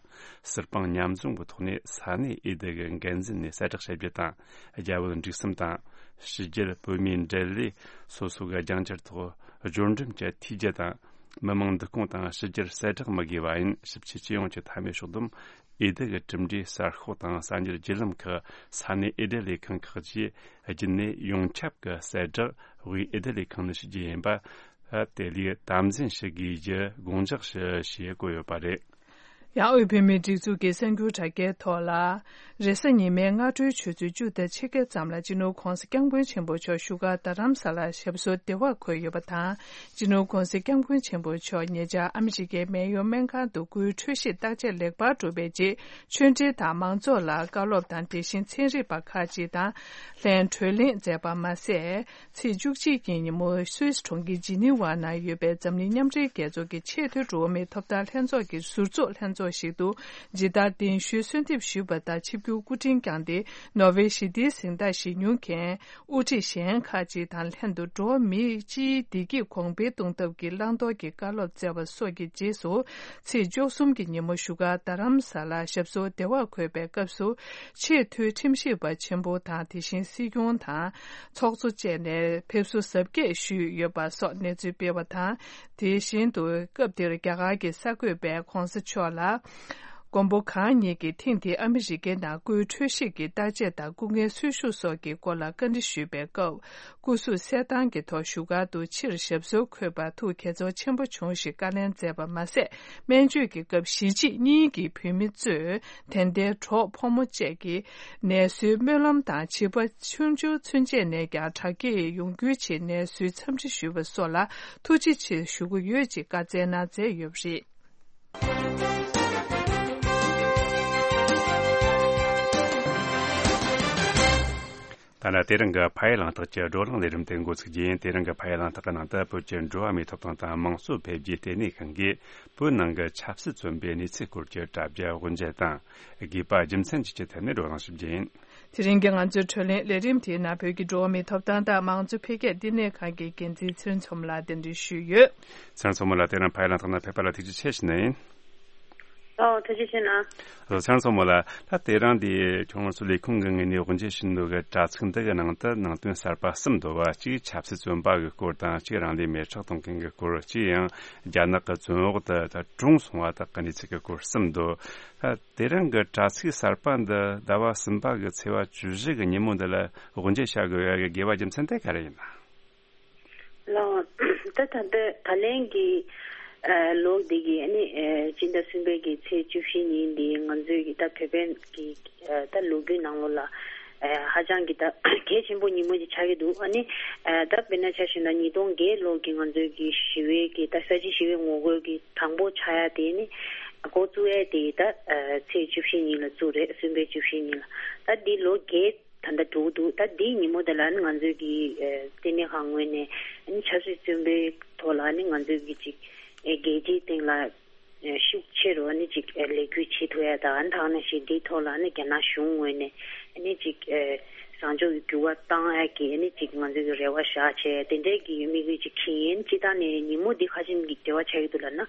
ཟུར་དཔང་མཉམ་འཛོམས་ཀྱི་ཐོག་ནས་ས་གནས་འོས་བསྡུ་གི་འགན་འཛིན་ནས་གསལ་བསྒྲགས་བྱེད་རྒྱུ་དང་། རྒྱ་བོད་འབྲུག་གསུམ་དང་། ཕྱི་རྒྱལ་བོད་མིའི་འབྲེལ་ལས་སོ་སོ་གི་སྦྱང་བརྡར་ཐོག་སྦྱོར་འགྲེམས་ཀྱི་ཐོས་རྒྱུ་དང་། མི་མང་འདུ་སྐོང་དང་ཕྱི་རྒྱལ་གསལ་བསྒྲགས་མི་དགོས་པ་ཡིན། ཞིབ་ཆ་སྤྱི་ཡོངས་ཀྱི་མཐའ་མའི་ཕྱོགས་བསྡོམས། འོས་བསྡུ་གི་གྲུབ་འབྲས་གསར་ཤོག་དང་གསར་འགྱུར་བརྒྱུད་ལམ་ཁག་ས་གནས་འོས་བསྡུ་ལས་ཁང་ཁག་བཅས་བརྒྱུད་ནས་ཡོངས་ཁྱབ་ཀྱི་གསལ་བསྒྲགས་དབུས་འོས་བསྡུ་ལས་ཁང་ནས་ཞུ་རྒྱུ་ཡིན་པ། དེ་ལས་དམ་འཛིན་ཞུ་དགོས་རྒྱུ་དགོངས་འཇགས་ཞུ་ཞེས་བཀོད་ཡོད་པ་རེད། ཡང་དབུས་བོད་མིའི་སྒྲིག་འཛུགས་ཀྱི་གསར་འགྱུར་དྲ་རྒྱའི་ཐོག་ལ། རེས་གཟའ་ཉི་མའི་སྔ་དྲོའི་ཆུ་ཚོད་བཅུ་དང་ཕྱེད་ཀ་ཙམ་ལ་སྤྱི་ནོར་༸གོང་ས་༸སྐྱབས་མགོན་ཆེན་པོ་མཆོག་བཞུགས་སྒར་རྡ་རམ་ས་ལར་ཞབས་སོར་བདེ་བར་འཁོད་ཡོད་པ་དང་། སྤྱི་ནོར་༸གོང་ས་༸སྐྱབས་མགོན་ཆེན་པོ་མཆོག་ཉེ་ཆར་ཨ་མི་རི་ཀའི་མེ་ཡོ་སྨན་ཁང་དུ་སྐུའི་འཕྲོད་བཞེས་བརྟག་དཔྱད་ལེགས་པར་གྲུབ་པའི་རྗེས། ཆོས་འབྲེལ་དང་མང་ཚོགས་ལ་བཀའ་སློབ་དང་། དེ་བཞིན་ཚན་རིག་པ་ཁག་ཅིག་དང་ལྷན་གྲོས་གླེང་མཛད་པ་མ་ཟད། ཚེས་བཅུ་གཅིག་གི་ཉིན་མོ་སུད་སི་གྲོང་ཁྱེར་ཇི་ནི་ཝ་ནང་ཡོད་པའི་འཛམ་གླིང་མཉམ་འབྲེལ་རྒྱལ་ཚོགས་ཀྱི་ཆེས་མཐོའི་འགྲོ་བ་མིའི་ཐོབ་ཐང་ལྷན་ཚོགས་ཀྱི་ཟུར་ཚོགས་ལྷན་ཚོགས་ཤིག་ཏུ་ཇི་ལྟར་གདན་ཞུའི་གསོལ་འདེབས་ཞུས་པ་ལྟར་ཆིབས་བསྒྱུར་སྐུ་དྲིན་བསྐྱངས་ཏེ། ནོར་ཝེ་ཞི་བདེའི་གཟེངས་རྟགས་བཞེས་མྱོང་མཁན་དབུ་ཁྲིད་གཞན་ཁག་ཅིག་དང་ལྷན་དུ་འགྲོ་བ་མིའི་སྤྱིའི་བདེ་སྐྱིད་གོང་འཕེལ་གཏོང་ཐབས་ཀྱི་བླང་དོར་གྱི་བཀའ་སློབ་སྩལ་བ་སོགས་ཀྱི་རྗེས་སུ། ཚེས་བཅུ་གསུམ་གྱི་ཉིན་མོ་བཞུགས་སྒར་རྡ་རམ་ས་ལར་ཞབས་སོར་བདེ་བར་འཁོད་པའི་སྐབས་སུ། ཆེས་མཐོའི་ཁྲིམས་ཞིབ་པ་ཆེན་པོ་དང་། དེ་བཞིན་སྲིད་སྐྱོང་དང་། ཚོགས་གཙོ་བཅས་ནས་ཕེབས་བསུ་གཟབ་རྒྱས་ཞུས་ཡོད་པ་སོགས་གནས་ཚུལ་སྤེལ་བ་དང་། དེ་བཞིན་དུ་སྐབས་དེར་རྒྱ་གར་གྱི་གསར་འགོད་པས་༸གོང་ས་མཆོག་ལ། མགོན་པོ་གང་ཉིད་ཀྱིས་ཐེངས་འདིའི་ཨ་མི་རི་ཀའི་ནང་སྐུའི་འཕྲོད་བཞེས་ཀྱི་བརྟག་དཔྱད་དང་སྐུ་ངལ་གསོ་ཤུགས་སོགས་ཀྱི་སྐོར་ལ་བཀའ་འདྲི་ཞུས་པའི་སྐབས། སྐུ་གཟུགས་གསལ་ཐང་གི་ཐོག་བཞུགས་སྒར་དུ་ཕྱིར་ཞབས་སོར་འཁོད་པར་ཐུགས་དགྱེས་ཚོར་ཆེན་པོ་བྱུང་ཞེས་བཀའ་ལན་སྩལ་བ་མ་ཟད། སྨན་བཅོས་ཀྱི་སྐབས་གཞིས་བྱེས་གཉིས་ཀྱི་བོད་མི་གཙོས་དད་ལྡན་གྲོགས་ཕོ་མོ་བཅས་ཀྱིས་ནད་གསོའི་སྨོན་ལམ་དང་། བྱིས་པ་ཆུང་ཆུང་ཚུན་ཆད་ནས་ཀྱང་དྲག་སྐྱེད་ཡོང་རྒྱུའི་ཆེད་ནད་གསོའི་འཚམས་འདྲི་ཞུས་པ་སོགས་ལ་ཐུགས་རྗེ་ཆེ་ཞུ་གི་ཡོད་ཅེས་བཀའ་སྩལ་གནང་མཛད་ཡོད་པ་རེད། ད་ལྟ་དེ་རིང་གི་ཕ་ཡུལ་གླེང་སྟེགས་ཀྱི་བགྲོ་གླེང་ལས་རིམ་དེ་འགོ་ཚུགས་རྒྱུ་ཡིན། དེ་རིང་གི་ཕ་ཡུལ་གླེང་སྟེགས་ཀྱི་ནང་དུ་བོད་ཀྱི་འགྲོ་བ་མིའི་ཐོབ་ཐང་དང་དམངས་གཙོ་འཕེལ་རྒྱས་ལྟེ་གནས་ཁང་གིས་བོད་ནང་གི་ཆབ་སྲིད་བཙོན་པའི་གནས་ཚུལ་སྐོར་གྱི་དྲ་རྒྱ་དབུ་འབྱེད་དང་། དགོས་པ་རྒྱུ་མཚན་བཅས་ཀྱི་ཐད་ནས་བགྲོ་གླེང་ཞུ་རྒྱུ་ཡིན། དེ་རིང་གི་ང་ཚོའི་བགྲོ་གླེང་ལས་རིམ་དེའི་ནང་བོད་ཀྱི་འགྲོ་བ་མིའི་ཐོབ་ཐང་དང་དམངས་གཙོ་འཕེལ་རྒྱས་ལྟེ་གནས་ཁང་གི་འགན་འཛིན་ཚེ་རིང་མཚོ་མོ་ལགས་གདན་འདྲེན་ཞུས་ཡོད། ཚེ་རིང་མཚོ་མོ་ལགས། དེ་རིང་ཕ་ཡུལ་གླེང་སྟེགས་ནང་ཕེབས་པ་ལ་ཐུགས་རྗེ་ཆེ་ཞུ་ནི་ཡིན། ཨོ། ཐུགས་རྗེ་ཆེ་གནང་། ཨོ། ཚེ་རིང་མཚོ་མོ་ལགས། ད་དེ་རིང་འདི་ཁྱོད་ཚོ་ལས་ཁུངས་ཀྱི་ངོས་ནས་དབུ་འབྱེད་ཞུ་འདོད་ཀྱི་དྲ་ཚིགས་འདི་གི་ནང་དུ་ནང་དོན་གསར་པ་གསུམ་འདུག་པ། གཅིག་ཆབ་སྲིད་བཙོན་པ་གི་སྐོར་དང་། གཅིག་རང་ལུས་མེ་སྲེག་གཏོང་མཁན་གྱི་སྐོར། གཅིག་ཡང་རྒྱ་ནག་གི་བཙོན་འོག་ཏུ་ད་གྲོངས་སོང་བ་དག་གི་གནས་ཚུལ་གྱི་སྐོར་གསུམ་འདུག། ད་དེ་རིང་གི་དྲ་ཚིགས་གསར་པ་འདི་ཟླ་བ་གསུམ་པ་གི་ཚེས་པ་བཅུ་བཞི་གི་ཉིན་མོ་འདི་ལ་དབུ་འབྱེད་བྱ་དགོས་པའི་དགོས་པ་རྒྱུ་མཚན་དེ་ག་རེ་ཡིན་ན། ལགས། ད་ད་ལྟ་ད་ལན་གྱི་ ཨ་ལོ་འདི་གི་ཨ་ནི་ཨ་སྤྱི་ཟླ་གསུམ་པའི་གི་ཚེས་བཅུ་བཞི་ཉིན་འདི་ང་ཚོའི་གི་ད་བོད་པའི་གི་ཨ་ད་ལོ་རྒྱུས་ནང་ལོགས་ལ་ཨ་ཧ་ཅང་གི་ད་གལ་ཆེན་པོ་ཉིན་མོ་ཅིག་ཆགས་ཀྱི་འདུག་ཨ་ནི་ཨ་ད་དཔེར་ན་ཆ་བཞག་ན་ཉིས་སྟོང་བརྒྱད་ལོ་གི་ང་ཚོའི་གི་ཞི་བའི་གི་ད་ས་བྱི་ཞི་བའི་ངོ་རྒོལ་གི་དང་པོ་ཆགས་ཡ་དེ་ནི་འགོ་བཙུགས་ཡ་དེ་ད་ཨ་ཚེས་བཅུ་བཞི་ཉིན་ལ་བཙུགས་རེད། གསུམ་པའི་བཅུ་བཞི་ཉིན་ལ། ད་འདི་ལོ་བརྒྱད་ད་ལྟ་འགྲོ་གི་འདུག་ད་འདིའི་ཉིན་མོ་དེ་ལ་ནི་ང་ཚོའི་གི་ཨ་ལྟེ་གནས་ཁང་ངོས་ནས་ཨ་ནི་ཆབ་སྲིད་བཙོན་པའི་ཐོག་ལ་ནི་ང་ཚོའི་གི་ཅིག་ཨ་རྒྱལ་སྤྱིའི་སྟེང་ལ་ཨ་ཤུགས་ཆེ་རུ་ཨ་ནི་ཅིག་ཨ་ལས་འགུལ་བྱེད་ཐུབ་ཡ་དང་། ཨ་ནི་ད་ག་ནང་བཞིན་འདིའི་ཐོག་ལ་ནི་རྒྱ་ནག་གཞུང་ངོས་ནས་ཨ་ནི་ཅིག་ཨ་བཟང་ཕྱོགས་ཀྱི་འགྱུར་བ་བཏང་ཡ་གི་ཨ་ནི་ཅིག་ང་ཚོའི་གི་རེ་བ་བཞག་བྱས་དེ་འདྲའི་གི་དམིགས་ཡུལ་ཅིག་འཁྱེར་ཡིན། སྤྱིར་བཏང་ནས་ཉིན་མོ་འདི་ག་ཅིག་གི་འབྲེལ་བ་ཆགས་ཀྱི་འདུག་ལབ་ན།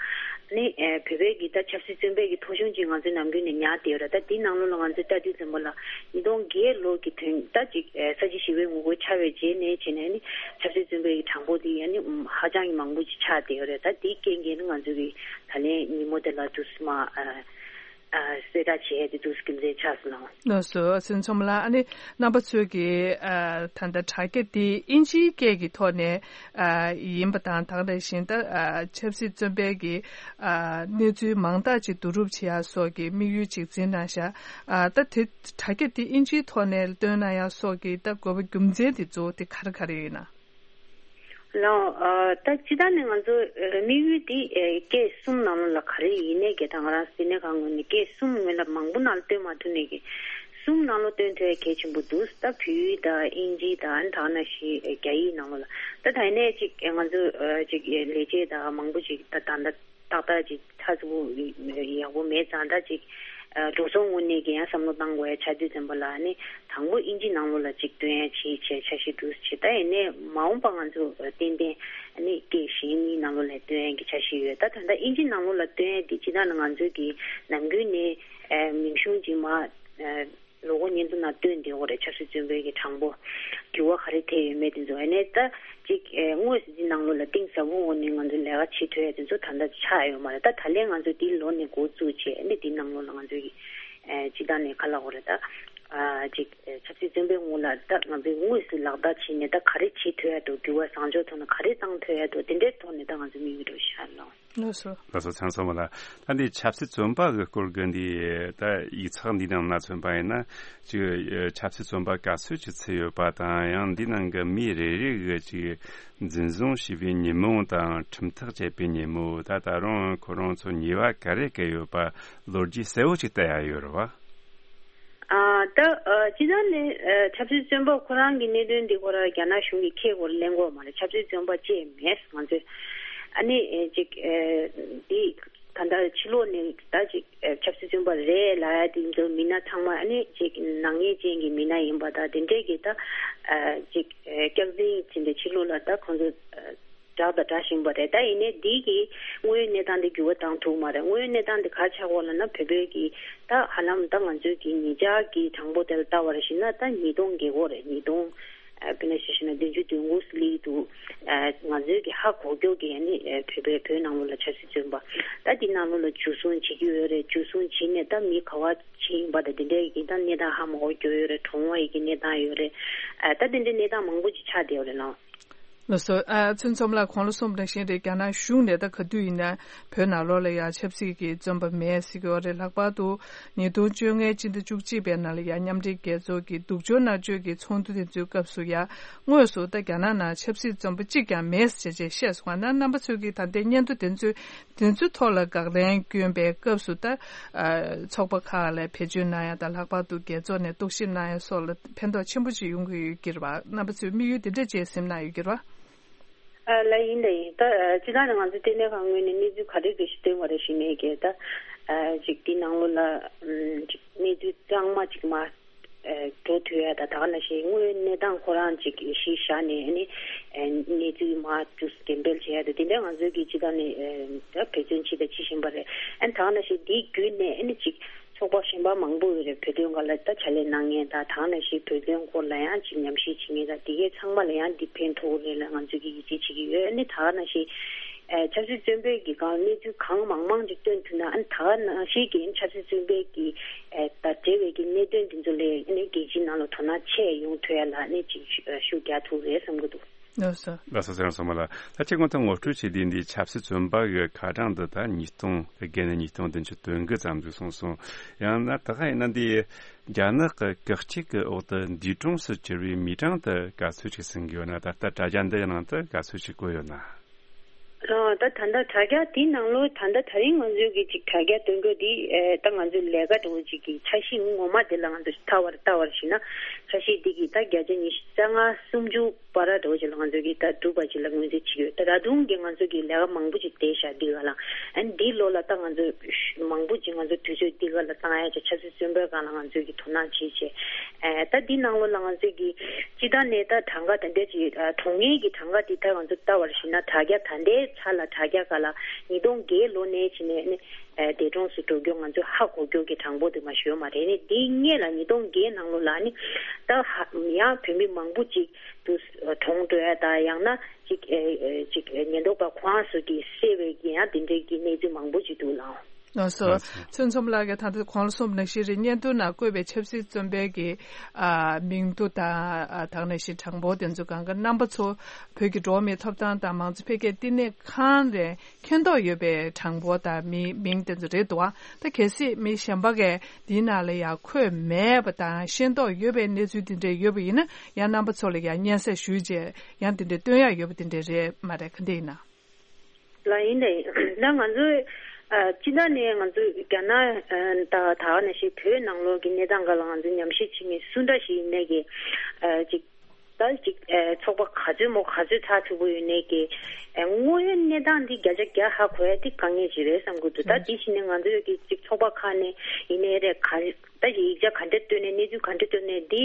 ནི་ཨ་བོད་པའི་གི་ད་ཆབ་སྲིད་བཙོན་པའི་གི་ཐོ་གཞུང་ཅིག་ང་ཚོའི་ནམ་རྒྱུན་ནས་ཉར་བསྡད་ཡོད་རེད། ད་དེའི་ནང་ལོགས་ལ་ང་ཚོས་ལྟ་དུས་ཙམ་པ་ལ་ཉིས་སྟོང་བརྒྱད་ལོ་གི་དོན་ད་ཅིག་ཨ་ས་བྱི་ཞི་བའི་ངོ་རྒོལ་ཆགས་པའི་རྗེས་ནས་བྱས་ནས་ནི་ཆབ་སྲིད་བཙོན་པའི་གི་གྲངས་འབོར་དེ་ཡང་ནི་ཧ་ཅང་གི་མང་པོ་ཅིག་ཆགས་བསྡད་ཡོད་རེད། ད་དེའི་རྐྱེན་གྱིས་ནི་ང་ཚོའི་གི་ད་ལན་ཉིན་མོ་དེ་ལ་དུས་སུ་མ་ཨ་ཨ་གསལ་བསྒྲགས་བྱས་ཏེ་དུས་སུ་རྒྱུ་མཚན་ཆགས་སོང་ལགས། ལགས་སོ། སྲིད་ཚོང་ལགས། ཨ་ནི་རྣམ་པ་ཚོས་ཀྱིས་ཨ་ད་ལྟ་དྲ་རྒྱ་འདི་དབྱིན་ཇིའི་སྐད་ཀྱི་ཐོག་ནས་ཨ་ཡིན་པ་དང་། ད་ག་ནང་བཞིན་ད་ཨ་ཆབ་སྲིད་བཙོན་པའི་གི་ཨ་གནས་ཚུལ་མང་དག་ཅིག་བསྡུ་རུབ་བྱེད་ཡ་སོགས་ཀྱི་དམིགས་ཡུལ་ཅིག་འཛིན་གནང་ཤག་ཨ་ད་དེ་དྲ་རྒྱ་འདི་དབྱིན་ཇིའི་ཐོག་ནས་སྟོན་གནང་ཡ་སོགས་ཀྱི་ད་དགོས་པ་རྒྱུ་མཚན་དེ་གཙོ་བོ་དེ་ག་རེ་ག་རེ་ཡིན་ན། ལགས། ཨ་ད་སྤྱིར་བཏང་ནས་ང་ཚོ་ཨ་དམིགས་ཡུལ་འདི་ཨ་སྐད་གསུམ་ནང་ལོགས་ལ་ག་རེ་ཡིན་ནའི་གི་ད་ང་རང་ལྟེ་གནས་ཁང་ངོས་ནས་སྐད་གསུམ་ངོས་ལ་མང་པོ་ནང་ལ་སྟོན་མ་ཐུབ་ནའི་གི་གསུམ་ནང་ལོགས་སྟོན་ཐུབ་ཡ་གལ་ཆེན་པོ་འདུག་ད་བོད་ཡིག་དང་དབྱིན་ཇི་དང་ཨ་ནི་ད་ག་ནང་བཞིན་ཨ་རྒྱ་ཡིག་ནང་ལོགས་ལ། ད་ད་ཡིན་ནའི་ཅིག་ཨ་ང་ཚོ་ཨ་ཅིག་ཨ་ལས་བྱེད་དང་མང་པོ་ཅིག་ད་ད་ད་ཏག་ཏག་ཅིག་ཚགས་ཚུད་པོ་ཡག་པོ་མེད་ཙང་། ད་ཅིག་ཨ་འགྲོ་སོང་ངོས་ནས་ཀྱི་ཡང་བསམ་བློ་བཏང་དགོས་ཡ་ཆགས་དུས་ཙམ་པ་ལ་ནི་དང་པོ་དབྱིན་ཇི་ནང་ལོགས་ལ་ཅིག་སྟོན་ཡ་བྱེད་བྱས་འཆར་གཞི་འདུག་བྱས། ད་ཡིན་ནའི་མ་འོངས་པ་ང་ཚོ་ཏན་ཏན་ནི་སྐད་གཞན་གཉིས་ནང་ལོགས་ལ་སྟོན་ཡ་གི་འཆར་གཞི་ཡོད། ད་ད་ལྟ་དབྱིན་ཇི་ནང་ལོགས་ལ་སྟོན་ཡ་འདི་སྤྱིར་བཏང་ནི་ང་ཚོའི་གི་ནམ་རྒྱུན་ནས་ཨ་མིང་གཞུང་ཅིག་མ་ཨ་ལོ་འཁོར་སྙན་ཐོ་ནང་བཏོན་བསྡད་ཡོད་རེད། ཆབ་སྲིད་བཙོན་པའི་གི་གྲངས་འབོར་འགྱུར་བ་ག་རེ་ཐེབས་ཡོད་མེད་དེ་ཚོ། ཨ་ནས་ད་ཅིག་ཨེ་དངོས་སུ་འདི་ནང་ལོགས་ལ་གཏིང་ཟབ་པོ་ངང་ནས་ང་ཚོས་ལས་ཀ་བྱེད་ཐུབ་ཡ་དེ་ཚོ་ད་ལྟ་ཆགས་ཡོད་མ་རེད། ད་ད་ལན་ང་ཚོས་འདི་ལོ་ནས་འགོ་བཙུགས་བྱས་ཨ་ནས་འདི་ནང་ལོགས་ལ་ང་ཚོས་ཀྱི་ཨེ་སྤྱིར་བཏང་ནས་ག་ལབ་དགོས་རེད། ད་ཨ་ཅིག་ཨེ་ཆབ་སྲིད་བཙོན་པའི་ངོས་ལ་ད་ང་ཚོས་དངོས་སུ་ལག་བསྟར་བྱས་ནས་ད་ག་རེ་བྱེད་ཐུབ་ཡ་འདུག་འགྱུར་བ་བཟང་ཕྱོགས་ཐོག་ནས་ག་རེ་བཏང་ཐུབ་ཡ་འདུག་དེ་འདྲའི་ཐོག་ནས་ད་ང་ཚོས་དམིགས་ཡུལ་རེ་བཞག་ལོ། ལགས་སོ། ལགས་སོ། ཚང་སོང་བ་ལ། ད་འདི་ཆབ་སྲིད་བཙོན་པ་གི་སྐོར་གྱི་འདི་ད་ཡིག་ཚགས་འདི་ནང་ན་མཚོན་པ་ཡིན་ན་ཅིག་ཆབ་སྲིད་བཙོན་པ་ག་ཚོད་ཅིག་ཚུད་ཡོད་པ་དང་། ཡང་འདི་ནང་གི་མི་རེ་རེ་གི་ཅིག་འཛིན་བཟུང་བྱས་པའི་ཉིན་མོ་དང་ཁྲིམས་ཐག་བཅད་པའི་ཉིན་མོ། ད་ད་རུང་ཁོ་རང་ཚོ་ཉེས་པ་ག་རེ་བཀལ་ཡོད་པ་ལོ་རྒྱུས་གསལ་བོ་ཅིག་བལྟ་ཡ་ཡོད་རེད་བ། ཨ་ད་ཨ་སྤྱིར་བཏང་ནས་ཨ་ཆབ་སྲིད་བཙོན་པ་ཁོ་རང་གི་གནད་དོན་འདི་ཁོ་རང་རྒྱ་ནག་གཞུང་གིས་ཁས་ཁོ་རང་ལེན་གྱི་ཡོད་མ་རེད། ཆབ་སྲིད་བཙོན་པ་བཅས་མེད་ང་ཚོས། ཨ་ནི་ཨེ་ཅིག་ཨེ་འདི་ད་ལྟ་ཕྱི་ལོགས་ནས་ད་ཅིག་ཨེ་ཆབ་སྲིད་བཙོན་པ་རེད་ལབ་ཡ་དེ་ཚོ་མི་སྣ་ཚང་མ་ཨ་ནི་ཅིག་ནག་ཉེས་ཅན་གྱི་མི་སྣ་ཡིན་པ་དང་དེ་འདྲས་ཀྱི་ད་ཨ་ཅིག་ཨེ་སྐྱག་རྫུན་བྱས་ནས་ཕྱི་ལོགས་ལ་ད་ཁོང་ཚོ་ཨ་བསྒྲགས་དང་བསྒྲགས་བཞིན་པ་རེད། ད་ཡིན་ནའི་འདི་གི་དངོས་ཡོད་གནས་སྟངས་འདི་འགྱུར་བ་བཏང་ཐུབ་མ་རེད། དངོས་ཡོད་གནས་སྟངས་འདི་ག་ཆགས་ཡོད་ལབ་ན་བོད་པའི་གི་ད་ཧ་ལམ་ད་ང་ཚོའི་གི་ཉེ་ཆར་གྱི་གྲངས་འབོར་དེ་ལ་ལྟ་བ་རེད་ཞུས་ན་ད་ཉིས་སྟོང་བརྒལ་གྱི་ཡོད་རེད། ཉིས་སྟོང་ཨ་དཔེར་ན་ཆ་བཞག་ན་བདུན་ཅུ་དོན་དགུ་ཙམ་སླེབས་འདུག་ཨ་ང་ཚོའི་གི་ཧ་གོ་མཁན་གྱི་ཨ་ནི་ཨ་བོད་པའི་བོད་ནང་ལོགས་ལ་ཆབ་སྲིད་བཙོན་པ་ད་འདི་ནང་ལོགས་ལ་འཇུ་བཟུང་བྱེད་ཀྱི་ཡོད་རེད། འཇུ་བཟུང་བྱས་ནས་ད་མི་ག་པར་ཕྱིན་པ་དང་དེ་འདྲའི་གི་ད་གནས་སྟངས་ཧ་མ་གོ་མཁན་ཡོད་རེད། གྲོངས་པའི་གི་གནས་སྟངས་ཡོད་རེད། ཨ་ད་དེ་འདྲའི་གནས་སྟངས་མང་པོ་ཅིག་ཆགས་བསྡད་ཡོད་རེད་ལགས། ལགས་སོ། ཨ་ཚུན་ཚོམ་ལགས་གོང་ལ་གསུངས་པ་ནང་བཞིན་རེད། རྒྱ་ནག་གཞུང་ནས་ད་ག་དུས་ཡིན་ན་བོད་ནང་ལོགས་ལ་ཡང་ཆབ་སྲིད་ཀྱི་བཙོན་པ་མེད་ཟེར་གྱི་ཡོད་རེད། ལྷག་པར་དུ་ཉིས་སྟོང་བཅོ་ལྔའི་སྤྱི་ཟླ་བཅུ་གཅིག་པའི་ནང་ལ་ཡང་མཉམ་འབྲེལ་རྒྱལ་ཚོགས་ཀྱི་སྡུག་སྦྱོང་མནར་གཅོད་ཀྱི་ཚོགས་འདུ་དེ་ཚོའི་སྐབས་སུ་ཡང་དངོས་སུ་ད་རྒྱ་ནག་ནང་ཆབ་སྲིད་བཙོན་པ་གཅིག་ཀྱང་མེད་ཟེར་བྱས་བཤད་སོང་བ་ན། རྣམ་པ་ཚོས་ཀྱིས་ད་ལྟའི་སྙན་ཐོ་དེ་ཚོའི་དེ་ཚོའི་ཐོག་ལ་དགག་ལན་བསྐྱོན་པའི་སྐབས་སུ་ད་ཨ་ཚོགས་པ་ཁག་ལ་བེད་སྤྱོད་གནང་ཡ་དང་། ལྷག་པར་དུ་རྒྱལ་ཚོགས་ནས་རྟོག་ཞིབ་གནང་ཡ་སོགས་ལ་ཕན་ཐོགས་ཆེན་པོ་ཅིག་ཡོང་གི་ཡོད་ཀྱི་རེད་བ། རྣམ་པ་ཚོས་དམིགས་ཡུལ་འདི་འདྲ་ཅིག་སེམས་ནང་ཡོད་ཀྱི་རེད་བ། ཨ་ལགས། ཡིན་ད་ཡིན། ད་ཨ་སྤྱིར་བཏང་ནས་ང་ཚོ་ལྟེ་གནས་ཁང་ངོས་ནས་གནས་ཚུལ་ག་རེ་ག་ཞིག་བཏོན་པ་རེད་ཞུས་ནས་ཀྱི་ད་ཨ་ཅིག་འདི་ནང་ལོགས་ལ་ཨམ་ཅིག་གནས་ཚུལ་གཙང་མ་ཅིག་མ་ཨ་འགྲོ་ཐུབ་ཡ་ད་ད་ག་ནང་བཞིན་དངོས་ཡོད་གནས་སྟངས་ཁོ་རང་ཅིག་གཞི་བཞག་ནས་ཨ་ནི་ཨ་གནས་ཚུལ་མ་ཅིག་འགྲེམས་སྤེལ་བྱེད་ཡ་ད་དེ་འདྲ་ང་ཚོའི་གི་སྤྱིར་བཏང་ནས་ཨ་ད་འབད་བརྩོན་བྱས་དང་བྱེད་བཞིན་པ་རེད། ཨ་ནི་ད་ག་ནང་བཞིན་འདི་བརྒྱུད་ནས་ཨ་ནི་ཅིག་ཚོགས་པ་གཞན་པ་མང་པོ་ཡོད་རེད། བོད་དོན་སྒང་ལ་ད་ཕྱག་ལས་གནང་མཁན་དང་། ད་ག་ནང་བཞིན་བོད་དོན་སྐོར་ལ་ཡང་ཅིག་ཉམས་ཞིབ་བྱེད་མཁན་དང་། དེ་གའི་ཚང་མ་ལ་ཡང་འདི་ཕན་ཐོགས་རེད་ལ་ང་ཚོས་ཀྱི་ཡིད་ཆེས་བྱེད་ཀྱི་ཡོད། ཨ་ནི་ད་ག་ནང་བཞིན་ཨ་ཆབ་སྲིད་བཙོན་པའི་གི་སྒང་གནས་ཚུལ་གང་མང་མང་ཅིག་བཏོན་ཐུབ་ན། ཨ་ནི་ད་ག་ནང་བཞིན་གྱི་ཆབ་སྲིད་བཙོན་པའི་གི་ཨ་དང་འབྲེལ་བའི་གི་གནད་དོན་འདི་ཚོ་ལ་ཨ་ནི་རྒྱལ་སྤྱིའི་ནང་ལ་དོ་སྣང་ཆེ་ཡོང་ཐུབ་ཡ་ལ་ཨ་ནི་ཅིག་ཤུགས་རྒྱག་ཐུབ་རེད་བསམ་གྱི་འདུག་ལགས་སོ། ལགས་སོ། ཚེ་རིང་བསོད་ནམས་ལགས། ད་ཁྱེད་ཀྱིས་ད་ངོ་སྤྲོད་བྱས་དུས་འདི་ཆབ་སྲིད་བཙོན་པ་གི་ཁ་གྲངས་འདི་ད་ཉིས་སྟོང་དེ་བརྒལ་ནས་ཉིས་སྟོང་བདུན་ཅུ་དོན་དགུ་ཙམ་ཟིག་སོང་སོང་། ཡང་ན་ད་ག་ཡིན་ན་འདི་རྒྱ་ནག་གི་བཀག་སྐྱིལ་གྱི་འོག་ཏུ་འདས་གྲོངས་སུ་གྱུར་བའི་མིའི་གྲངས་དེ་ག་ཚོད་ཅིག་ཟིན་གྱི་ཡོད་ན། ད་ལྟ་དྲ་རྒྱ་འདི་ནང་དུ་ག་ཚོད་ཅིག་བཀོད་ཡོད་ན། ཨ། ད་ད་ལྟ་དྲ་རྒྱ་དེའི་ནང་ལོ་ད་ལྟ་དེ་རིང་ང་ཚོའི་གི་ཅིག་དྲ་རྒྱ་སྟོན་གོ་དེ། ཨེ། ད་ང་ཚོའི་ལས་ཀ་འདྲ་བོ་ཅིག་གི་འཆར་གཞི་ངོ་མ་དེ་ལ་ང་ཚོ་ལྟ་བར་ལྟ་བར་བྱས་ན། འཆར་གཞི་འདི་གི་ད་བརྒྱ་ཆ་ཉི་ཤུ་རྩ་ལྔ་སུམ་ཅུ་བར་འདྲ་བོ་ཅིག་ལ་ང་ཚོ་གི་ད་འགྲུབ་པ་ཅིག་ལ་ངོས་འཛིན་བྱེད་ཀྱི་ཡོད། ད་ད་དུང་གི་ང་ཚོ་གི་ལས་ཀ་མང་པོ་ཅིག་བསྡད་ཤག་འདི་ག་ལ། ཨ་ནི་འདི་ལོ་ལ་ད་ང་ཚོ་མང་པོ་ཅིག་ང་ཚོ་དུས་ཚོད་འདི་ག་ལ་བཏང་ཡ་ཅིག་ཆབ་སྲིད་བཙོན་པའི་སྒང་ལ་ང་ཚོས་ཀྱི་དོ་སྣང་བྱེད་བྱས། ཨ། ད་འདི་ནང་ལོགས་ལ་ང་ཚོས་ཀྱི་སྤྱི་བཏང་ནས་ད་གྲངས་ཀ་དེ་འདྲ་ཅིག་ཨ། གྲོངས་མཁན་གྱི་གྲངས་ཀ་འདི་ད་ང་ཚོ་ལྟ་བར་བྱས་ན། དྲ་རྒྱ་ད་ལྟའི་ཆ་ལ་དྲ་རྒྱ་སྒང་ལ་ཉིས་སྟོང་བརྒྱད་ལོ་ནས་བྱས་ནས་ནི། ཨ། འདས་གྲོངས་སུ་འགྲོ་རྒྱུ་ང་ཚོས་ཧ་གོ་རྒྱུ་གི་གྲངས་འབོར་དེ་མ་ཞུ་མ་རེད། ནི་འདི་སྔོན་ལ་ཉིས་སྟོང་བརྒྱད་ནང་ལོགས་ལ་ནི་ད་ཧ་ཡང་བོད་མི་མང་པོ་ཅིག་ཏུ་གྲོངས་འགྲོ་ཡ་དང་། ཡང་ན་ཅིག་ཨེ། ཨེ། ཅིག་ཨེ། ཉེན་རྟོག་པ་ཁོ་རང་ཚོ་གིས་བསད་པའི་གི་ཡང་དེ་འདྲའི་གི་གནས་ཚུལ་མང་པོ་ཅིག་འདུག་ལགས། ལགས་སོ། ལགས་སོ། ཚུན་ཆུང་ལགས་ཀྱིས་ད་ལྟ་གོང་ལ་གསུངས་པ་ནང་བཞིན་རེད། སྙན་ཐོའི་ནང་བཀོད་པའི་ཆབ་སྲིད་བཙོན་པའི་གི། ཨ། མིང་ཐོ་དང་། ཨ། ད་ག་ནང་བཞིན་གྲངས་འབོར་དེ་ཚོ་སྒང་ག་རྣམ་པ་ཚོ་བོད་ཀྱི་འགྲོ་བ་མིའི་ཐོབ་ཐང་དང་མང་གཙོ་འཕེལ་རྒྱས་བསྟི་གནས་ཁང་ནས་མཁྱེན་རྟོགས་ཡོད་པའི་གྲངས་འབོར་དང་མིའི་མིང་དེ་ཚོ་རེད་འདུག་ཨ། ད་གལ་སྲིད་མི་གཞན་པ་གིས་འདིའི་ནང་ལ་ཡང་འཁོད་མེད་པ་དང་ཤེས་རྟོགས་ཡོད་པའི་གནས་ཚུལ་དེ་འདྲ་ཡོད་པ་ཡིན་ན། ཡང་རྣམ་པ་ཚོ་ལ་ཡང་སྙན་སེང་ཞུས་རྗེས་ཡང་དེ་འདྲ་སྟོན་ཡག་ཡོད་པ་དེ་འདྲ་རེད་མ་རེད། ག་འདྲ་ཡིན་ན། ལགས། ཡིན་ད་ཡིན། ད་ང་ཚོས། ཨ། སྤྱི་བཏང་ནས་ང་ཚོས་རྒྱ་ནག་ཨ། ད་ད་ག་ནང་བཞིན་བོད་ནང་ལོགས་ཀྱི་གནས་སྟངས་སྒང་ལ་ང་ཚོས་ཉམས་ཞིབ་བྱེད་མཁན་སུ་འདྲ་ཞིག་ཡིན་ནའི་གི། ཨ། ཅིག་ད་ཅིག་ཨ། ཚོགས་པ་ག་ཚོད་མོ་ག་ཚོད་ཚགས་ཚུད་པོ་ཡོད་ནའི་གི། ཨ། དངོས་ཡོད་གནས་སྟངས་འདི་བརྒྱ་ཆ་བརྒྱ་ཧ་གོ་ཡ་འདི་དཀའ་ངལ་ཞིག་རེད་བསམ་གྱི་འདུག། ད་འདི་བྱས་ནས་ང་ཚོས་ཀྱི་ཅིག་ཚོགས་པ་ཁག་ནས་ཡིན་ནའི་རེད། ག་རེ་ད་ཅིག་ཡིག་ཆ་ག་འདྲ་བཏོན་ནས། གནས་ཚུལ་ག་འདྲ་བཏོན་ནས། འདི་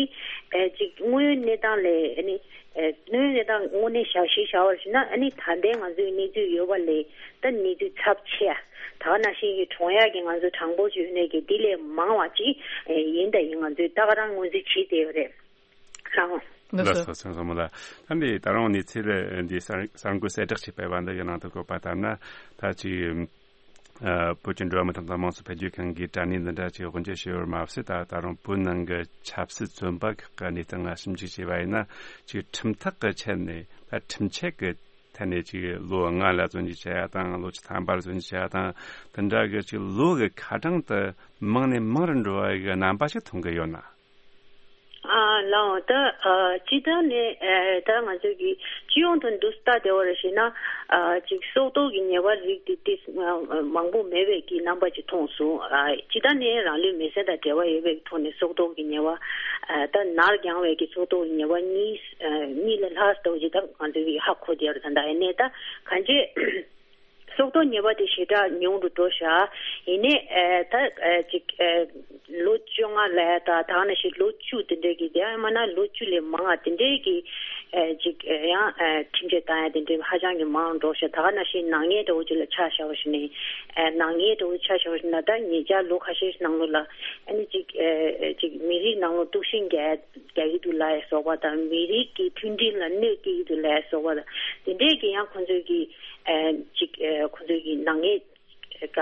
ཨ། ཅིག་དངོས་ཡོད་གནས་སྟངས་ལས། ཨ་ནི་ཨ། དངོས་ཡོད་གནས་སྟངས་དངོས་གནས་བཞག་གཞི་བཞག་པར་བྱས་ན། ཨ་ནི་ད་ལྟའི་ང་ཚོའི་གནས་ཚུལ་ཡོད་པ་ལས་ད་གནས་ཚུལ་ཚབས་ཆེ་ཡ། ད་ག་ནང་བཞིན་གྱི་གྲོངས་ཡག་གི་ང་ཚོ་གྲངས་འབོར་ཅིག་ཡོད་ནའི་གི་འདི་ལས་མང་བ་ཅིག་ཨ། ཡིན་ད་ཡིན། ང་ཚོས་ད་ག་རང་ངོས་འཛིན་བྱེད་བསྡད་ཡོད་རེད། ལགས། ལགས་སོ། ཚེ་རིང་བསོད་ནམས་ལགས། ད་འདི་ད་རུང་གནས་ཚུལ་འདི་གསར་གསར་འགོད་གསལ་བསྒྲགས་བྱས་པའི་བར་འདི་གི་ནང་དུ་བཀོད་པ་ལྟར་ན། ད་ཅིག་ཨ། བོད་ཀྱི་འགྲོ་བ་མིའི་ཐོབ་ཐང་དམངས་གཙོ་འཕེལ་རྒྱས་ཁང་གིས་དྲ་གནས་འདི་འདྲ་ཅིག་དབུ་འབྱེད་བྱས་ཡོད་པ་མ་ཟད། ད་ད་རུང་བོད་ནང་གི་ཆབ་སྲིད་བཙོན་པ་ཁག་གི་གནས་སྟངས་ལ་ཞིབ་འཇུག་བྱས་པ་ཡིན་ན། ཅིག་ཁྲིམས་ཐག་གི་ཆད་ནས། ད་ཁྲིམས་ཆད་ཀྱི་ཐད་ནས་ཅིག་ལོ་ལྔ་ལ་བཙོན་འཇུག་བྱས་ཡ་དང་། ལོ་བཅུ་ཐམ་པ་ལ་བཙོན་འཇུག་བྱས་ཡ་དང་། དེ་འདྲ་གི་ཅིག་ལོ་གི་ཁ་གྲངས་དེ་མང་ནས་མང་རུ་འགྲོ་བ་གི་རྣམ་པ་ཞིག་མཐོང་གི་ཡོད་ན། ཨ། ལགས། ད་ཨ། སྤྱི་བཏང་ནས་ཨ། ད་ང་ཚོས་ཀྱི་སྤྱི་ཡོངས་དུ་འདུག་སེ་ལྟ་བསྡད་པར་བྱས་ན། ཨ། ཅིག་སྲོག་ཐོག་གི་ཉེས་པ་རིགས་དེ་ཏིས་མང་པོ་མེད་པའི་གི་རྣམ་པ་ཅིག་མཐོང་སོང་། ཨ། སྤྱི་བཏང་ནས་རང་ལུས་མེར་སྲེག་དང་འབྲེལ་བ་ཡོད་པའི་ཐོག་ནས་སྲོག་ཐོག་གི་ཉེས་པ། ཨ། ད་ནར་འགྱངས་པའི་གི་སྲོག་ཐོག་གི་ཉེས་པ་གཉིས། ཨ། གཉིས་ལས་ལྷག་ཙམ་ཅིག་ད་ང་ཚོས་ཀྱི་ཧ་གོ་བསྡད་ཡོད་རེད། ད་ལྟ་ཡིན་ནའི་ད་གང་ཅི། སྲོག་ཐོག་ཉེས་པ་དེ་ཞེ་དྲག་ཉུང་རུ་འགྲོ་ཤག། ཡིན་ནའི་ཨ། ད་ཨ། ཅིག་ཨ། ལོ་བཅོ་ལྔ་ལ་ཡ་དང་། ད་ག་ནང་བཞིན་ལོ་བཅུ་དེ་འདྲའི་གི། དེ་ཡང་མིན་ན་ལོ་བཅུ་ལས་མང་བ་དེ་འདྲའི་གི་ཨ། ཅིག་ཨ། ཡང་ཨ། ཁྲིམས་ཆད་བཏང་ཡ་དེ་འདྲའི་ཧ་ཅང་གི་མང་རུ་འགྲོ་ཤག། ད་ག་ནང་བཞིན་ནག་ཉེས་འདྲ་བོ་ཅིག་ལ་ཆ་བཞག་པ་ཞིག་ནི། ཨ། ནག་ཉེས་འདྲ་བོ་ཆ་བཞག་པ་ཞིག་ན། ད་ཉེ་ཆར་ལོ་ཁ་ཤས་ནང་ལོགས་ལ་ཨ་ནི་ཅིག་ཨ། ཅིག་མི་རིགས་ནང་ལོགས་དཀྲུག་ཤིང་རྒྱག་རྒྱག་གི་འདུག་ལབ་ཡ་སོགས་པ་དང་། མི་རིགས་ཀྱི་མཐུན་སྒྲིལ་ལ་གནོད་སྐྱེལ་གྱི་འདུག་ལབ་ཡ་སོགས་པ་དང་། དེ་འདྲའི་གི་ཡང་ཁོང་ཚོས་ཀྱི་ཨ། ཅིག་ཨ། ཁོང་ཚོས་ཀྱི་ནག་ཉེས་ག་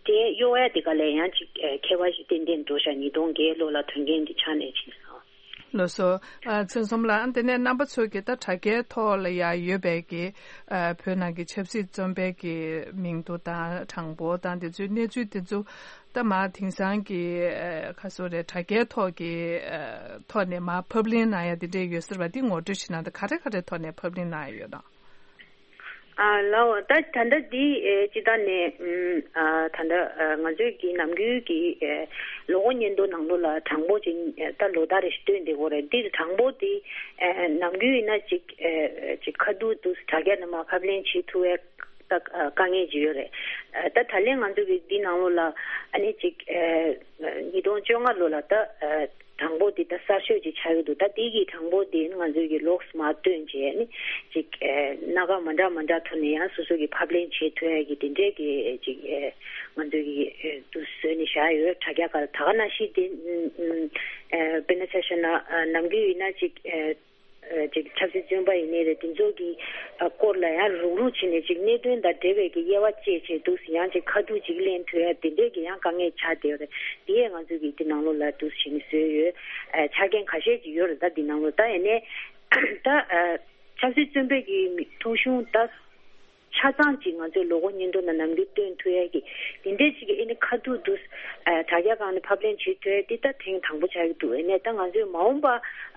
དེ་གཡོག་ཡ་དེ་ག་ལས་ཡང་ཅིག་ཨ། ཁྱད་པར་ཞིག་ཏན་ཏན་འགྲོ་ཤག། ཉིས་སྟོང་བརྒྱད་ལོ་ལ་དོན་རྐྱེན་འདི་ཆགས་ནས་ཕྱིན་སོང་། ལགས་སོ། ཨ། ཚེ་རིང་བསོད་ནམས་ལགས། ཨ། དེ་ནས་རྣམ་པ་ཚོས་ཀྱི་ད་དྲ་རྒྱའི་ཐོག་ལ་ཡང་ཡོད་པའི་གི། ཨ། བོད་ནང་གི་ཆབ་སྲིད་བཙོན་པའི་གི་མིང་ཐོ་དང་གྲངས་འབོར་དང་དེ་ཚོའི་གནས་ཚུལ་དེ་ཚོ་ད་མར་དེང་སང་གི། ཨ། ག་ཟེར་རེད། དྲ་རྒྱའི་ཐོག་གི། ཨ། ཐོག་ནས་མར་ཕབ་ལེན་གནང་ཡ་དེ་འདྲས་ཡོད་ཟེར་བ་འདི་ངོ་སྤྲོད་བྱེད་ན། ད་ག་རེ་ག་རེ་ཐོག་ནས་ཕབ་ལེན་གནང་ཡ་ཡོད་དམ། ཨ། ལགས། ད་ད་ལྟ་འདི་ཨེ། སྤྱི་བཏང་ནས་ཨམ། ཨ། ད་ལྟ་ཨ། ང་ཚོའི་གི་ནམ་རྒྱུན་གྱི་ཨེ། ལོ་འཁོར་སྙན་ཐོ་ནང་ལོགས་ལ་གྲངས་འབོར་ཅིག་ཨེ། ད་ལོ་ལྟར་རེ་བཞིན་བཏོན་བསྡད་ཀྱི་ཡོད་རེད། འདི་གྲངས་འབོར་འདི་ཨེ། ནམ་རྒྱུན་ཡིན་ན་ཅིག་ཨེ། ཅིག་ཁ་ཐུག་ཏུ་དྲ་རྒྱ་ནང་མར་ཕབ་ལེན་བྱེད་ཐུབ་པའི་ད་ཨ། དཀའ་ངལ་ཅིག་ཡོད་རེད། ཨ། ད་ད་ལན་ང་ཚོ་གི་འདི་ནང་ལོགས་ལ་ཨ་ནི་ཅིག་ཨེ། ཉིས་སྟོང་བཅོ་ལྔ་ལོ་ལ་ད་ཨ། གྲངས་འབོར་འདི་ད་གསར་ཤོས་ཅིག་ཆགས་ཀྱི་འདུག། ད་འདི་གི་གྲངས་འབོར་འདི་ང་ཚོས་ཀྱི་ལོགས་སུ་མར་བཏོན་བྱས་ནི་ཅིག་ཨེ། སྣ་ཁ་མ་འདྲ་མ་འདྲ་ཐོག་ནས་ཡང་སོ་སོ་གི་ཕབ་ལེན་བྱེད་ཐུབ་ཡ་གི་དེ་འདྲས་ཀྱི་ཅིག་ཨེ། ང་ཚོས་ཀྱི་ཨེ། དུ་བཟོས་ནས་བཞག་ཡོད། དྲ་རྒྱ་སྒང་ལ། ད་ག་ནང་བཞིན་དེ་ཨེ། དཔེར་ན་ཆ་བཞག་ན་ཨ། ནམ་རྒྱུན་ཡིན་ན་ཅིག་ཨེ། ཨ། ཅིག་ཆབ་སྲིད་བཙོན་པ་ཡིན་ནའི་རེད། དེ་ཚོ་གི་ཨ། སྐོར་ལ་ཡང་རུག་རུག་བྱས་ནས་ཅིག་གནད་དོན་དང་འབྲེལ་བའི་གི་དབྱེ་བ་བཅད་བྱས་འདུག། ཡང་ཅིག་ཁ་ཐུག་ཅིག་ལེན་ཐུབ་ཡ་དེ་འདྲས་ཀྱི་ཡང་དཀའ་ངལ་ཆགས་བསྡད་ཡོད་རེད། དེ་ཡས་ང་ཚོས་ཀྱི་དེ་ནང་ལོགས་ལ་འདུག་བྱས་ནས་བཟོས་ཡོད། ཨ། ཆ་རྐྱེན་ཁ་ཤས་ཅིག་ཡོད་རེད། ད་དེ་ནང་ལོགས་ད་ཡིན་ནའི་ད་ཨ། ཆབ་སྲིད་བཙོན་པའི་གི་ཐོ་གཞུང་ད་ཆ་ཚང་ཅིག་ང་ཚོས་ལོ་འཁོར་སྙན་ཐོ་ནང་ནམ་རྒྱུན་བཏོན་ཐུབ་ཡ་གི་དེ་འདྲས་ཅིག་གི་ཨེ་ནི་ཁ་ཐུག་ཏུ་ཨ་དྲ་རྒྱ་སྒང་ནས་ཕབ་ལེན་བྱེད་ཐུབ་ཡ་དེ་ད་ཐེངས་དང་པོ་ཆགས་ཀྱི་འདུག་ཨེ་ནས་ད་ང་ཚོས་མ་འོངས་པ་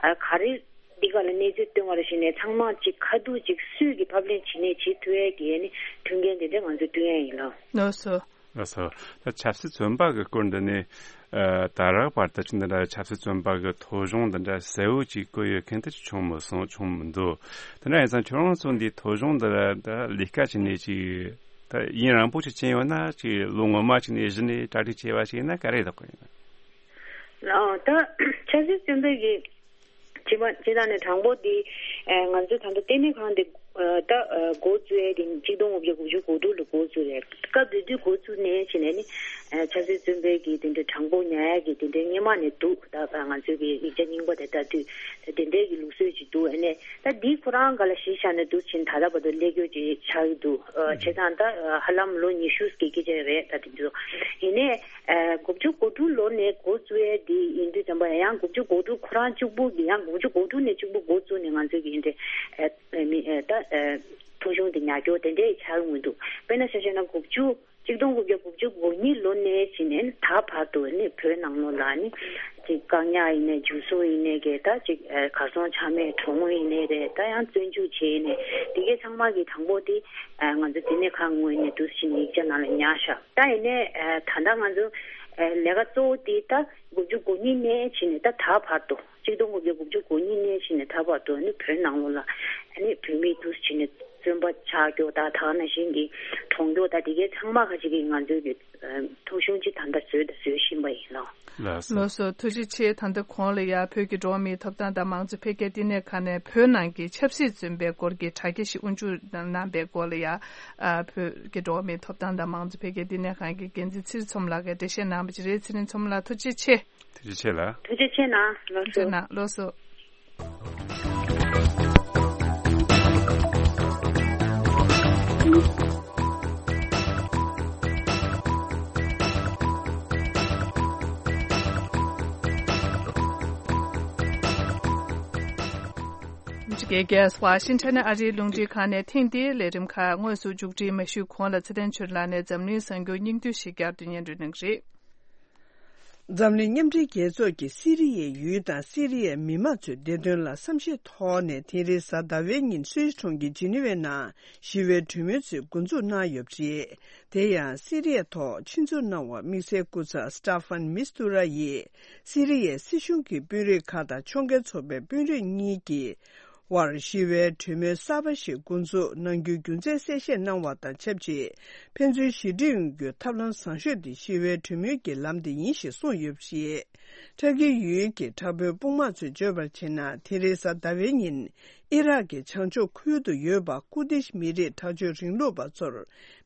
ཨ་ག་རེ་འདི་ག་ལ་གནས་ཚུལ་བཏོན་པ་རེ་བཞིན་ནས་ཚང་མ་ཅིག་ཁ་ཐུག་ཅིག་སུས་ཀྱི་ཕབ་ལེན་བྱེད་ནས་བྱེད་ཐུབ་ཡ་གི་ཨེ་ནི་མཐུན་རྐྱེན་དེ་འདྲས་ང་ཚོས་བསྐྲུན་ཡ་ཡིན་ལགས། ལགས་སོ། ལགས་སོ། ད་ཆབ་སྲིད་བཙོན་པ་གི་སྐོར་འདི་ནི། ཨ་ད་རག་བར་དུ་ཅི་འདི་འདྲ་ཆབ་སྲིད་བཙོན་པ་གི་ཐོ་གཞུང་འདི་འདྲ་གསལ་བོ་ཅིག་བཀོད་ཡོད་མཁན་དེ་ཅིག་བྱུང་མི་སོང་། བྱུང་མི་འདུག་དེ་འདྲ་ཡིན་ཙང་ཁྱོད་རང་ཚོ་འདིའི་ཐོ་གཞུང་འདི་ལ་ད་ལས་ཀ་བྱས་ནས་ཅིག་ད་ཡུན་རིང་པོ་ཅིག་ཕྱིན་ཡོད་ན། ཅིག་ལོ་སྔོན་མ་ཅིག་ནས་གཞི་ནས་གྲ་སྒྲིག་བྱས་པ་ཞིག་ཡིན་ན་ག་རེ་ལྡོག་གི་ཡིན། ཨ་ད་ཆབ་སྲིད་བཙོན་པའི་གི་བྱེད་པ་བྱེད་སྟངས་ནི་དང་པོ་དེ་ཨ་ང་ཚོའི་ད་ལྟ་ལྟེ་གནས་ཁང་དེ་ཨ་ད་ཨ་འགོ་བཙུགས་ཡས་དེ་གཅིག་སྟོང་དགུ་བརྒྱ་དགུ་བཅུ་གོ་དྲུག་ལ་འགོ་བཙུགས་རེད། སྐབས་དེ་དུས་འགོ་བཙུགས་ནས་བྱས་ནས་ནི་ཨ་ཆབ་སྲིད་བཙོན་པའི་གི་དེ་འདྲའི་གྲངས་འབོར་ཉར་ཡས་ཀྱི་དེ་འདྲའི་སྔོན་མ་ནས་འདུག་ད་ང་ཚོའི་གི་ཡིག་ཆ་རྙིང་པ་དེ་ལྟ་དུས་ད་དེ་འདྲའི་གི་ལུགས་སྲོལ་ཅིག་འདུག་ཨ་ནས་ད་འདི་ཁོ་རང་སྒང་ལ་གཞི་བཞག་ནས་འདུག་ཕྱིན་ད་ལྟ་བར་དུ་ལས་སྐྱོ་ཅིག་ཆགས་ཀྱི་འདུག་ཨ་བྱས་ཙང་ད་ཨ་ཧ་ལམ་ལོ་ཉི་ཤུ་ཀྱི་སྐད་ཆ་རེད། ད་དེ་ཚོ་ཡིན་ནས། ཨ་དགུ་བཅུ་གོ་དྲུག་ལོ་ནས་འགོ་བཙུགས་ཡས་འདི་ཡིན་དུས་ཙམ་པ་ཡང་དགུ་བཅུ་གོ་དྲུག་ཁོ་རང་གཅིག་པུ་གི་ཡང་དགུ་བཅུ་གོ་དྲུག་ནས་གཅིག་པུ་འགོ་བཙུགས་ནས་ང་ཚོས་ཀྱི་འདི་ཨ་མི་ཨ་ད་ཨ་ཐོ་གཞུང་དེ་ཉར་སྐྱོར་དེ་འདྲའི་ཆགས་ཡོང་གི་འདུག་དཔེར་ན་ཆ་བཞག་ན་དགུ་བཅུ་གཅིག་སྟོང་དགུ་བརྒྱ་དགུ་བཅུ་གོ་གཉིས་ལོ་ནས་བྱས་ནས་ད་བར་དུ་ནི་བོད་ནང་ལོགས་ལ་ནི་ཅིག་བཀག་ཉར་ཡིན་ནའི་འཇུ་བཟུང་ཡིན་ནའི་གི་ད་ཅིག་ཨ་གར་སོང་ཆ་མེད་གྲོངས་ཡིན་ནའི་རེད། ད་ཡང་བཙོན་འཇུག་བྱས་ནས་དེ་གའི་ཚང་མ་གི་དང་པོ་དེ་ཨ་ང་ཚོ་ལྟེ་གནས་ཁང་ངོས་ནས་འདུག་སེ་ཡིག་ཆ་ནང་ལ་ཉར་བཞག་ད་ཡིན་ནའི་ཨ་ད་ལྟ་ང་ཚོ་ཨ་ལས་ཀ་གཙོ་བོ་དེ་ད་དགུ་བཅུ་གོ་གཉིས་ནས་བྱས་ནས་ད་ད་བར་དུ་གཅིག་སྟོང་དགུ་བརྒྱ་དགུ་བཅུ་གོ་གཉིས་ནས་བྱས་ནས་ད་བར་དུ་ནི་བོད་ནང་ལོགས་ལ་ཨ་ནི་བོད་མི་འདུག་སེ་བྱས་ནས་བཙོན་པ་ཆགས་རྒྱུ་ད་ད་ག་ནང་བཞིན་གྱི་གྲོངས་རྒྱུ་ད་དེ་གའི་ཚང་མ་ཁ་ཅིག་གིས་ང་ཚོའི་གི་ཐོ་གཞུང་ཅིག་ད་ལྟ་བཟོས་དང་བཟོ་བཞིན་པ་ཡིན་ལགས། ལགས་སོ། ལགས་སོ། ཐུགས་རྗེ་ཆེ། ད་ལྟ་གོང་ལ་ཡ་བོད་ཀྱི་འགྲོ་བ་མིའི་ཐོབ་ཐང་དང་མང་གཙོ་འཕེལ་རྒྱས་ལྟེ་གནས་ཁང་ནས་བོད་ནང་གི་ཆབ་སྲིད་བཙོན་པའི་སྐོར་གྱི་དྲ་རྒྱ་ཞིག་དབུ་འཛུགས་གནང་པའི་སྐོར་ལ་ཡ། ཨ་བོད་ཀྱི་འགྲོ་བ་མིའི་ཐོབ་ཐང་དང་མང་གཙོ་འཕེལ་རྒྱས་ལྟེ་གནས་ཁང་གི་འགན་འཛིན་ཚེ་རིང་མཚོ་མོ་ལགས་ཀྱིས་འགྲེལ་བཤད་གནང་བ་ཅིག་རེད། ཚེ་རིང་མཚོ་མོ་ལགས་ཐུགས་རྗེ་ཆེ། ཐུགས་རྗེ་ཆེ་ལགས། ཐུགས་རྗེ་ཆེ་གནང་། ལགས་སོ། ཐུགས་རྗེ་གནང་། ལགས་སོ། རྒྱལ་ཁབ་ཝ་ཤིང་ཊོན་ཨ་རིའི་རླུང་འཕྲིན་ཁང་ནས་ཐེངས་འདིའི་ལས་རིམ་ཁག་དངོས་སུ་མཇུག་སྒྲིལ་མ་ཞུས་གོང་ལ་ཚེ་བརྟན་ཆོས་ལགས་ནས་འཛམ་གླིང་གསར་འགྱུར་སྙིང་བསྡུས་ཤིག་བསྐྱར་དུ་སྙན་སྒྲོན་གནང་གི་རེད། འཛམ་གླིང་མཉམ་འབྲེལ་རྒྱལ་ཚོགས་ཀྱིས་སི་རི་ཡའི་ཡུལ་དང་སི་རི་ཡའི་མི་མང་ཚོའི་བདེ་དོན་ལ་བསམ་ཤེས་ཐོག་ནས་དེ་རིང་གཟའ་ཟླ་བའི་ཉིན་སུད་སི་གྲོང་ཁྱེར་ཇི་ནི་ཝའི་ནང་ཞི་བའི་གྲོས་མོལ་ཚོས་འགོ་འཛུགས་གནང་ཡོད་པ་རེད། དེ་ཡང་སི་རི་ཡའི་ཐོག་ཆེད་འཛུགས་གནང་བ་དམིགས་བསལ་སྐུ་ཚབ་སི་ཏཱ་ཧྥན་མིས་ཏུ་ར་ཡིས་སི་རི་ཡའི་སྲིད་གཞུང་གི་དཔོན་རིགས་ཁག་དང་ཕྱོགས་འགལ་ཚོགས་པའི་དཔོན་རིགས་གཉིས་ཀྱི་དབར་ཞི་བའི་གྲོས་མོལ་གསར་པ་ཞིག་འགོ་འཛུགས་གནང་རྒྱུའི་རྒྱུ་མཚན་གསལ་བཤད་གནང་བ་དང་ཆབས་ཅིག་ཕན་ཚུན་ཞི་འགྲིག་ཡོང་རྒྱུའི་ཐབས་ལམ་བཟང་ཤོས་དེ་ཞི་བའི་གྲོས་མོལ་གྱི་ལམ་དེ་ཡིན་ཞེས་གསུངས་ཡོད་པ་རེད། ཏུར་ཀི་ཡུལ་གྱི་དྲག་པོའི་དཔུང་དམག་ཚོས་བརྗོད་པར་བྱས་ན། དེ་རིང་གཟའ་ཟླ་བའི་ཉིན་ཨི་རག་གི་བྱང་ཕྱོགས་ཁུལ་དུ་ཡོད་པ་ཀུར་དིཤ་མི་རིགས་དྲག་སྤྱོད་རིང་ལུགས་པ་ཚོར་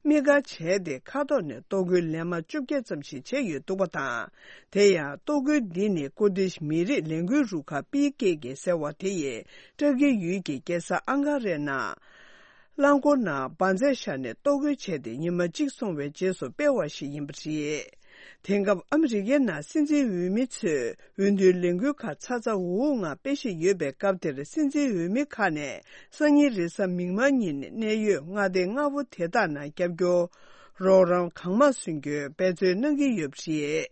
དམིགས་བཀར་བྱས་ཏེ། མཁའ་ཐོག་ནས་གཏོར་རྒོལ་ལན་མ་བཅོ་བརྒྱད་ཙམ་ཞིག་བྱས་ཡོད་འདུག་པ་དང་། དེ་ཡང་གཏོར་རྒོལ་འདི་ནི་ཀུར་དིཤ་མི་རིགས་ལས་འགུལ་རུ་ཁག་པི་ཀེ་ཀེ་ཟེར་བ་དེ་ཡིས་ཏུར་ཀི་ཡུལ་གྱི་རྒྱལ་ས་ཨང་ཀ་རའི་ནང་རླངས་འཁོར་ནང་འབར་རྫས་བཞག་ནས་གཏོར་རྒོལ་བྱས་ཏེ། ཉི་མ་གཅིག་སོང་བའི་རྗེས་སུ་སྤེལ་བ་ཞིག་ཡིན་པ་རེད། དེང་སྐབས་ཨ་མི་རི་ཀའི་ནང་སྲིད་འཛིན་འོས་མི་ཚོས་འོས་བསྡུའི་ལས་འགུལ་ཁག་ཚ་ཚ་འུར་འུར་ངང་སྤེལ་བཞིན་ཡོད་པའི་སྐབས་དེར། སྲིད་འཛིན་འོས་མི་ཁག་ནས་སང་ཉིན་རེས་གཟའ་མིག་དམར་ཉིན་གནད་ཡོད་མངའ་སྡེ་ལྔ་པོ་དེ་དག་ནང་རྒྱབ་སྐྱོར་རོགས་རམ་གང་མང་སོན་རྒྱུའི་འབད་བརྩོན་གནང་གི་ཡོད་པ་རེད།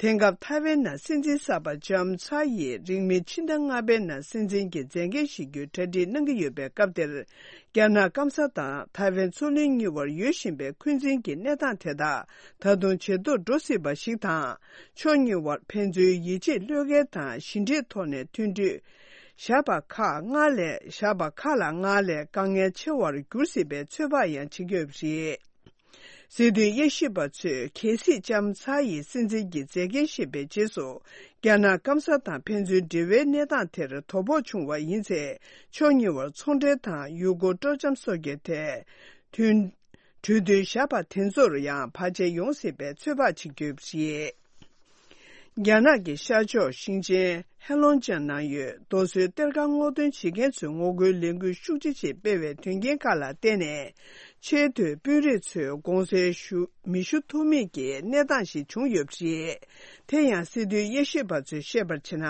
དེང་སྐབས་ཐའེ་ཝན་ནང་སྲིད་འཛིན་གསར་པ་ལྕམ་ཚ་ཡིས་རིང་མིན་ཕྱི་ཟླ་ལྔ་པའི་ནང་སྲིད་འཛིན་གྱི་མཛད་འགན་བཞེས་རྒྱུའི་གྲ་སྒྲིག་གནང་གི་ཡོད་པའི་སྐབས་དེར། རྒྱ་ནག་སྐམ་ས་དང་ཐའེ་ཝན་མཚོ་གླིང་གཉིས་བར་ཡོད་བཞིན་པའི་འཁོན་འཛིན་གྱི་གནས་སྟངས་དེ་དག་ད་དུང་ཇེ་སྡུག་འགྲོ་སྲིད་པ་ཞིག་དང་། ཕྱོགས་གཉིས་བར་ཕན་ཚུན་ཡིད་ཆེས་བློས་འགེལ་དང་ཞི་འགྲིག་ཐོག་ནས་མཐུན་གྲོས་བཞག་པ་ཁག་སྔར་ལས་བཞག་པ་ཁག་ལ་སྔར་ལས་དཀའ་ངལ་ཆེ་བར་འགྱུར་སྲིད་པའི་ཚོད་དཔག་ཡང་བྱེད་ཀྱི་ཡོད་པ་རེད། སྲིད་དོན་དབྱེ་ཞིབ་པ་ཚོས་གལ་སྲིད་ལྕམ་ཚ་ཡིས་སྲིད་འཛིན་གྱི་མཛད་འགན་བཞེས་པའི་རྗེས་སུ། རྒྱ་ནག་སྐམ་ས་དང་ཕན་ཚུན་འབྲེལ་བའི་གནས་སྟངས་དེར་དོ་ཕོག་བྱུང་བ་ཡིན་ཚེ། ཕྱོགས་གཉིས་བར་ཚོང་འབྲེལ་དང་ཡུལ་སྐོར་སྤྲོ་འཆམ་སོགས་ཀྱི་ཐད་མཐུན་གྲོས་མཐུན་བཞག་པ་དེ་ཚོར་ཡང་བར་ཆད་ཡོང་སྲིད་པའི་ཚོད་དཔག་བྱེད་ཀྱི་ཡོད་པ་རེད། རྒྱ་ནག་གི་ཤར་ཕྱོགས་ཞིང་ཆེན་ཧེ་ལོང་ཅན་ནང་ཡོད་རྡོ་སོལ་གཏེར་ཁ་སྔོག་འདོན་བྱེད་མཁན་ཚོས་ངོ་རྒོལ་ལས་འགུལ་ཤུགས་ཆེ་ཞིག་སྤེལ་བའི་དོན་རྐྱེན་ཁག་ལ་བརྟེན་ནས། ཆེས་མཐོའི་དཔོན་རིགས་ཚོས་དགོངས་སེལ་ཞུ་མི་ཞུ་ཐུབ་མེད་ཀྱི་གནས་སྟངས་ཤིག་བྱུང་ཡོད་པ་རེད། དེ་ཡང་སྲིད་དོན་དབྱེ་ཞིབ་པ་ཚོས་བཤད་པར་བྱས་ན།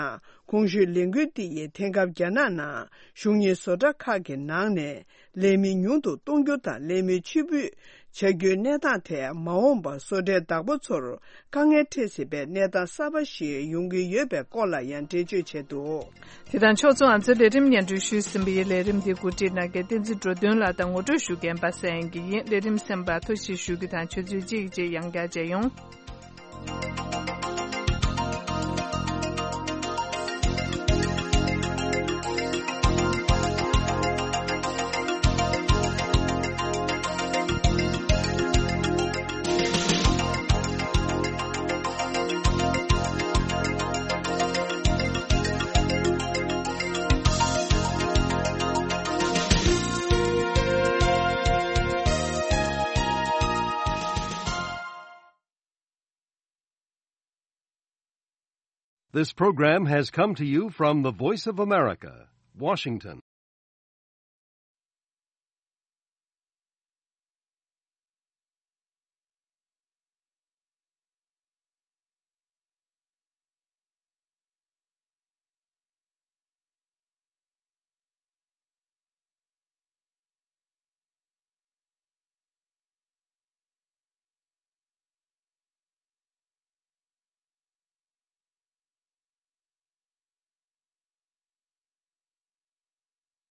གོང་ཞུས་ལས་འགུལ་འདི་ཡིས་དེང་སྐབས་རྒྱ་ནག་ནང་གཞུང་གཉེར་བཟོ་གྲྭ་ཁག་གི་ནང་ནས་ལས་མི་ཉུང་དུ་གཏོང་རྒྱུ་དང་ལས་མི་ཕྱིར་འབུད་བྱ་རྒྱུའི་གནས་སྟངས་ཐད། མ་འོངས་པར་བཟོ་གྲྭའི་བདག་པོ་ཚོར་དཀའ་ངལ་འཕྲད་སྲིད་པའི་གནས་སྟངས་གསར་པ་ཞིག་ཡོང་གི་ཡོད་པའི་སྐོར་ལ་ཡང་འགྲེལ་བརྗོད་བྱས་འདུག། དེ་དང་ཕྱོགས་མཚུངས། ང་ཚོའི་ལས་རིམ་སྙན་སྒྲོན་ཞུས་ཟིན་པ་ཡིན། ལས་རིམ་འདི་གོ་སྒྲིག་གནང་མཁན་བསྟན་འཛིན་འགྲོ་དོན་ལགས་དང་། ངོ་སྤྲོད་ཞུ་མཁན་པ་སངས་སྐྱིད་ཡིན། ལས་རིམ་གསན་པར་ཐུགས་རྗེ་ཆེ་ཞུ་རྒྱུ་དང་། ཆུ་ཚོད་གཅིག་རྗེས་ཡང་བསྐྱར་མཇལ་ཡོང་། This program has come to you from the Voice of America, Washington.